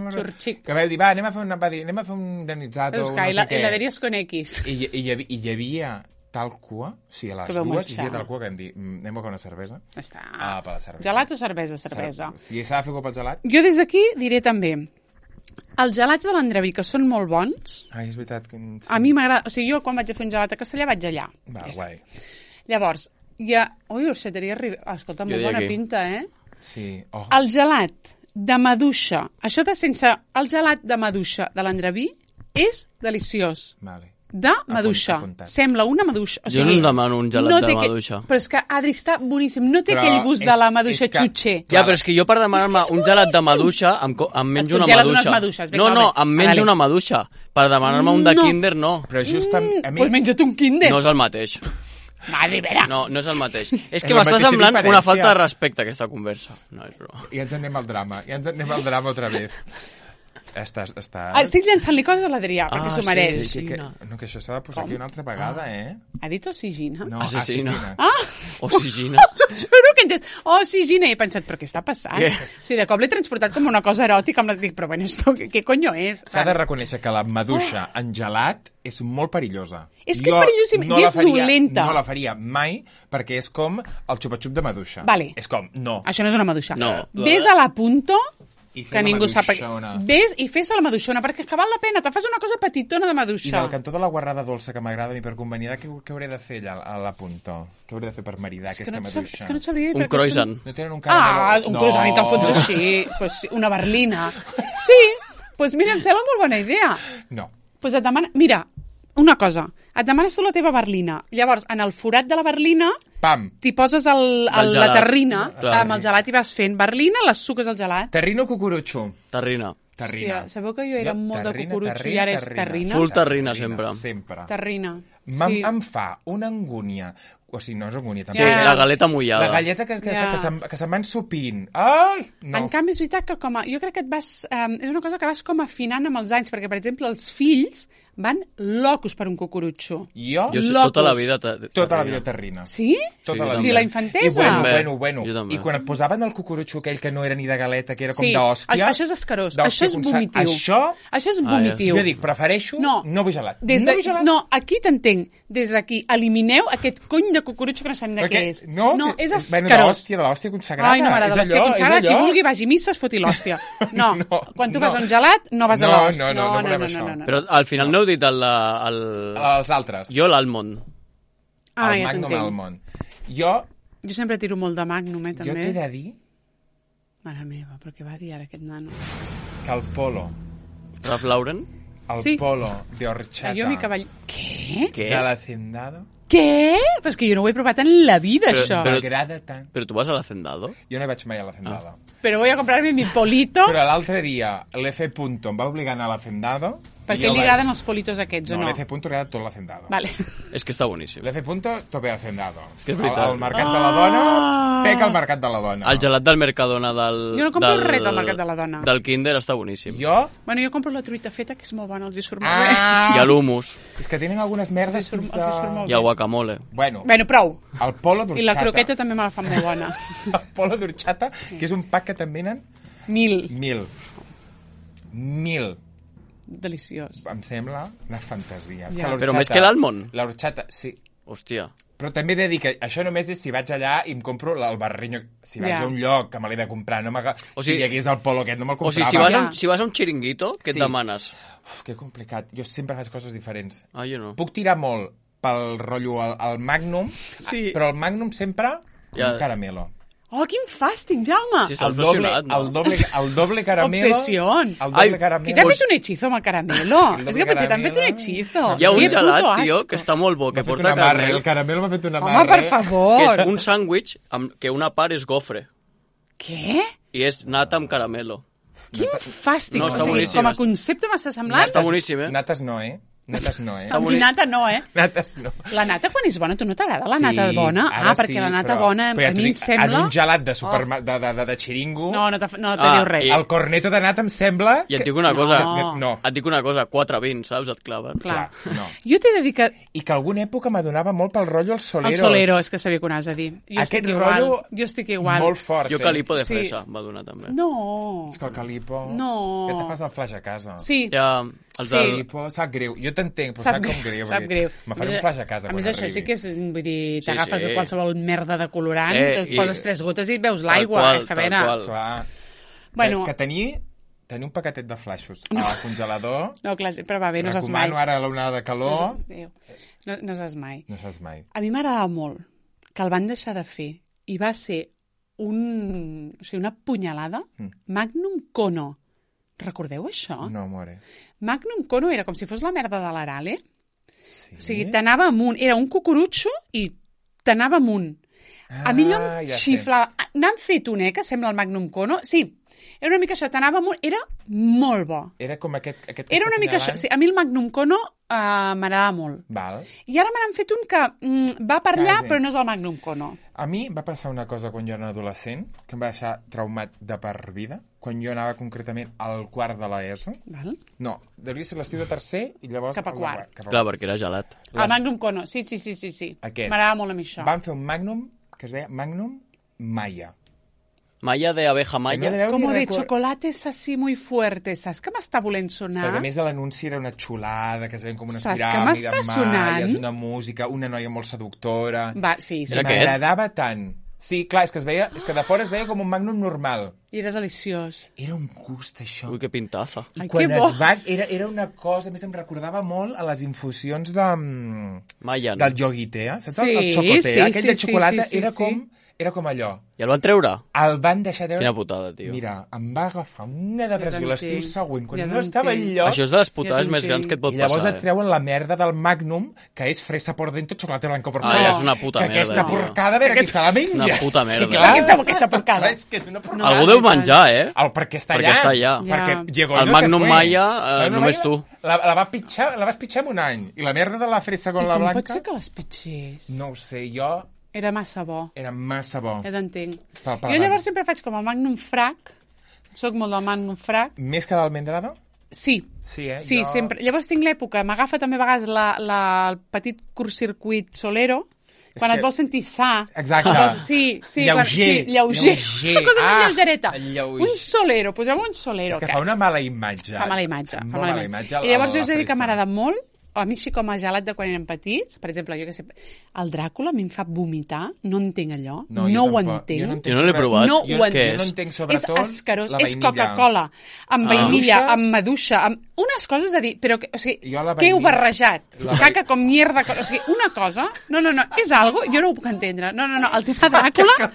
me- Xurxic. Que va dir, va, anem a fer, una, va dir, anem a fer un granizzato, Veus no que sé hela- què. heladeries con X. I, i, hi havia, I hi havia tal cua, o sigui, a les Que vau dues hi marxar. havia tal cua que vam dir, "Mm, anem a fer una cervesa. Està. Ah, per la cervesa. Gelat o cervesa? Cervesa. Si s'ha de fer cop al gelat... Jo des d'aquí diré també, els gelats de l'Andreví, que són molt bons, Ai, és veritat que... Sí. a mi m'agrada... O sigui, jo quan vaig a fer un gelat a Castellà vaig allà. Va, Ja està. guai. Llavors, hi ha... Ui, orxateria Ribera... Ah, escolta, Jo molt diria bona aquí. pinta, eh? Sí. Oh. El gelat de maduixa, això de sense... El gelat de maduixa de l'Andreví és deliciós. Vale. De maduixa. apuntat. Sembla una maduixa. O Jo no sigui, em demano un gelat no de té que- maduixa. Però és que, Adri, està boníssim. No té Però aquell gust és- de la maduixa és que- xutxer. Ja, però és que jo per demanar-me És que és un gelat de boníssim. maduixa em, co- em menjo Et una congeles maduixa. unes maduixes, no, vinga, no, va. em menjo Vale. una maduixa. Per demanar-me un de No. Kinder, no. Però just a, a mi... Doncs pues menja't un Kinder. No és el mateix. Va, Ribera. No, no és el mateix. És És que la m'està mateixa semblant una diferència. falta de respecte, aquesta conversa. No, és broma. I ens anem al drama. I ens anem al drama otra vez. Estàs... estàs... Ah, estic llançant-li coses a l'Adrià, Ah, perquè s'ho sí, mereix. sí. que, que, no, que això s'ha de posar Com? aquí una altra vegada, eh? Ha dit oxigina? No, Assassina. Ah! Oxigina. Juro que he entès. Oh, oxigina. I he pensat, però què està passant? Què? O sigui, de cop l'he transportat com una cosa eròtica. Amb la... Dic, però bueno, esto, què, què coño és? S'ha de reconèixer que la maduixa en gelat és molt perillosa. És que és perillosíssima i la és faria, dolenta. No la faria mai perquè és com el xupa-xup de maduixa. Vale. És com, no. Això no és una maduixa. No. Ves a la punto I fer que la ningú sap... maduixona. Ves i fes la maduixona, perquè és que val la pena, te fas una cosa petitona de I maduixar. del cantó de la guarrada dolça que m'agrada a mi per convenir, què, què hauré de fer allà a la punta? Què hauré de fer per maridar És que aquesta no et sab- maduixa? és que no et sabria dir Un perquè croissant. No tenen un Ah, caramel... un croissant i te'l fots així. Pues sí, una berlina. Sí, pues mira, em sembla molt bona idea. No. Pues et demana... Mira, una cosa. Et demanes tu la teva berlina. Llavors, en el forat de la berlina, Pam! t'hi poses el, el, El la gelat. terrina, Clar. amb el gelat i vas fent berlina, les suques al gelat. Terrino cucurutxo. Terrina. Terrina. Hòstia, sabeu que jo era Jo, molt de terrina, cucurutxo i terrina, ara és terrina. terrina? Full terrina, sempre. Sempre. Terrina. Em, Sí. em fa una angúnia, o sigui, no és angúnia, Sí, també. Ja. la galeta mullada. La galleta que, que, Ja. que, se'n, que se'n van sopint. Ai! No. En canvi, és veritat que com a... Jo crec que et vas... Um, és una cosa que vas com afinant amb els anys, perquè, per exemple, els fills van locos per un cucurutxo. Jo, Jo sé, Locos. tota la vida... te- tota la terrina. vida terrina. Sí? Tota Sí, la jo vida. I la infantesa? I bueno, També. bueno, bueno. Jo també. I quan et posaven el cucurutxo aquell que no era ni de galeta, que era com Sí, d'hòstia... això, això és escarós, d'hòstia això és constant. vomitiu. Això, Això és Ah, ja. vomitiu. jo dic, prefereixo no, No. vull gelat. Des no de, vull gelat. no, aquí t'entenc. Des d'aquí, elimineu aquest cony de cucurutxo que no sabem de Perquè- què és. No, no que- és Bueno, de escarós. l'hòstia, de l'hòstia consagrada. Ai, no m'agrada És l'hòstia allò, consagrada. és Qui allò. vulgui vagi a missa, es foti l'hòstia. No, No, quan tu no. vas a un gelat, no vas a No, l'hòstia. no, no, no volem això. Però al final no heu dit el... el... Els altres. Jo l'Almond. Ah, el ja Magnum t'entenc. Almond. Jo, Jo sempre tiro molt de Magnum, eh, jo també. t'he de dir Mare meva, però què va dir ara aquest nano? que el polo, Ralph Lauren? el Sí. polo de horchata Jo, mi cavall... Què? Què? de l'hacendado Què? Però és que jo no ho he provat en la vida, Però- això. però- m'agrada tant. Però tu vas a l'Hacendado? Jo no vaig mai a l'hacendado. Però voy a comprarme mi polito. Però l'altre dia l'F. Punto em va obligar a anar a l'hacendado. Per i què jo li vaig- agraden els politos aquests, No, o no? l'F. Punto li agrada tot l'hacendado. Vale. És que està boníssim. L'F. Punto, tope l'hacendado. És que és veritat. El, el mercat de la dona, Ah. peca el mercat de la dona. El gelat del Mercadona del... Jo no compro del, res al Mercat de la Dona. Del Kinder està boníssim. Jo... Bueno, jo compro la truita feta, que és molt bona, els hi surt molt bé. Ah! I l'humus. És que tenen algunes merdes Els hi surt- fins els hi surt molt I el guacamole. Bueno, Bueno, prou. el polo d'orxata. I la croqueta també me la fan molt bona. El polo d'orxata, que és un pack que te'n venen Mil. mil. Mil. Deliciós. Em sembla una fantasia. És Ja. que l'orxata- Però més que l'Almond? L'orxata, sí. Hòstia. Però també he de dir que això només és si vaig allà i em compro el barrinyo. Si vaig Ja. a un lloc que me l'he de comprar, no m'aga... O O sigui- sigui, si hi hagués el polo aquest, no me'l O comprava. sigui, si vas, a, Ja. un- si vas a un xiringuito, què Sí. et demanes? Uf, que complicat. Jo sempre faig coses diferents. Ah, jo no. Puc tirar molt pel rotllo al, al Magnum, Sí. però el Magnum sempre com Ja. un caramelo. Oh, quin fàstic, Jaume! Sí, s'ha El doble, obsessionat, no? el doble, el doble caramelo... Obsession. El doble Ai, Que caramelo... t'han fet un hechizo amb el caramelo. El És que potser t'han fet un caramelo. hechizo. Hi ha un Que gelat, puto tio, asco. que està molt bo, que M'ha fet porta una amarre, caramel, el caramelo m'ha fet una Home, amarre. per favor. que és un sàndwich amb que una part és gofre Què? i és nata amb caramelo. Quin fàstic. No, o està sigui, boníssim. com a concepte m'està semblant. Està boníssim, eh? Nates no, eh? Nates no, eh? Amb nata no, eh? Nates no. La nata, quan és bona, tu no t'agrada la nata bona? ara Ah, perquè sí, la nata però- bona, però ja a t'ho mi em dic, sembla... En un gelat de, superma... de, de, de, de xiringo, No, no, te, no te Ah, diu res. i- el corneto de nata em sembla... I et que- dic una cosa, No. No. et dic una cosa, quatre vint, saps? Et claven. Clar. Clar, no. Jo t'he de dir que... I que alguna època m'adonava molt pel rotllo als El soleros. solero, és que sabia que ho anaves a dir. Jo Aquest estic igual. rotllo Jo estic igual. molt fort, Jo eh? calipo de Sí. fresa, va donar també. No. És que el calipo... No. Ja te fas el flash a casa. Sí. Ja, els Sí. del... Calipo, sap greu. Jo t'entenc, però sap, Sap com greu, greu. sap perquè greu. Me faré A un més- flash a casa A quan més, això arribi. sí que és, vull dir, Sí, t'agafes sí. qualsevol merda de colorant, Eh, et i- poses tres gotes i veus Tal l'aigua. qual, eh, que a tal veure. qual. Clar. Bueno, Que, que tenir, tenir un paquetet de flashos al congelador... no, clar, però va bé, no saps mai. Recomano ara l'onada de calor... No, no, no saps mai. No saps mai. A mi m'agradava molt que el van deixar de fer i va ser un, o sigui, una punyalada. Mm. Magnum Cono. Recordeu això? No, more. Magnum Cono era com si fos la merda de l'Arale. Sí? O sigui, t'anava amunt. Era un cucurutxo i t'anava amunt. A mi allò Ah, em ja sé. xiflava. N'han fet un, eh, que sembla el Magnum Cono. Sí, era una mica això. T'anava amunt. Era molt bo. Era com aquest... aquest que Era una estàs mica això. assenyalant? Sí, a mi el Magnum Cono uh, m'agradava molt. Val. I ara me n'han fet un que mm, va per allà, Quasi. però no és el Magnum Cono. A mi va passar una cosa quan jo era adolescent que em va deixar traumat de per vida, quan jo anava concretament al quart de l'ESO. Val? No, devia ser l'estiu de tercer i llavors... Cap a al de quart. Cap a Clar, perquè era gelat. El Magnum Cono, sí, sí, sí, sí. sí. Aquest. M'agradava molt a mi això. Van fer un Magnum que es deia Magnum Maya. Malla de abeja No malla. deveu Como ni de recor- chocolates así muy fuertes. Saps que m'està volent sonar? Perquè a més l'anunci era una xulada, que es veien com unes Saps què piràmides m'està maies, sonant? una música, una noia molt seductora... Va, sí, sí. Era aquest? M'agradava tant Sí, clar, és que, es veia, és que de fora es veia com un Magnum normal. I era deliciós. Era un gust, això. Ui, que pintaza. I Ai, quan que bo. es va... Era, era una cosa... A més, em recordava molt a les infusions de... mm, Mayan. del Yoguitea. Saps? Sí, el xocotea, sí, aquell sí, de xocolata. sí, sí, era, sí. com, era com allò. I el van treure? El van deixar treure... Quina putada, tio. Mira, em va agafar una depressió Ja l'estiu t'entenc, següent, quan ja no estava t'entenc. enlloc. Això és de les putades Ja més t'entenc. grans que et pot I llavors passar, et treuen la merda del Magnum, que és fresa por dentro, xocolate blanco por Ah, fuera. ja és una puta que merda, aquesta tio. porcada, a veure qui se la menja. Una puta merda. I clar, Què feu aquesta porcada? clar, és que és una porcada. No, Algú i deu tant. menjar, eh? El, perquè està Perquè allà. està allà. Ja. Perquè llegó El no Magnum se fue. Maya, eh, El Magnum només Maya tu. La, la, va pitjar, la vas pitjar en un any. I la merda de la fresa con I la com blanca... pot ser que les pitgés? No ho sé, jo... Era massa bo. Era massa bo. Ja t'entenc. Pa- pa- Jo llavors sempre faig com el Magnum Frac. Soc molt del Magnum Frac. Més que d'almendrada? Sí. Sí, eh? Sí, jo... sempre. Llavors tinc l'època, m'agafa també a vegades la, la, el petit curtcircuit solero, És quan que- et vols sentir sa. Exacte. Et vols- Sí, sí. Lleuger, Quan, sí, lleuger. lleuger. Una cosa Ah, més lleugereta. lleuger. Un solero, posem un solero. És que fa una mala imatge. Fa mala imatge. Fa Fa molt mala imatge. I llavors jo la us he de dir que fresa. m'agrada molt, a mi així com a gelat de quan érem petits, per exemple, jo que sé, el Dràcula a mi em fa vomitar, no entenc allò, no, jo no ho tampoc. entenc. Jo no entenc Jo no l'he sobre- provat. No jo, ho jo entenc. no És? entenc És sobretot escarós, la és vainilla. Coca-Cola, amb Ah. vainilla, Maduixa. amb maduixa, amb unes coses de dir, però, que, o sigui, Jo la què heu vainilla- barrejat? la vai- Caca com mierda, o sigui, una cosa, no, no, no, és algo, jo no ho puc entendre, no, no, no, el tema Dràcula,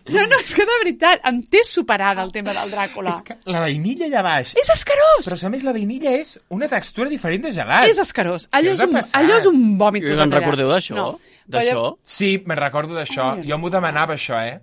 no, no, és que de veritat, em té superada el tema del Dràcula. És que la vainilla allà baix... És escarós! Però, a més, la vainilla és una textura diferent de gelat. És escarós. Allò Què és, us ha un, passat? allò és un vòmit. I us posat en allà. recordeu d'això? No. D'això? Sí, me'n recordo d'això. Ai, Jo m'ho demanava, això, eh?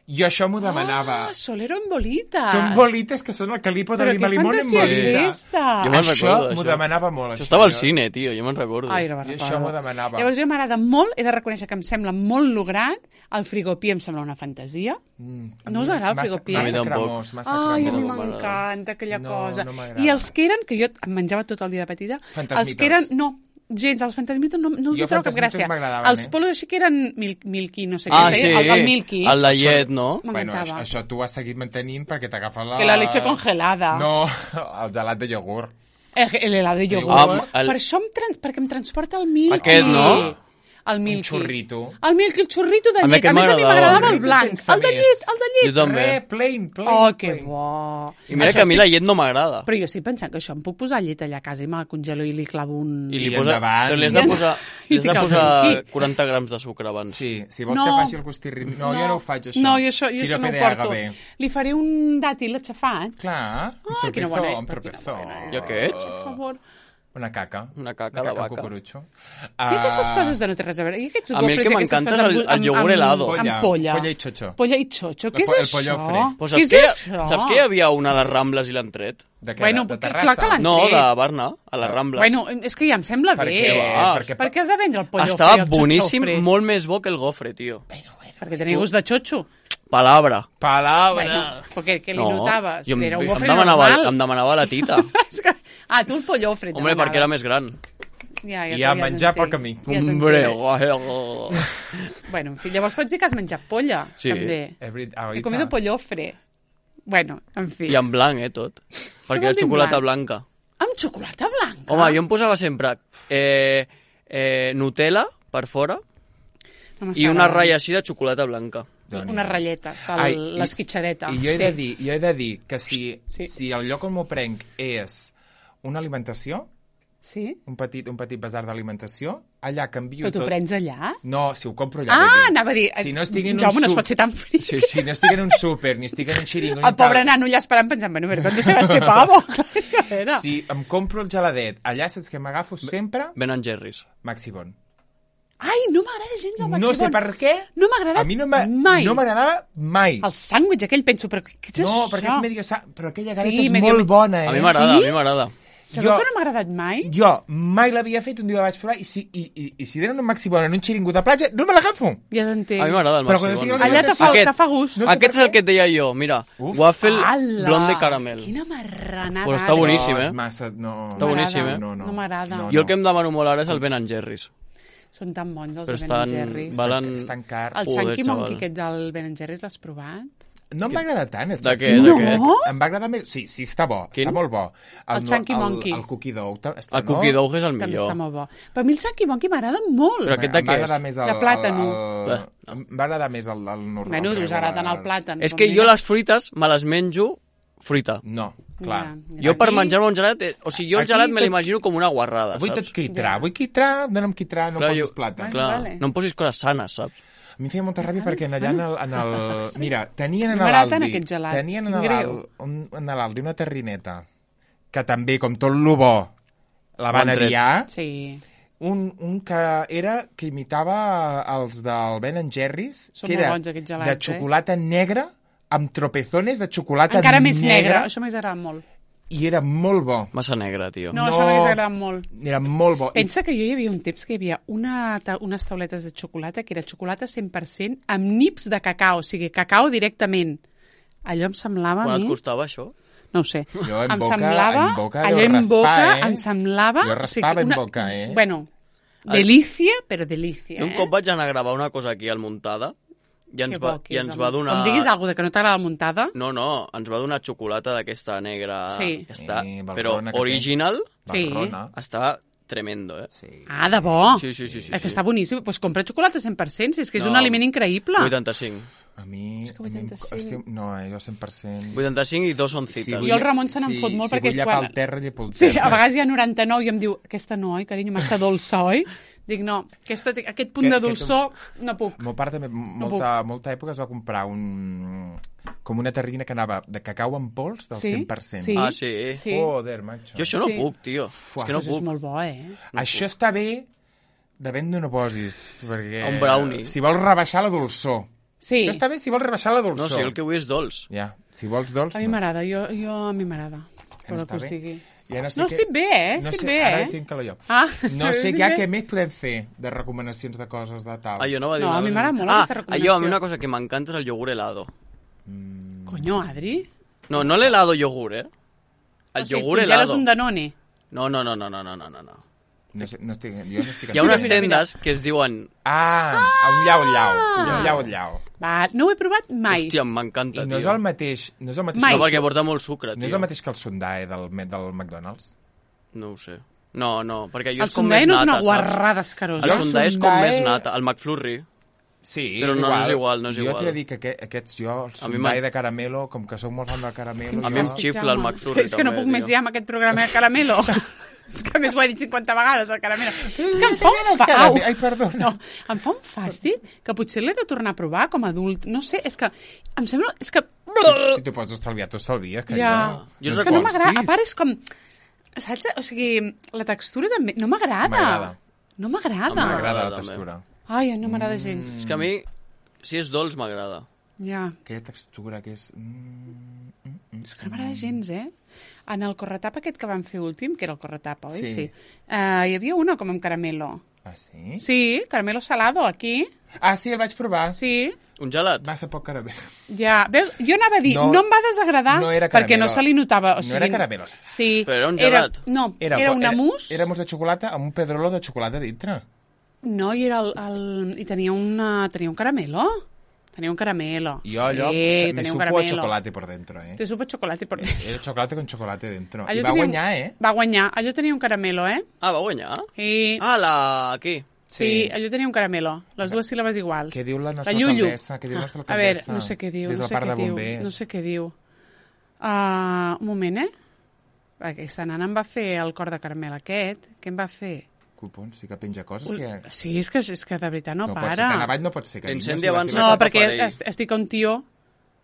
Jo això m'ho demanava. Ah, solero en bolita. Són bolites que són el calipo de Però lima què limón en fantasia és bolita. esta? Jo me'n Això recordo, m'ho d'això. demanava molt, Això això. estava al jo. cine, tio, jo me'n recordo. Ai, no me'n Jo recordo. això m'ho demanava. Llavors jo m'agrada molt, he de reconèixer que em sembla molt lograt, el frigopí em sembla una fantasia. Mm, a No us mi agrada el massa- frigopí? A mi Massa tampoc. cremós, massa Ai, a mi cremós. m'encanta aquella No, cosa. no m'agrada. I els que eren, que jo em menjava tot el dia de petita, Fantasmitos. els que eren, no, gens, els fantasmitos no, no us Jo hi trobo cap fantasmitos gràcia. m'agradaven, Els eh? polos així que eren mil, milky, no sé Ah, què, sí, el, el milky. el de llet, no? Bueno, això, M'encantava. això tu ho has seguit mantenint perquè t'agafa la... Que la leche congelada. No, el gelat de iogurt. El, el helado de iogurt. Ah, el- Per això em tran... perquè em transporta el milky. Aquest, no? El milky. xurrito. El milky, el xurrito de A mi llet. aquest A més, a mi m'agradava. m'agradava el Xurrito blanc. sense El de més. llet, el de llet. Jo també. Re, plain, plain. Oh, que plain. bo. I mira Això que a mi estic- la llet no m'agrada. Però jo estic pensant que això em puc posar llet allà a casa i me la congelo i li clavo un... I li I posa... endavant. Però li has de posar, I li has de t'hi posar cau aquí. quaranta grams de sucre abans. Sí, si vols No. que faci el gustirri... No, jo no ho faig, això. No, jo això, jo això Sirope no ho de porto. agave. Li faré un dàtil aixafat. Clar, un Ai, quina bona- tropezó, un tropezó. I aquest? Per favor. Una caca. Una caca Una de caca vaca. cucurutxo. I aquestes coses de no té res a veure. I aquests A mi el gofres que i aquestes m'encanta és coses el- amb- el iogurt amb- helado. Amb Polla, polla. polla i xocho. Polla i xocho. Què El és po- el això? pollo fre. Pues Què saps, és que, això? saps que hi havia una a les Rambles i l'han tret? De què? Bueno, de, de perquè Terrassa? clar que l'han- No, tret. de Barna, a les Rambles. Bueno, és que ja em sembla Per bé. què? va. Perquè- Per què has de vendre el pollo Estava fre, el xocho boníssim, fre? molt més bo que el gofre, tio. Perquè tenia gust de xocho. Palabra. Palabra. Bueno, perquè què li No, notaves? jo em, Era un em, gofre demanava, normal. em demanava la tita. És que- Ah, tu el pollo fre. Hombre, perquè era més gran. Ja, ja, I a ja menjar pel t'entenc. camí. Ja t'entenc. Hombre, guai. Bueno, en fi, llavors pots dir que has menjat polla, Sí. també. Every... Ah, He comido pollofre. Bueno, en fi. I en blanc, eh, tot. Perquè vol era dir en xocolata blanc? blanca. Amb xocolata blanca? Home, jo em posava sempre eh, eh, Nutella per fora No m'està i una agradant. ratlla així de xocolata blanca. Unes ratlletes, el, Ai, i- l'esquitxadeta. I jo he, sí. de dir, jo he de dir que si, Sí. si el lloc on m'ho prenc és una alimentació, Sí? un petit, un petit basar d'alimentació, allà canvio Però t'ho tot... prens allà? No, si ho compro allà. Ah, vull dir. anava a dir... Si no estic en un Jaume, no es suc- pot ser tan fri. Sí, si no estic en un súper, ni estic en un xiringo... El pobre nano allà esperant pensant, bueno, però ¿dónde se va este pavo? A veure. Si em compro el geladet, allà saps que m'agafo sempre Ben and Jerry's. Maxibon. Ai, no m'agrada gens el No Maxi sé Bon. per què. No m'ha agradat A mi no m'ha- mai. no m'agradava mai. El sàndwich aquell, penso, però què és No, això? perquè és medio sa... Però aquella galeta Sí, és medio- molt bona, eh? A mi m'agrada, Sí? a mi m'agrada. Sabeu Jo- que no m'ha agradat mai? Jo mai l'havia fet, un dia la vaig provar, i si, i, i, i si donen un Maxibon en un xiringo de platja, no me l'agafo. Ja t'entenc. A mi m'agrada el Però Maxi quan Bon. estigui a Allà te fa, Aquest- te fa gust. No sé Aquest per és el què. que et deia jo, mira. Uf. Waffle Ala! blond de caramel. Quina marranada. Pues està boníssim, No, eh? és massa... No, Està boníssim, eh? No, no. No m'agrada. No, Jo el que em demano molt ara és el Ben and Jerry's. Són tan bons els Però de Ben and estan... Jerry's. Valen... Estan car. El Joder, Chunky xaval. Monkey aquest del Ben and Jerry's l'has provat? No em va agradar tant. és De que- què? No? De què? Em va agradar més... Sí, sí, està bo. Quin? Està molt bo. El Chunky Monkey. El, el Cookie Dough. ta- Està, El Cookie Dough és el També millor. està molt bo. Però a mi el Chunky Monkey m'agrada molt. Però aquest de Em què va és? agradar més el, De plàtano. El, el, Bé, em va agradar més el, el normal. Bueno, us regular. agrada tant el plàtan. És que jo les fruites me les menjo fruita. No, clar. Ja, ja. Jo per Aquí- menjar-me un gelat... eh, O sigui, jo el aquí gelat me tot- l'imagino com una guarrada, Vull saps? tot quitrà, Ja. vull quitrà, dona'm quitrà, no Clar, posis jo- plàtan. Clar, Vale. no em posis coses sanes, saps? A mi em feia molta ràbia perquè en allà en el... En el Sí. Mira, tenien en M'agrada tant l'Aldi... aquest gelat. Tenien en Quin greu. l'Aldi un, en l'Aldi una terrineta que també, com tot lo bo, la van Bon tret. aviar. Sí. Un, un que era que imitava els del Ben and Jerry's, Són que molt era bons, aquests gelats, de eh? xocolata negra amb tropezones de xocolata Encara més negre. negra Això m'hagués agradat molt. i era molt bo. Massa negra, tio. No, No. això m'hagués agradat molt. Era molt bo. I Pensa que jo hi havia un temps que hi havia una, ta unes tauletes de xocolata que era xocolata cent per cent amb nips de cacau, o sigui, cacau directament. Allò em semblava Quan a et mi... costava això? No ho sé. Jo en em boca- semblava... en boca allò jo en raspar, boca eh? em semblava... Jo raspava en boca, eh? Bueno, delícia, però delícia, Jo un eh? cop vaig anar a gravar una cosa aquí al Muntada i ens Que va, bo que i és, ens home. va donar... Em diguis alguna cosa que no t'agrada la muntada? No, no, ens va donar xocolata d'aquesta negra. Sí. Que està, Sí, valrona però que té. original Sí. Barrona. està tremendo, eh? Sí. Ah, de bo? Sí, sí, sí, sí, És que sí. està boníssim. Doncs pues compra xocolata cent per cent, si és que és No, un aliment increïble. vuitanta-cinc. A mi... És que a mi em- vuitanta-cinc. hòstia, no, eh, jo cent per cent... vuitanta-cinc i dos oncites. vull Jo el lla- Ramon se n'en fot molt si perquè vull és llapar quan- el terra, llepo el Sí, terra. a vegades hi ha noranta-nou i em diu, aquesta no, oi, carinyo, massa dolça, oi? Dic, no, aquesta, aquest punt Que- de que dolçor no puc. El meu pare també, molta, molta època es va comprar un... com una terrina que anava de cacau en pols del Sí? cent per cent. Sí. Ah, sí? Sí. Joder, macho. Jo això no Sí. puc, tio. Fuà, és que no És puc. molt bo, eh? Això està bé, depèn d'on ho posis, perquè... Un brownie. Si vols rebaixar la dolçor. Sí, Això està bé si vols rebaixar la No, dolçor. sí, el que vull és dolç. Ja, si vols dolç, a mi no. m'agrada, jo, jo a mi m'agrada. Que no Però que està us bé. digui. Ja no, sé No, què- estic bé, eh? No Estic sé, bé, ara eh? tinc calor jo. Ah, No sé estic ja bé. què més podem fer de recomanacions de coses de tal. Ah, jo no va dir No, una a mi cosa. m'agrada molt ah, aquesta recomanació. allò, a mi una cosa que m'encanta és el iogurt helado. Coño, Adri. No, no l'helado iogurt, eh? El O sigui, iogurt congeles helado. un Danone. No, no, no, no, no, no, no, no. No, sé, no estic, jo no estic... Hi ha unes mira, mira. tendes que es diuen... Ah, un llau-llau. Un llau-llau. Va, no ho he provat mai. Hòstia, m'encanta, I tio. no és el mateix... No és el mateix, Mai. No, que el, perquè porta molt sucre, no tio. és el mateix que el sundae del, del McDonald's. No ho sé. No, no, perquè jo El és com més sundae no és nata, una saps? guarrada escarosa. El Jo sundae és com sundae- més nata. El McFlurry. Sí, Però no és igual, no és jo igual. Jo t'he de dir que aquest, aquests, jo, el A mi sundae m'ha- de caramelo, com que soc molt fan del caramelo... A mi jo... em xifla el Jaume. McFlurry, És que, és que no també, puc més tio. ja amb aquest programa de caramelo. És que a més ho he dit cinquanta vegades, el caramelo. És que em fa un fa... Au. Ai, perdona. No, em fa un fàstic que potser l'he de tornar a provar com a adult. No sé, és que em sembla... És que... Si, si t'ho pots estalviar, t'ho estalvies. Que Ja. Jo És no que no recordo. m'agrada. A part és com... Saps? O sigui, la textura també... No m'agrada. M'agrada. No m'agrada. M'agrada la també. textura. Ai, no m'agrada gens. És que a mi, si és dolç, m'agrada. Ja. Aquella textura que és... Mm, mm, mm. És que no m'agrada gens, eh? En el corretapa aquest que vam fer últim, que era el corretapa, oi? Sí. Sí. Uh, hi havia una com amb caramelo. Ah, sí? Sí, caramelo salado, aquí. Ah, sí, el vaig provar. Sí, Un gelat? Massa poc caramel. ja. Veus, jo anava a dir, no, No- no em va desagradar no era perquè caramelo. no se li notava. O sigui, No era caramelo salat. Sí. Però era un gelat. no, era, era una mousse. Era mousse de xocolata amb un pedrolo de xocolata dintre. No, i, era el, el, i tenia, una, tenia un caramelo. Tenia un caramelo. I jo allò sí, me tenia un supo a caramelo. chocolate por dentro, eh? Te supo a chocolate por dentro. Era chocolate con chocolate dentro. Allò I va tenia- guanyar, eh? Va guanyar. Allò tenia un caramelo, eh? Ah, va guanyar? I... Ah, la... aquí. Sí, sí, allò tenia un caramelo. Les dues síl·labes iguals. Què diu la nostra La Llullo. alcaldessa? Què diu la nostra A veure, alcaldessa? no sé què diu, Des no del sé parc què de diu, bombers. no sé què diu. Uh, un moment, eh? Aquesta nana em va fer el cor de caramel aquest. Què em va fer? Cupons, sí que penja coses que... Sí, és que, és que de veritat no, No pot para. ser, tan avall no pot ser. carinyo, L'incendi si la avança seva- No, cap a perquè Farell. es- estic un tio...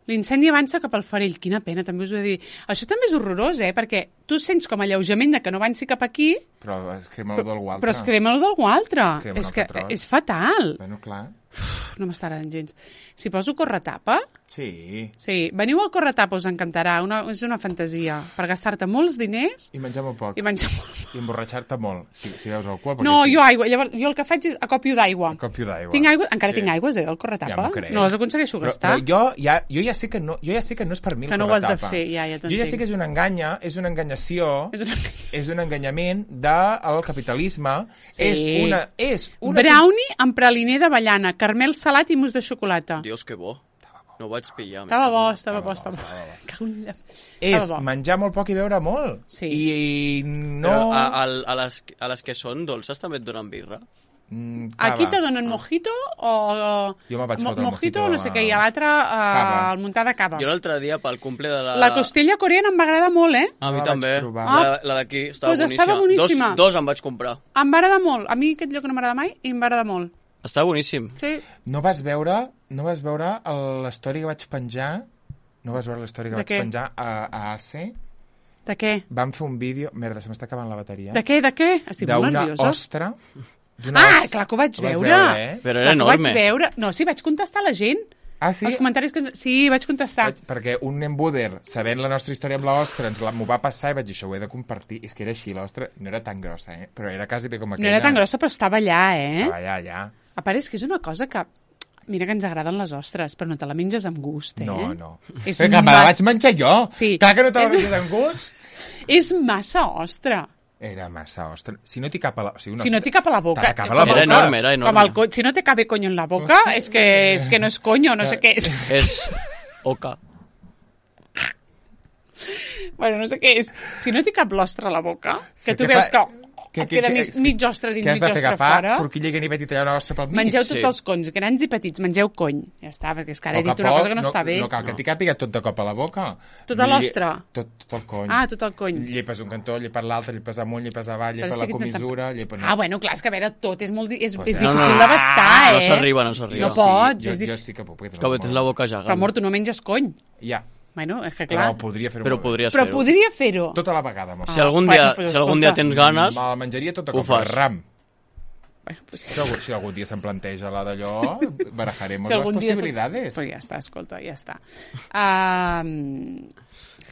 L'incendi avança cap al Farell. Quina pena, també us ho he de dir. Això també és horrorós, eh? Perquè tu sents com alleujament de que no avanci cap aquí, Però es crema d'algú altre. però es crema d'algú altre. Crema És un que altre tros. és fatal. Bueno, clar. Uf, no m'està agradant gens. Si poso corretapa... Sí. Sí, veniu al corretapa, us encantarà. Una, és una fantasia. Per gastar-te molts diners I menjar molt poc. i menjar molt. I emborratxar-te molt, si, si veus alcohol. perquè No, sí. jo aigua. Llavors, jo el que faig és acopio d'aigua. Un copio d'aigua. Tinc aigua, encara Sí. tinc aigües, eh, del Ja corretapa. m'ho crec. No les aconsegueixo Però, gastar. però jo, ja, jo ja sé que no, jo ja sé que no és per mi el Que no ho has de corretapa. fer, ja, ja Jo ja sé t'entenc. que és una enganya, és una enganyació, És una... és un enganyament del capitalisme. Sí. És una... És una Brownie amb praliner d'avellana, carmel salat i mousse de xocolata. Dios, que bo. No ho vaig pillar. Estava bo, Estava estava bo, bo, estava bo. estava bo. Cago en la- És Estava bo. menjar molt poc i beure molt. Sí. I, i no... Però a, a, a, les, a les que són dolces també et donen birra. Mm, cava. Aquí te donen mojito o... Jo me'n vaig mo fotre el mojito, mojito no sé a- què, i a l'altre Cava. uh, el muntar de cava. Jo l'altre dia, pel cumple de la... La costella coreana em va agradar molt, eh? A mi No la també. vaig provar. La, la d'aquí estava Pues boníssima. estava boníssima. Dos, dos em vaig comprar. Em va agradar molt. A mi aquest lloc no m'agrada mai i em va agradar molt. Està boníssim. Sí. No vas veure, no vas veure l'història que vaig penjar? No vas veure l'història que De vaig què? penjar a, a A C? De què? Vam fer un vídeo... Merda, se m'està acabant la bateria. De què, de què? Estic molt D'una nerviosa. ostra. d'una Ah, os- clar que ho vaig Ho vas veure. veure, eh? Però Clar era que ho enorme. vaig veure. No, sí, vaig contestar a la gent. Ah, sí? Els comentaris que... Sí, vaig contestar. Vaig, perquè un nen buder, sabent la nostra història amb l'ostra, ens la- m'ho va passar i vaig dir, això ho he de compartir. És que era així, l'ostra no era tan grossa, eh? Però era quasi bé com No aquella. era tan grossa, però estava allà, eh? Estava allà, allà. A part, és que és una cosa que... Mira que ens agraden les ostres, però no te la menges amb gust, eh? No, no. És Però que me la mas- vaig menjar jo. Sí. Clar que no te la menges amb gust. És massa ostra. Era massa ostra. Si no t'hi cap a la... O sigui, una Si no t'hi cap a la boca... T'ha de cap a la com- boca. Era enorme, era enorme. Com el co... Si no te cabe coño en la boca, és que, és que no és coño, no sé què és. És oca. Bueno, no sé què és. Si no t'hi cap l'ostra a la boca, que Sí, tu que veus fa- que, que- et que- queda que- mig, és que- mig ostra dins, Què has mig de fer? ostra Agafar fora. forquilla i ganivet i tallar una ostra pel mig? Mengeu tots Sí. els conys, grans i petits, mengeu cony. Ja està, perquè és que ara he Poc a dit una poc, cosa que no, està bé. No cal que t'hi càpiga tot de cop a la boca. Tota Lli- l'ostra? Tot, tot el cony. Ah, tot el cony. Llepes un cantó, llepes l'altre, llepes amunt, llepes avall, Saps llepes la que intentant- comissura, llepes... Ah, bueno, clar, és que a veure, tot és molt... di- És, Pues és sí. difícil No, no, no. d'abastar, No eh? s'arriba, no s'arriba. No pots, jo, és dif- jo sí que puc. perquè Que no tens la boca Però, gegant. amor, tu no menges cony. Ja, Bueno, és que però clar... podria fer-ho Però molt bé. podries Però fer-ho. podria fer-ho. Tota la vegada, amor. Si algun Bueno, dia, pues si algun dia escolta. tens ganes, Me la menjaria tota Ho com a fas. ram. Bueno, pues, Si algun, si algun dia se'm planteja la d'allò, barajaremos si las algun dia... posibilidades. Pues ja està, escolta, ja està. Um,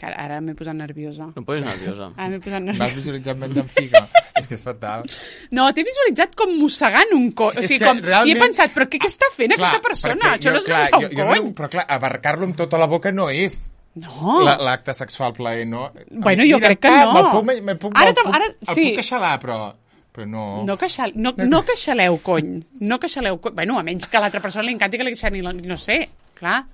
ara ara m'he posat nerviosa. no posis nerviosa. Ara m'he posat M'has nerviosa. visualitzat menjant figa? És que és fatal. No, t'he visualitzat com mossegant un cony. O És sigui, que com... realment- I he pensat, però què, què està fent aquesta persona? perquè Això no és clar, menjar jo, un jo cony. no, però clar, abarcar-lo amb tota la boca no és No. la- l'acte sexual plaer, no? Bueno, Mira, jo crec que pa, no. Me'l puc, me puc, Ara me'l te- puc, ara- el sí. puc queixalar, però, però no. No, queixal, no, no queixaleu, cony. No queixaleu, cony. Bueno, a menys que a l'altra persona li encanti que li queixalin, no sé, clar.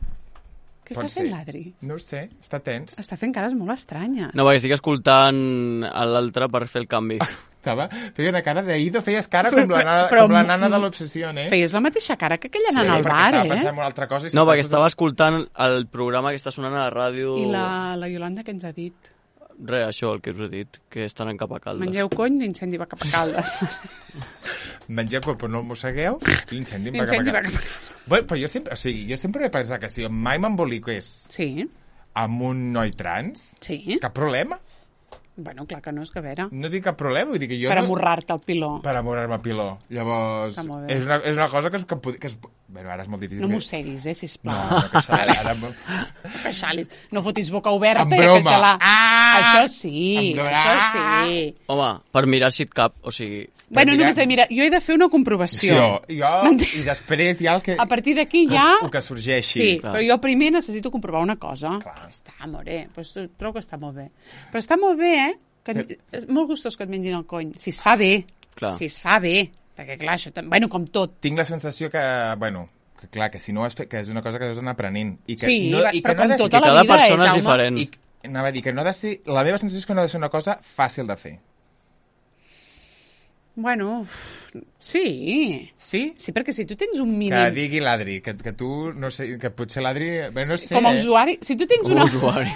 Què està Pot fent ser. l'Adri? No ho sé, està tens. Està fent cares molt estranyes. No, perquè estic escoltant a l'altre per fer el canvi. Estava, feia una cara de Ido, feies cara com la, nana, Però- com la nana de l'obsessió, eh? Feies la mateixa cara que aquella nana al perquè bar, estava eh? pensant en una altra cosa. I No, s'estava perquè estava posant- escoltant el programa que està sonant a la ràdio... I la, la Iolanda què ens ha dit? Res, això, el que us he dit, que estan en cap a caldes. Mengeu cony, l'incendi va cap a Caldes. Mengeu, però no el mossegueu, i l'incendi em va L'incendi va cap a cap a casa. Caldes. Bueno, però jo sempre, o sigui, jo sempre he pensat que si mai m'emboliqués Sí, amb un noi trans, sí. cap problema. Bueno, clar que no, és que a veure. No tinc cap problema, vull dir que jo Per no... amorrar-te el piló. Per amorrar-me a piló. Llavors, Està molt bé. és una, és una cosa que es, que, pod- que es... Bueno, ara és molt difícil. No que- mosseguis, eh, No, sisplau. no, que això, ara... No queixalis. No fotis boca oberta En i broma. queixar-la. Ah! Això sí, En broma. això sí. Home, per mirar si et cap, o sigui... Bueno, mira- només de mirar, jo he de fer una comprovació. Jo, jo, M'entens? i després ja el que... A partir d'aquí ja... El que sorgeixi. Sí, Clar. però jo primer necessito comprovar una cosa. Clar. Està, amore, pues trobo que està molt bé. Però està molt bé, eh? Que et, és molt gustós que et mengin el cony. Si es fa bé. Clar. Si es fa bé. Perquè, clar, això... tam- Bueno, com tot. Tinc la sensació que, bueno, que clar, que si no ho has fet, que és una cosa que has d'anar aprenent. I que Sí, no, i però que no ha com de ser- tota Que la cada vida, persona eh, és Jaume? diferent. I anava a dir que no ha de ser... La meva sensació és que no ha de ser una cosa fàcil de fer. Bueno, uf, sí. Sí? Sí, perquè si tu tens un mínim... Que digui l'Adri, que, que tu, no sé, que potser l'Adri... Bé, no sé, com a eh? usuari, si tu tens Com una... a usuari.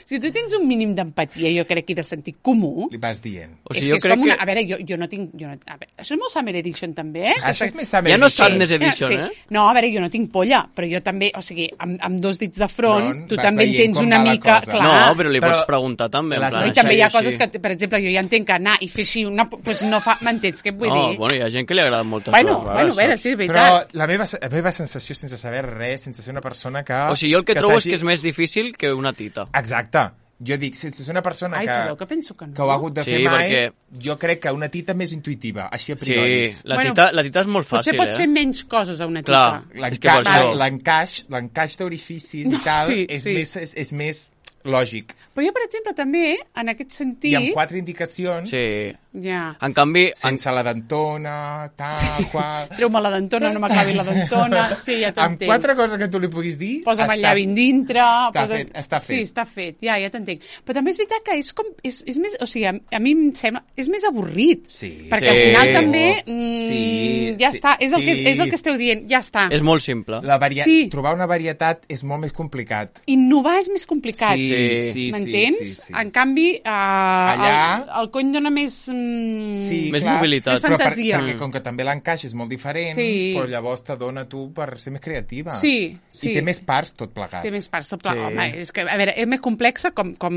Si tu tens un mínim d'empatia, jo crec, i de sentit comú, Li vas dient. O és sigui, que jo és crec com una... que... A veure, jo, jo no tinc... Jo no... A veure, això és molt Summer Edition, també, eh? Això és més Summer Ja no Edition. Sadness Edition, sí. eh? No, a veure, jo no tinc polla, però jo també, o sigui, amb, amb dos dits de front, Front, tu vas també en veient tens com una va la mica... cosa. Clar, No, però li Però pots preguntar també. En la plan, I també hi ha Sí, coses sí. que, per exemple, jo ja entenc que anar i fer així una... Pues no fa... M'entens què et vull no, dir? bueno, hi ha gent que li agrada moltes Bueno, coses bueno, a veure, saps? sí, és Però veritat. la meva, la meva sensació, sense saber res, sense ser una persona que... O sigui, jo el que, trobo és s'hagi- que és més difícil que una tita. Exacte. Jo dic, sense ser una persona Ai, que, sabeu que penso que no? que ho ha hagut de Sí, fer mai, perquè- jo crec que una tita més intuïtiva, així a Sí, priori. la Bueno, tita, la tita és molt Potser fàcil, pots fer eh? menys coses a una tita. Clar. És que per L'encaix això- l'encaix l'encaix d'orificis i tal Sí, és, sí. més, és, és més lògic. Però jo, per exemple, també, en aquest sentit... I amb quatre indicacions, Sí. Ja. En canvi... sense la dentona, tal, qual... Treu-me la dentona, no m'acabi la dentona... Sí, ja Amb t'entenc. quatre coses que tu li puguis dir... Posa'm el està- llavi dintre... Està posa... fet, està fet. Sí, està fet, ja, ja t'entenc. Però també és veritat que és com... És, és més, o sigui, a, a mi em sembla... És més avorrit. Sí. Perquè Sí. al final també... Mm, Sí, ja sí, està, és el, que, sí. és el que esteu dient, ja està. És molt simple. La varia... Sí. Trobar una varietat és molt més complicat. Innovar és més complicat. Sí, Sí. sí, M'entens? sí, sí, sí. En canvi, uh, Allà- el, el cony dona més... Mm, Sí, Més clar, mobilitat. Més Però per, fantasia. perquè com que també l'encaix és molt diferent, Sí. però llavors te dona tu per ser més creativa. Sí, sí. I té més parts tot plegat. Té més parts. Tot pla... Sí. Home, és que, a veure, és més complexa com... com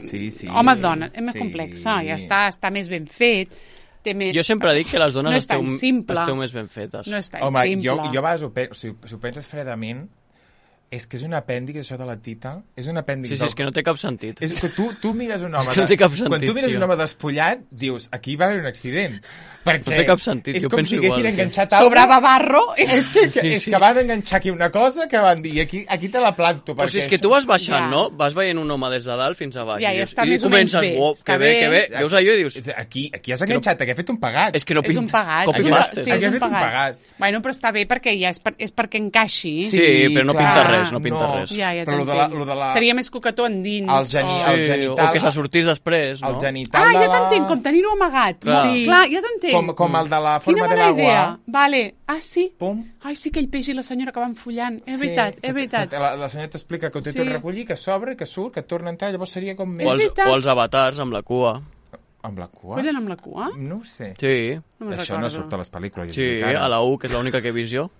Sí, sí. home-dona, és més Sí. complexa. Ja està, està més ben fet. Té més... Jo sempre dic que les dones no és esteu, tan simple. esteu més ben fetes. No és tan Home, simple. jo, jo a vegades ho penso, si, si ho penses fredament, és que és un apèndix, això de la tita. És un apèndix... Sí, sí, del- és que no té cap sentit. És que tu, tu mires un home... És que no de- té cap sentit, quan tu mires tio. un home despullat, dius, aquí va haver un accident. Perquè No té cap sentit, és jo com penso si haguessin igual, tio. enganxat alguna Sobrava barro. És que, que, Sí, és sí. que van enganxar aquí una cosa que van dir, aquí, aquí te la planto. O sigui, és perquè que tu vas baixant, Ja. no? Vas veient un home des de dalt fins a baix. Ja, i ja dius- està i més o menys comences, bé. oh, Està que bé, bé. que bé. Veus allò i dius... Aquí, aquí has enganxat, aquí ha fet un pagat. És que no És pinta. un pagat. Copy-paste. Sí, Aquí és ha un fet un pagat. pagat. Bueno, però està bé perquè ja és, per, és perquè encaixi. Sí, però no pinta clar, res, no pinta res. Ja, ja Però lo de la, t'entenc. lo de la, Seria més coquetó endins. El geni- o- el Sí, genital- o que se sortís després, no? el genital Ah, de ja la... t'entenc, com tenir-ho amagat. Clar. Sí. Clar, ja t'entenc. Com, com el de la Quina forma de bona l'agua. idea. Vale. Ah, sí? Pum. Ai, sí, aquell peix i la senyora que van follant. És Sí, veritat, que- és veritat. que La, la senyora t'explica que ho té Sí. tot recollit, que s'obre, que surt, que torna a entrar, llavors seria com més... O els, veritat. o els avatars amb la cua. Amb la cua? Follen amb la cua? No ho sé. Sí, No me'n Això no recordo. surt a les pel·lícules. sí, encara. a la U, que és l'única que he vist jo.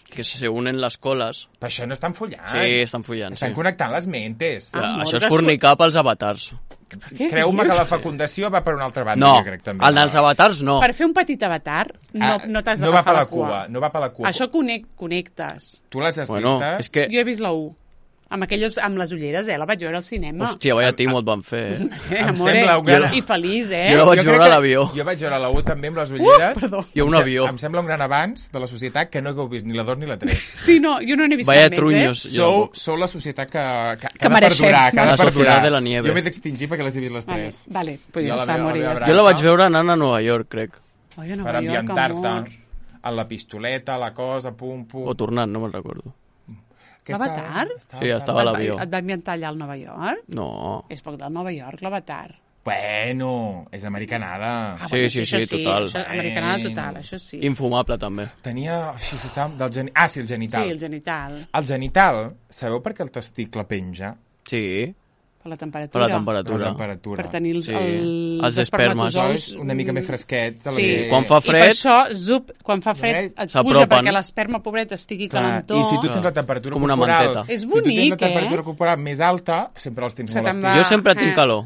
Que se unen les coles. Però això no estan follant. Sí, estan follant, Estan sí. connectant les mentes. Ah, Això morgues, és fornicar pels avatars. Què Creu-me dius? que la fecundació va per una altra banda, No, jo crec també. el dels avatars no. Per fer un petit avatar, no, Ah, no t'has no va d'agafar per la la cua, no va per la cua. Això connect, connectes. Tu les has Bueno, vistes? és que... Jo he vist la U. Amb, aquelles, amb les ulleres, eh? La vaig veure al cinema. Hòstia, vaya timo et van fer, eh? Eh, em amore, sembla un gran- I feliç, eh? Jo la vaig crec veure a que- l'avió. Jo vaig veure la U també amb les ulleres. Uh, perdó. I un Em se- avió. Em sembla un gran avanç de la societat que no hagueu vist ni la dos ni la tres. Sí, no, jo no n'he vist Vaya cap trunyos. més, eh? Jo- Sou, sou la societat que, que, que, Que ha de mereixem. perdurar, que ha La de perdurar. societat de la nieve. Jo m'he d'extingir perquè les he vist les Vale, tres. vale, pues Jo ja la està, meva- amore, la ja meva està. Jo la vaig veure anant a Nova York, crec. Ai, a Nova Per York, amor. ambientar-te a la pistoleta, la cosa, pum, pum. O tornant, no me'n recordo. Què L'Avatar? estava- Sí, estava a Et va- l'avió. Et va ambientar allà al Nova York? No. És poc del Nova York, l'Avatar. Bueno, és americanada. Ah, Sí, sí, això sí, total. Això, americanada total, això sí. Infumable, també. Tenia... Sí, estava del geni... Ah, sí, el genital. Sí, el genital, El genital, sabeu per què el testicle penja? Sí, per la per temperatura. la temperatura. La temperatura. Per tenir els, Sí. els, Els espermes. Això espermatozous. és una mica més fresquet. de la Sí, que- Quan fa i per fred- això, zup, quan fa fred, et puja S'apropen. perquè l'esperma, pobret, estigui Clar, calentó. I si tu Clar. tens la temperatura Com una corporal... manteta. És Si tu tens bonic, la temperatura eh? corporal més alta, sempre els tens Se molt te'n estirats. va. Jo sempre tinc eh. calor.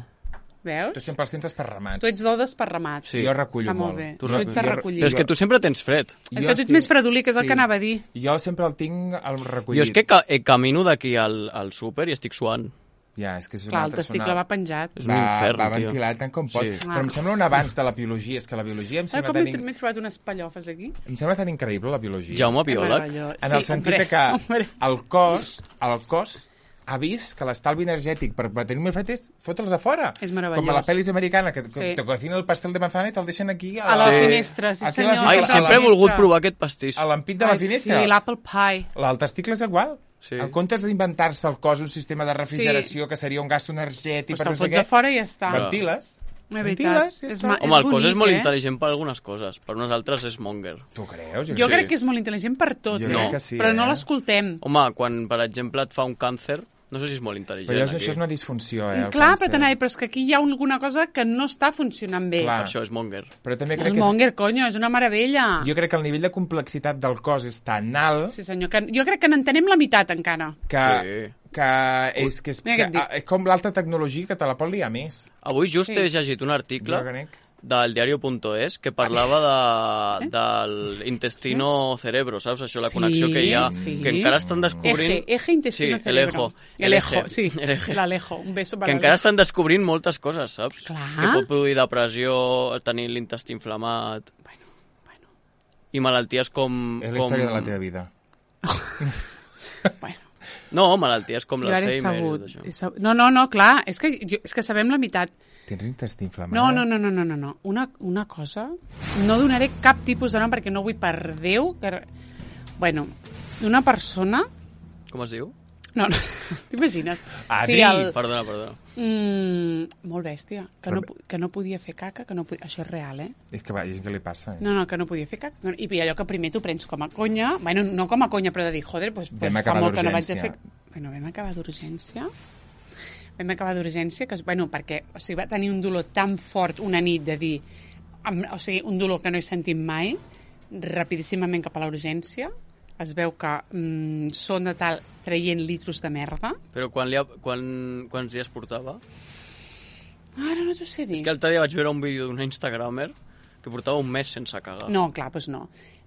Veus? Tu sempre els tens esparramats. Tu ets d'ou desparramat. Sí. Jo recullo Està molt molt. bé. Tu Tu ets de jo- recollir. Però és que tu sempre tens fred. És que tu ets més fredolí, que és el que anava a dir. Jo sempre el tinc al recollit. Jo és que ca eh, camino d'aquí al, al súper i estic suant. Ja, és que és una Clar, el altra testicle zona- va penjat. És un va, infern, va tio. ventilat tant com pot. Sí. Però em sembla un avanç de la biologia. És que la biologia em Ara sembla, com tan, m'he in... m'he trobat unes pallofes aquí? em sembla tan increïble, la biologia. Jaume Que biòleg. meravellós. En Sí, el sentit hombre, que hombre. el cos, el cos ha vist que l'estalvi energètic per tenir més fred és fotre'ls a fora. És meravellós. Com a la pel·lis americana, que, que Sí. te cocinen el pastel de manzana i te'l deixen aquí A la Sí. finestra, sí Aquí a la senyor. Ai, a la- sempre he a la volgut finestra. provar aquest pastís. a l'ampit de la Ai, finestra. Sí, l'apple pie. El testicle és igual. Sí. En comptes d'inventar-se el cos un sistema de refrigeració, que seria un gasto energètic, Pues per te'l no sé fots a què, fora i ja està. ventiles. No, és veritat. Ventiles, ja És està. ma- Home, el cos bonic, és molt eh? intel·ligent per algunes coses, per unes altres és monger. Tu creus? Jo Sí. crec que és molt intel·ligent per tot, Jo eh? crec que sí, però no eh? l'escoltem. Home, quan, per exemple, et fa un càncer, no sé si és molt intel·ligent. Però això, aquí. això és una disfunció, eh? el Clar, càncer. però t'anava a dir, però és que aquí hi ha alguna cosa que no està funcionant bé. Clar. Per això és monger. Però també És crec que és... monger, conyo, és una meravella. Jo crec que el nivell de complexitat del cos és tan alt Sí, senyor, que jo crec que n'entenem la meitat encara. que, Sí. que és, que és, Mira que, què et dic. és com l'alta tecnologia que te la pot liar més. Avui just Sí. he llegit un article Jo crec. del diario punto es que parlava de, del intestino cerebro, saps? Això, la Sí, connexió que hi ha, sí. que encara estan descobrint... Eje, eje intestino sí, cerebro. el ejo. El ejo, sí, el eje. l'Alejo. Un beso Que para encara l'Alejo. estan descobrint moltes coses, saps? Clar. Que pot produir depressió, tenir l'intestí inflamat... Bueno, bueno, I malalties com... És la com... història de la teva vida. bueno. No, malalties com Jo ara he l'Alzheimer. i sabut. tot això. He sabut. No, no, no, clar, és que, jo, és que sabem la meitat. Tens intestí inflamat? No, no, no, no, no, no, no. Una, una cosa... No donaré cap tipus de nom perquè no vull per Déu... Que... Bueno, una persona... Com es diu? No, no, t'imagines? Adri! Sí, el... Perdona, perdona. Mm, molt bèstia. Que no, Però- que no podia fer caca, que no podia... Això és real, eh? És que va, hi ha gent que li passa. Eh? No, no, que no podia fer caca. I allò que primer t'ho prens com a conya, bueno, no com a conya, però de dir, joder, pues, pues Vam fa acabar molt que no vaig a fer... d'urgència. Bueno, vam acabar d'urgència. Vam acabar d'urgència, que, es- bueno, perquè o sigui, va tenir un dolor tan fort una nit de dir... Amb, o sigui, un dolor que no he sentit mai, rapidíssimament cap a la urgència, es veu que mm, són de tal traient litros de merda. Però quan li ha, quan, quants dies portava? Ara no t'ho sé dir. És que l'altre dia vaig veure un vídeo d'un instagramer que portava un mes sense cagar. No, clar, doncs no.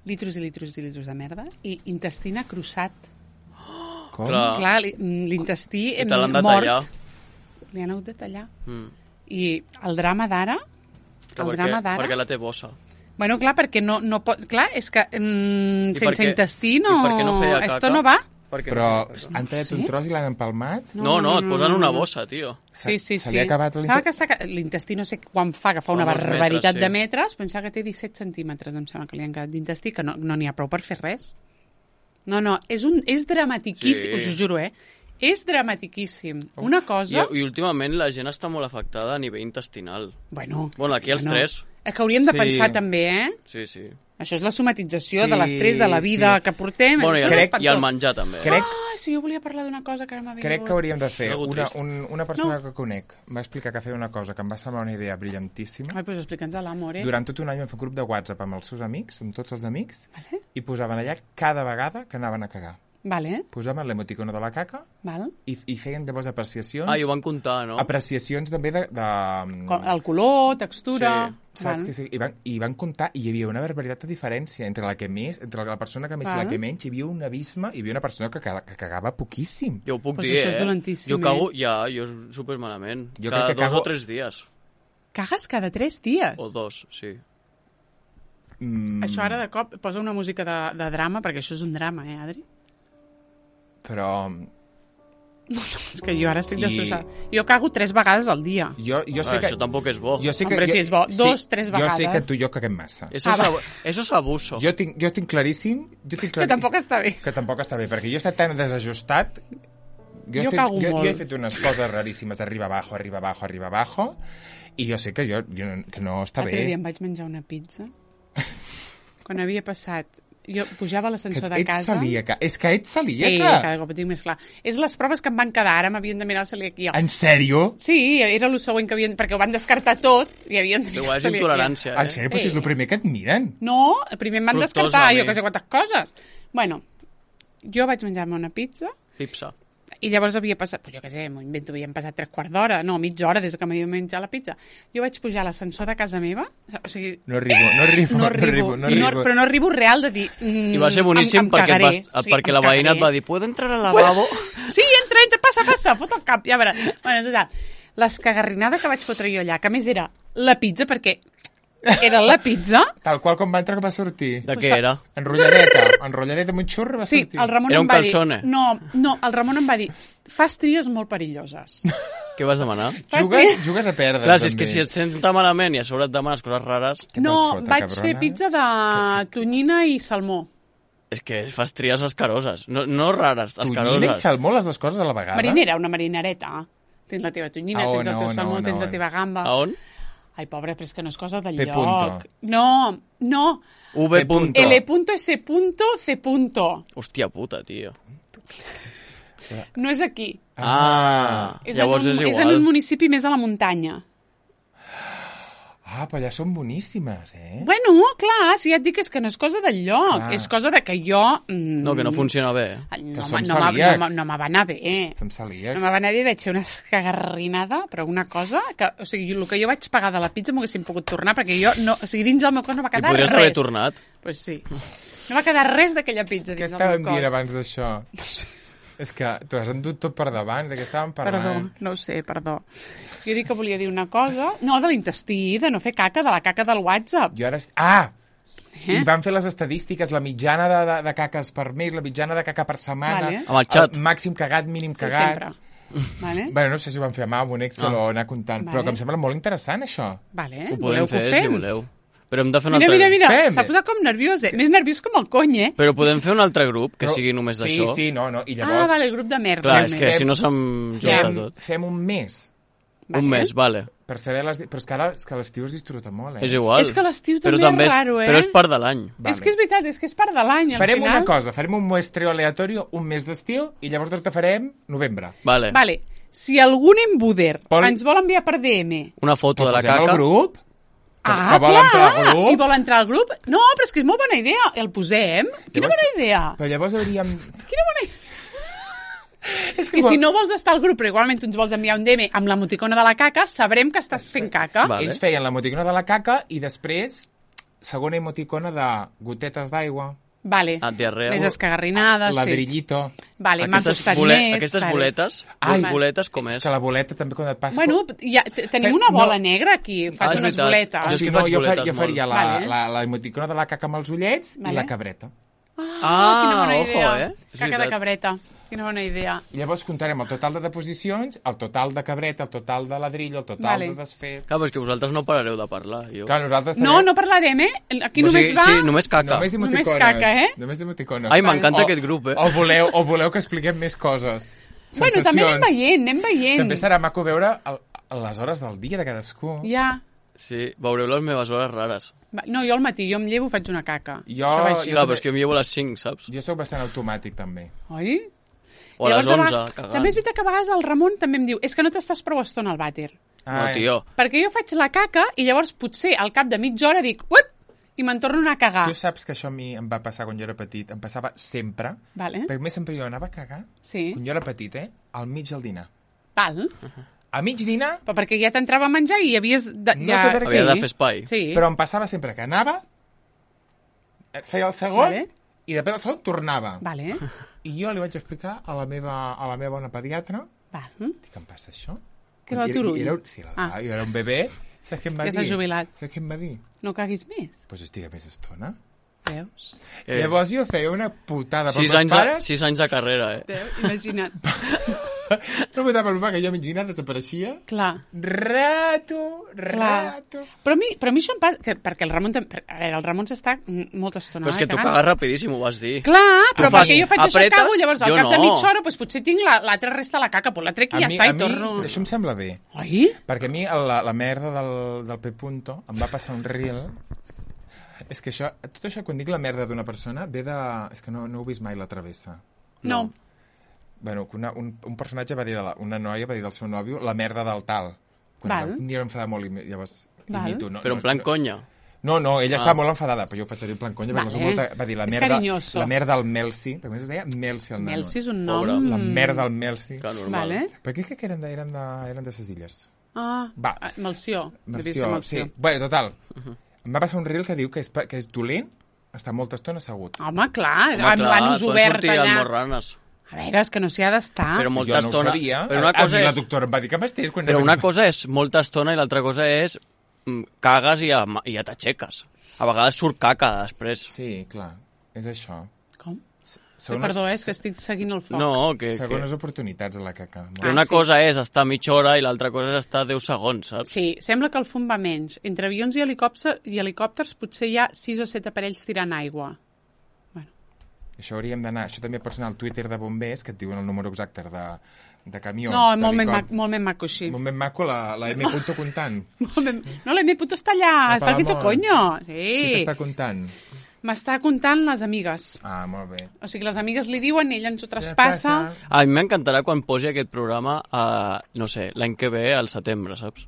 Litros i litros i litros de merda i intestina crossat. Com? Clar. Clar, li- l'intestí I te l'han de mort. tallar. Li han hagut de tallar. Mm. I el drama d'ara... Clar, El perquè, drama d'ara... perquè la té bossa. Bueno, clar, perquè no, no pot... Clar, és que mm, I sense perquè- intestí i no... per què no feia Esto caca? no va. Perquè Però no feia caca. han tallat Sí? un tros i l'han empalmat? No, no, et posen no, una no. bossa, tio. Sí, sí, Se sí. li ha acabat Sembla que l'intestí? s'ha- l'intestí no sé quan fa, que fa Fa una molts barbaritat metres, sí. de metres, pensava que té disset centímetres, em sembla que li han quedat d'intestí, que no n'hi no ha prou per fer res. No, no, és, un, és dramatiquíssim, Sí. us ho juro, eh? És dramatiquíssim. Una I, cosa... I últimament la gent està molt afectada a nivell intestinal. Bueno, Bueno, aquí els bueno, tres. És que hauríem de Sí. pensar també, eh? Sí, sí. Això és la somatització Sí, de l'estrès de la vida sí. que portem. Bueno, i això el, és crec- espantós. i el menjar també. Crec, Ah, sí, jo volia parlar d'una cosa que ara m'ha vingut. crec que hauríem de fer Algo una, trist. un, una persona No. que conec va explicar que feia una cosa que em va semblar una idea brillantíssima. Ai, doncs explica'ns a l'amor, eh? Durant tot un any vam fer un grup de WhatsApp amb els seus amics, amb tots els amics, Vale, i posaven allà cada vegada que anaven a cagar. vale, Posaven l'emoticono de la caca val. i, i feien llavors apreciacions. Ah, i ho van comptar, no? Apreciacions també de... de Com, el color, textura... Sí, Saps val. que sí? I van, I van comptar, i hi havia una barbaritat de diferència entre la que més, entre la persona que més i Val. la que menys, hi havia un abisme, hi havia una persona que, caga- que cagava poquíssim. Jo ho puc Pues dir, això és eh? dolentíssim, Jo cago, eh? ja, jo super malament. Jo Cada crec que dos cago- o tres dies. Cagues cada tres dies? O dos, sí. Mm, Això ara de cop posa una música de, de drama, perquè això és un drama, eh, Adri? Però És que jo ara estic I- destrossada. Jo cago tres vegades al dia. jo, jo sé Ah, que... això tampoc és bo. Jo sé que, Hombre, jo, si és bo. Dos, tres Jo sé vegades. que tu i jo caguem massa. Eso, Ah, es, va. abu- eso es abuso. Jo tinc, jo tinc claríssim... Jo tinc Que clarí... tampoc està bé. que tampoc està bé, perquè jo he estat tan desajustat... Jo he fet, cago jo, molt. jo he fet unes coses raríssimes, arriba abajo, arriba abajo, arriba abajo, i jo sé que, jo, jo, que no està L'altre dia bé. em vaig menjar una pizza. Quan havia passat... Jo pujava a Que l'ascensor de ets casa... celíaca. És que ets Sí, celíaca. cada cop ho tinc més clar. És les proves que em van quedar, ara m'havien de mirar el celiaquia. En sèrio? Sí, era el següent que havien... Perquè ho van descartar tot i havien de mirar Igual el és celiaquia. intolerància, En eh? sèrio? Però si és el primer que et miren. No, primer em van Fructosa, descartar a jo mi. que sé quantes coses. Bueno, jo vaig menjar-me una pizza Pipsa. i llavors havia passat, pues jo què sé, m'ho invento, havien passat tres quarts d'hora, no, mitja hora des que m'havia menjat la pizza. Jo vaig pujar a l'ascensor de casa meva, o sigui, No arribo, no arribo, no arribo, no arribo. però no arribo real de dir... Mm, I va ser boníssim em, em perquè, et cagaré. vas, O sigui, perquè em la veïna et cagaré. va dir ¿puedo entrar al lavabo? Sí, entra, entra, passa, passa, fot el cap, ja veuràs. Bueno, total, l'escagarrinada que vaig fotre jo allà, que a més era la pizza, perquè era la pizza... Tal qual com va entrar que va sortir. De Pues què fa- era? Enrotlladeta, enrotlladeta amb un xurro va Sí, sortir. el Ramon Era em un va calzone. dir... No, no, el Ramon em va dir, fas tries molt perilloses. Què vas demanar? Fas Jugues, tries- jugues a perdre. Clar, si és també. que si et sents malament i a sobre et demanes coses rares, Què No, t'has fotre, vaig cabrona? fer pizza de tonyina i salmó. és que fas tries escaroses. No, no rares, Tonyina i escaroses. salmó, les dues coses a la vegada? Marinera, una marinereta. Tens la teva tonyina, A on, tens el a teu on, salmó, a on, tens a la on? teva gamba. A on? Ai, pobre, però és que no és cosa del P lloc. punto. No, no. V C punto. L punto, S punto, C punto. Hòstia puta, tio. No és aquí. Ah, És, llavors en un, és és en igual. un municipi més a la muntanya. Ah, però allà són boníssimes, eh? Bueno, clar, si ja et dic és que no és cosa del lloc, Clar. és cosa de que jo... Mm, No, que no funciona bé. No, som no, no, celíacs. no, no me va anar bé. Som celíacs. No me va anar bé, vaig fer una escagarrinada, però una cosa que, o sigui, el que jo vaig pagar de la pizza m'ho haguéssim pogut tornar, perquè jo, no, o sigui, dins del meu cos no va I quedar podries res. haver tornat. Pues sí. No va quedar res d'aquella pizza Què dins del estàvem meu cos. dient abans d'això? És que t'ho has endut tot per davant, de què estàvem Perdó, parlant? no ho sé, perdó. Jo dic que volia dir una cosa... No, de l'intestí, de no fer caca, de la caca del WhatsApp. Jo ara... est- Ah! I van fer les estadístiques, la mitjana de, de, de caques per mes, la mitjana de caca per setmana, Vale. Amb el xat. màxim cagat, mínim Sí, cagat. sempre. Vale? Bueno, no sé si ho van fer a mà, amb un Excel Ah. o anar comptant, Vale. però que em sembla molt interessant, això. Vale, Ho voleu podem que ho fer, fem? si voleu. Però hem de fer un Mira, altre... mira, mira, Fem. s'ha posat com nerviós, eh? Més nerviós com el cony, eh? Però podem fer un altre grup que Però- sigui només sí, d'això. Sí, no, no, i Ah, llavors vale, el grup de merda. Clar, és només. que Fem- si no se'm junta fem, tot. fem un mes, Vale. Un mes, vale. per saber les... Però és que ara és que a l'estiu es disfruta molt, eh? És igual. És que l'estiu Però també és és raro, eh? Però és part de l'any. Vale. És que és veritat, és que és part de l'any, al Farem final. una cosa, farem un muestreo aleatorio, un mes d'estiu, i llavors el que farem, novembre. Vale. Vale, si algun embuder Pol- ens vol enviar per D M... Una foto Però de la posem caca. al grup? Ah, que vol clar, entrar al grup? i vol entrar al grup? No, però és que és molt bona idea. El posem? Quina Llavors- bona idea. Però llavors hauríem... Quina bona idea. És I si no vols estar al grup, però igualment tu ens vols enviar un D M amb l'emoticona de la caca, sabrem que estàs fent caca. Vale. Ells feien l'emoticona de la caca i després, segona emoticona de gotetes d'aigua, Vale. Ah, diarrea. Més escagarrinades, sí. ladrillito... Vale, m'ha Aquestes, costat bole- més. aquestes vale. boletes, Ai, les boletes com És és? que la boleta també quan et passa... Bueno, ja, t- tenim Fe- una bola no. negra aquí, fas Ah, és unes veritat. boletes. Jo és si que no, faig jo, far, boletes jo faria molt. la, Vale. la, la emoticona de la caca amb els ullets Vale. i la cabreta. Ah, quina bona ojo, idea. eh? És Caca de veritat. cabreta. Quina bona idea. I llavors comptarem el total de deposicions, el total de cabreta, el total de ladrillo, el total Vale. de desfet... Clar, però és que vosaltres no parareu de parlar. Jo. Clar, nosaltres No, no parlarem, eh? Aquí O només sigui, va... Sí, només caca. Només Només emoticones. caca, eh? Només emoticones. Ai, m'encanta O- aquest grup, eh? O voleu, o voleu que expliquem més coses. Bueno, també anem veient, anem veient. També serà maco veure el, les hores del dia de cadascú. Ja. Sí, veureu les meves hores rares. Va, no, jo al matí, jo em llevo i faig una caca. Jo- Això va així. jo- Clar, però és que jo em llevo a les cinc, saps? Jo sóc bastant automàtic, també. Oi? O a les Llavors, onze, va- cagant. També és veritat que a vegades el Ramon també em diu és que no t'estàs prou estona al vàter. No, tio. Perquè jo faig la caca i llavors potser al cap de mitja hora dic uip, i me'n torno a anar a cagar. Tu saps que això a mi em va passar quan jo era petit. Em passava sempre. Vale. Perquè a més sempre jo anava a cagar. Sí. Quan jo era petit, eh? Al mig del dinar. Val. A mig dinar, Però perquè ja t'entrava a menjar i havies... De, No ja... sé per què. Havia de fer espai. Sí. però em passava sempre que anava, feia el segon, Vale. i després del segon tornava. Vale. I jo li vaig explicar a la meva, a la meva bona pediatra, Val. dic, què em passa això? Que era el I- i- turull. i Era, sí, la, Ah. jo era un bebè. Saps què em va Ja dir? s'ha jubilat. Saps què em va dir? No caguis més. Doncs pues estigui més estona. Veus? Eh, Llavors jo feia una putada pels sis, meus anys de, pares, sis anys de carrera, eh? Veu? Imagina't. no putada pel meu pare, que jo a mig dinar desapareixia. Clar. Rato, Clar. rato. Però a mi, però a mi això em passa... Que, perquè el Ramon... tam- A veure, el Ramon s'està mm, molta estona... Però és que eh, tu cagant. cagues rapidíssim, ho vas dir. Clar, però Tu fas- perquè jo faig això, apretes, cago, llavors al jo cap de no. mitja hora doncs, potser tinc la- l'altra resta de la caca, doncs la trec i ja mi, està, a i mi, torno... això em sembla bé. Oi? Perquè a mi la, la merda del, del P. Punto em va passar un reel. És que això, tot això, quan dic la merda d'una persona, ve de... És que no, no heu vist mai La Travessa. No. Bueno, que una, un, un personatge va dir, de la, una noia va dir del seu nòvio la merda del tal. Quan Val. un dia m'enfadava molt i llavors Val. imito. No, Però en plan no, conya. No, no, ella Ah. estava molt enfadada, però jo ho faig servir en plan conya. Vale. Vale. Molta, va dir la És merda, carinyoso. la merda al Melsi, perquè a més es deia Melsi el nano. Melsi és un nom... Pobre. La merda al Melsi. Clar, normal. Vale. Per què crec que eren de, eren de, eren de ses illes? Ah, Va. ah, Melció. Devia ser Merció, Melció. sí. Bueno, total. Em va passar un reel que diu que és, pa- que és dolent estar molta estona assegut. Home, clar, Home, amb l'anus poden obert sortir allà. almorranes. A veure, és que no s'hi ha d'estar. Però molta jo no estona... ho sabia. Però una a, cosa a mi la és... doctora em va dir que m'estés quan... Però una cosa és molta estona i l'altra cosa és mm, cagues i ja, i ja t'aixeques. A vegades surt caca després. Sí, clar, és això. Com? Segones, Perdó, eh, és que estic seguint el foc. No, que, que, Segones oportunitats a la caca. que Ah, una sí. cosa és estar mitja hora i l'altra cosa és estar deu segons, saps? Sí, sembla que el fum va menys. Entre avions i helicòpters, i helicòpters potser hi ha sis o set aparells tirant aigua. Això hauríem d'anar... Això també pots anar al Twitter de bombers, que et diuen el número exacte de, de camions. No, molt més, d'helicòpters. maco, molt més maco, així. Molt més maco la, la M. Punto comptant. Molt més- No, la M. Puto està allà, A està aquí tu, Palamós. coño. Qui Sí. t'està comptant? M'està comptant les amigues. Ah, molt bé. O sigui, les amigues li diuen, ell ens ho traspassa. A mi m'encantarà quan posi aquest programa, a, no sé, l'any que ve, al setembre, saps?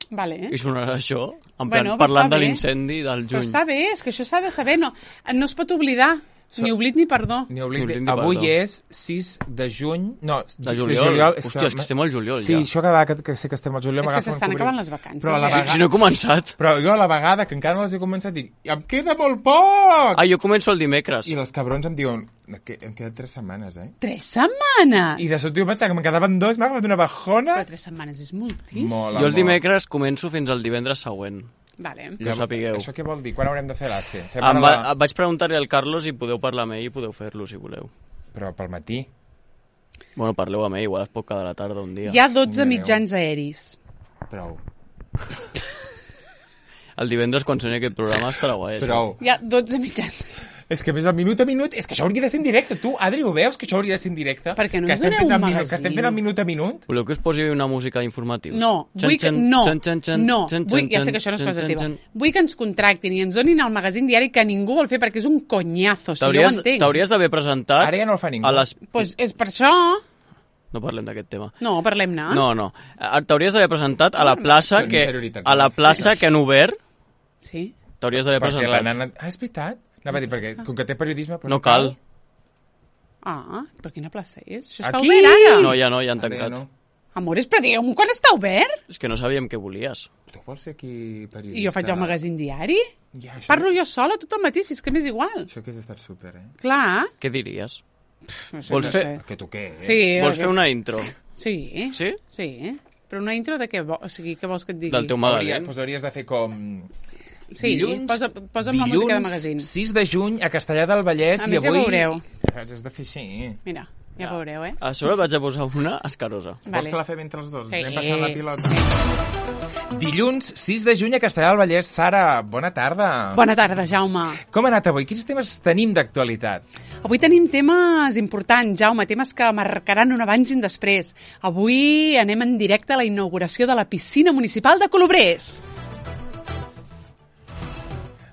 Vale. I sonarà això, en plan, Bueno, però parlant està de bé. l'incendi del Però juny. està bé, és que això s'ha de saber. No, no es pot oblidar. So- Ni oblit ni perdó. Ni oblidi. Ni oblidi, Avui perdó. és sis de juny... No, De juliol. Hòstia, és que estem al juliol, sí, ja. això cada vegada que, que sé que estem al juliol... És que m'agafa un s'estan cobrir. acabant les vacances. Però a la eh? Si, vegada... si no he començat. Però jo a la vegada, que encara no les he començat, dic, em queda molt poc! Ah, jo començo el dimecres. I els cabrons em diuen, que em queden tres setmanes, eh? Tres setmanes! I de sobte jo pensava que me'n quedaven dos, m'ha agafat una bajona. Però tres setmanes és moltíssim. Molt, Jo el amor. dimecres començo fins al divendres següent. Vale. Que ho sapigueu. Això què vol dir? Quan haurem de fer l'A C? Fem Em ara va, la... vaig preguntar-li al Carlos i podeu parlar amb ell i podeu fer-lo, si voleu. Però pel matí. Bueno, parleu amb ell, igual es pot quedar a la tarda un dia. Hi ha dotze Déu. mitjans aeris. Prou. El divendres, quan soni aquest programa, estarà guai. això. Prou. Hi ha dotze mitjans. És que més el minut a minut... És que això hauria de ser en directe. Tu, Adri, ho veus, que això hauria de ser en directe? Per què no que ens estem doneu fent un el minut, magazín? Que estem fent el minut a minut? Voleu que us posi una música d'informatius? No, vull que, no, no, vull, ja sé que això no és cosa teva. Vull que ens contractin i ens donin el magazín diari que ningú vol fer perquè és un conyazo, si no ho entenc. T'hauries d'haver presentat... Ara ja no el fa ningú. A les... Pues és per això... No parlem d'aquest tema. No, parlem-ne. No, no. Eh, T'hauries d'haver presentat a la plaça Són que interioritats. a la plaça que han obert. Sí. T'hauries d'haver Perquè la presentat. nana... Ah, és veritat. Anava a dir, perquè com que té periodisme... Pues No cal. Ah, però quina plaça és? Això està Aquí! obert ara. No, ja no, ja han Ara ja tancat. no. Amores, però digue'm quan està obert? És que no sabíem què volies. Tu vols ser aquí periodista? I jo faig el magazín diari? Ja, això, Parlo jo sola tot el matí, si és que m'és igual. Això que has estat súper, eh? Clar. Què diries? No sé, Vols no fer- sé. Que tu què? Eh? Sí. Vols que- fer una intro Sí. Sí? Sí. Però una intro de què? vo- O sigui, què vols que et digui? del teu Hauria, magazín? pues hauries de fer com... Sí, dilluns, posa, posa'm la música de magazín. sis de juny a Castellar del Vallès A i més, ja avui... veureu. Has de fer així. Mira, ja veureu, eh? A sobre vaig a posar una escarosa. Vols que la fem entre els dos? Sí. Anem passant la pilota. Dilluns, sis de juny a Castellar del Vallès. Sara, bona tarda. Bona tarda, Jaume. Com ha anat avui? Quins temes tenim d'actualitat? Avui tenim temes importants, Jaume, temes que marcaran un abans i un després. Avui anem en directe a la inauguració de la piscina municipal de Colobrers.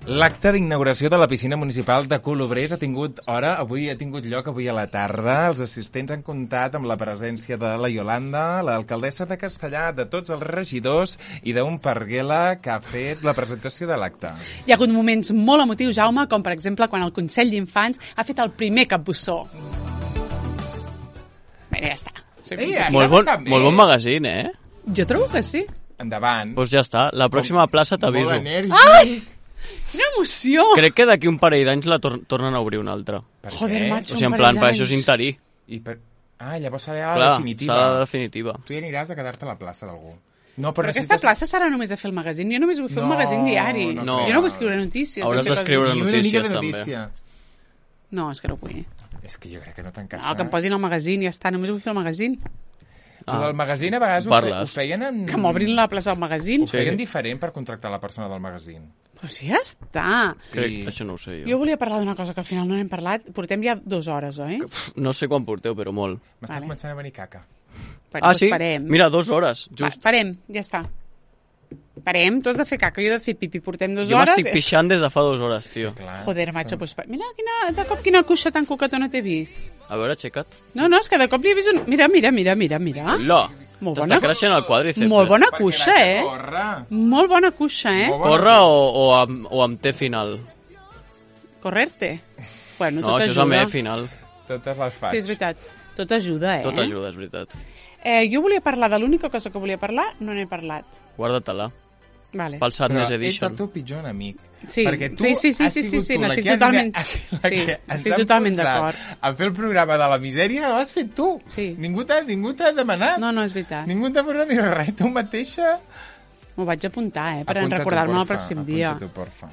L'acte d'inauguració de la piscina municipal de Colobrers ha tingut hora, avui ha tingut lloc avui a la tarda. Els assistents han comptat amb la presència de la Iolanda, l'alcaldessa de Castellar, de tots els regidors i d'un Parguela que ha fet la presentació de l'acte. Hi ha hagut moments molt emotius, Jaume, com per exemple quan el Consell d'Infants ha fet el primer capbussó. Bé, ja està. Soy Ei, conscient. Molt bon, bastant bé. molt bon magazín, eh? Jo trobo que sí. Endavant. Doncs ja està. La pròxima plaça t'aviso. Molt enèrgic. Quina emoció! Crec que d'aquí un parell d'anys la tor tornen a obrir una altra. Per Joder, què? macho. O sigui, en un plan, parell per això és d'anys. interí. I per... Ah, llavors serà la Clar, definitiva. serà la definitiva. Tu hi aniràs a quedar-te a la plaça d'algú. No, Però aquesta plaça serà només de fer el magazín. Jo només vull fer No, un magazín diari. no No. Jo no vull escriure notícies. Hauràs no fer d'escriure coses Ni així. una mica notícies, de també. notícia. No, és que no vull. És que jo crec que no t'encaixa. No, que em posin el magazín i ja està. Només vull fer el magazín. Ah. Ah. El magazín a vegades ho, fe, Parles. ho feien en... Que m'obrin la plaça del magazín. Ho feien diferent per contractar la persona del magazín. Però si ja està. Sí. Crec, això no ho sé Jo jo. volia parlar d'una cosa que al final no n'hem parlat. Portem ja dues hores, oi? No sé quan porteu, però molt. M'està Vale. començant a venir caca. Bueno, Ah, doncs sí? Parem. Mira, dues hores, Va, just. parem, ja està. Parem, tu has de fer caca, jo he de fer pipi. Portem dues Jo hores. m'estic pixant des de fa dues hores, tio. Clar. Joder, macho, pues, pa- mira, quina, de cop quina cuixa tan coquetona t'he vist. A veure, aixeca't. No, no, és que de cop li he vist un... Mira, mira, mira, mira, mira. Hola! Molt T'està bona. creixent el quadríceps. Molt eh? bona Perquè cuixa, vaig a eh? córrer. Molt bona cuixa, eh? Molt bona. Corre o, o, amb, o amb T final? Correrte. Bueno, No, tot això és ajuda. amb E final. Totes les faig. Sí, és veritat. Tot ajuda, eh? Tot ajuda, és veritat. Eh, jo volia parlar de l'única cosa que volia parlar, no n'he parlat. Guarda-te-la. Vale. Pel Sadness Però ets el Edition. teu pitjor enemic. Sí, Perquè tu sí, sí, sí, has sí, sí, sigut sí, tu la n'estic que ha- totalment- la sí, que ens estic ha totalment enfonsat d'acord. A fer el programa de la misèria ho has fet tu. Sí. Ningú t'ha ningú t'ha demanat. No, no, és veritat. Ningú t'ha posat ni res. Tu mateixa... M'ho vaig apuntar, eh? Per Apunta tu, recordar-me el porfa, pròxim dia. apunta tu, porfa.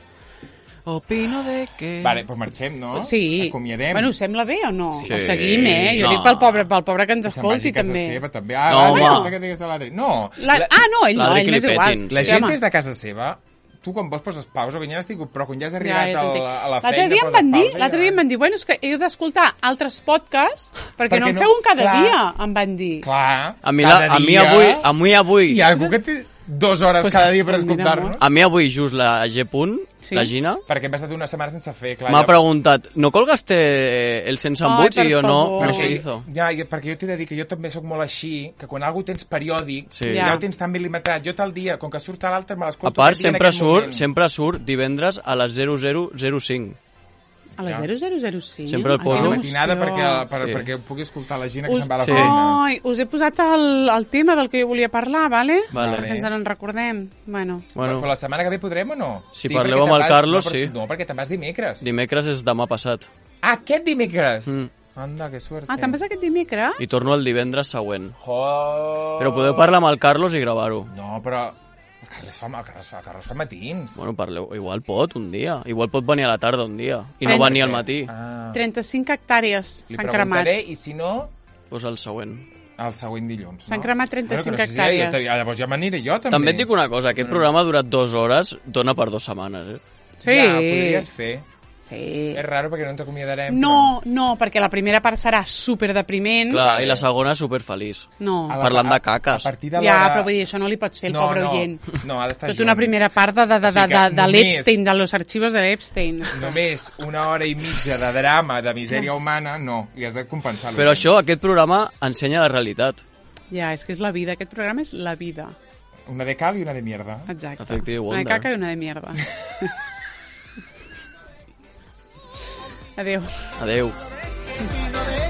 Opino de que... Vale, doncs marxem, no? Sí. Acomiadem. Bueno, us sembla bé o no? Sí. O seguim, eh? Jo No. dic pel pobre, pel pobre que ens Que se'n vagi escolti, a casa també. seva, també. Ah, No, no, home. no. Que digues a l'Adri. No. La... Ah, no, ell no, L'Adri ell que li m'és igual. petin. La Sí, gent home. des de casa seva, tu quan vols poses pausa, quan ja n'estic, però quan ja has arribat Ja, ja a, t'entenc. la, a la L'altre feina... dia em poses van dir, pausa i l'altre dia em van dir, bueno, és que heu d'escoltar altres podcasts perquè, Perquè no en no- feu un cada clar. dia, em van dir. Clar, A mi, cada la, a mi dia avui, a mi avui, Hi ha algú que té dues hores Pues, cada dia per pues mira, escoltar-nos? a mi avui just la G. Punt, Sí? la Gina, Perquè hem estat una setmana sense fer, clar. m'ha ja- preguntat, ¿no colgaste el sense Ai, embuts? per I jo no, favor. no Perquè, se hizo. ja, ja, perquè jo t'he de dir que jo també sóc molt així, que quan algú tens periòdic, Sí. ja. Ja. ho tens tan mil·limetrat. Jo tal dia, com que surt a l'altre, me A l'escolto part, aquest dia en sempre aquest surt, moment. sempre surt divendres a les zero zero zero cinc. A les Ja. zero zero zero cinc? Sempre el Ai, poso. A quina la matinada emoció. perquè, per, Sí. perquè pugui escoltar la Gina que Us... se'n va a la Sí. feina. Ai, us he posat el, el tema del que jo volia parlar, vale? Vale. Que ens en recordem. Bueno, Bueno, Però la setmana que ve podrem o no? Si Sí, parleu perquè amb te'n el vas- Carlos, no, però- sí. No, perquè te'n vas dimecres. dimecres és demà passat. Ah, aquest dimecres? Mm. Anda, que suerte. ah, te'n vas aquest dimecres? I torno el divendres següent. Oh. Però podeu parlar amb el Carlos i gravar-ho. No, però... Carles fa, el Carles fa, el Carles fa matins. Bueno, parleu, igual pot un dia. Igual pot venir a la tarda un dia. I no Trenta- venir al matí. Ah. trenta-cinc hectàrees Li s'han cremat. preguntaré, i si no, Pues el següent. el següent dilluns. S'han no? cremat trenta-cinc Bueno, que no sé si hectàrees. Ja, llavors ja m'aniré jo, també. També et dic una cosa, aquest programa ha durat dues hores, dona per dues setmanes, eh? Sí. Ja, podries fer. Sí. És raro perquè no ens acomiadarem. No, no, perquè la primera part serà superdepriment. Clar, i la segona superfeliç. No. A la- Parlant a- de caques. A partir de Ja, l'hora... però vull dir, això no li pots fer el no, pobre no, oient. No, ha d'estar Tota una primera part de, de, de, O sigui de, que de, de només- l'Epstein, de los archivos de l'Epstein. Només una hora i mitja de drama, de misèria humana, no. Li has de compensar. Però això, aquest programa ensenya la realitat. Ja, és que és la vida. Aquest programa és la vida. Una de cal i una de mierda. Exacte. Efectiu, Una de Wonder. caca i una de mierda. Adéu. Adeu. Opino de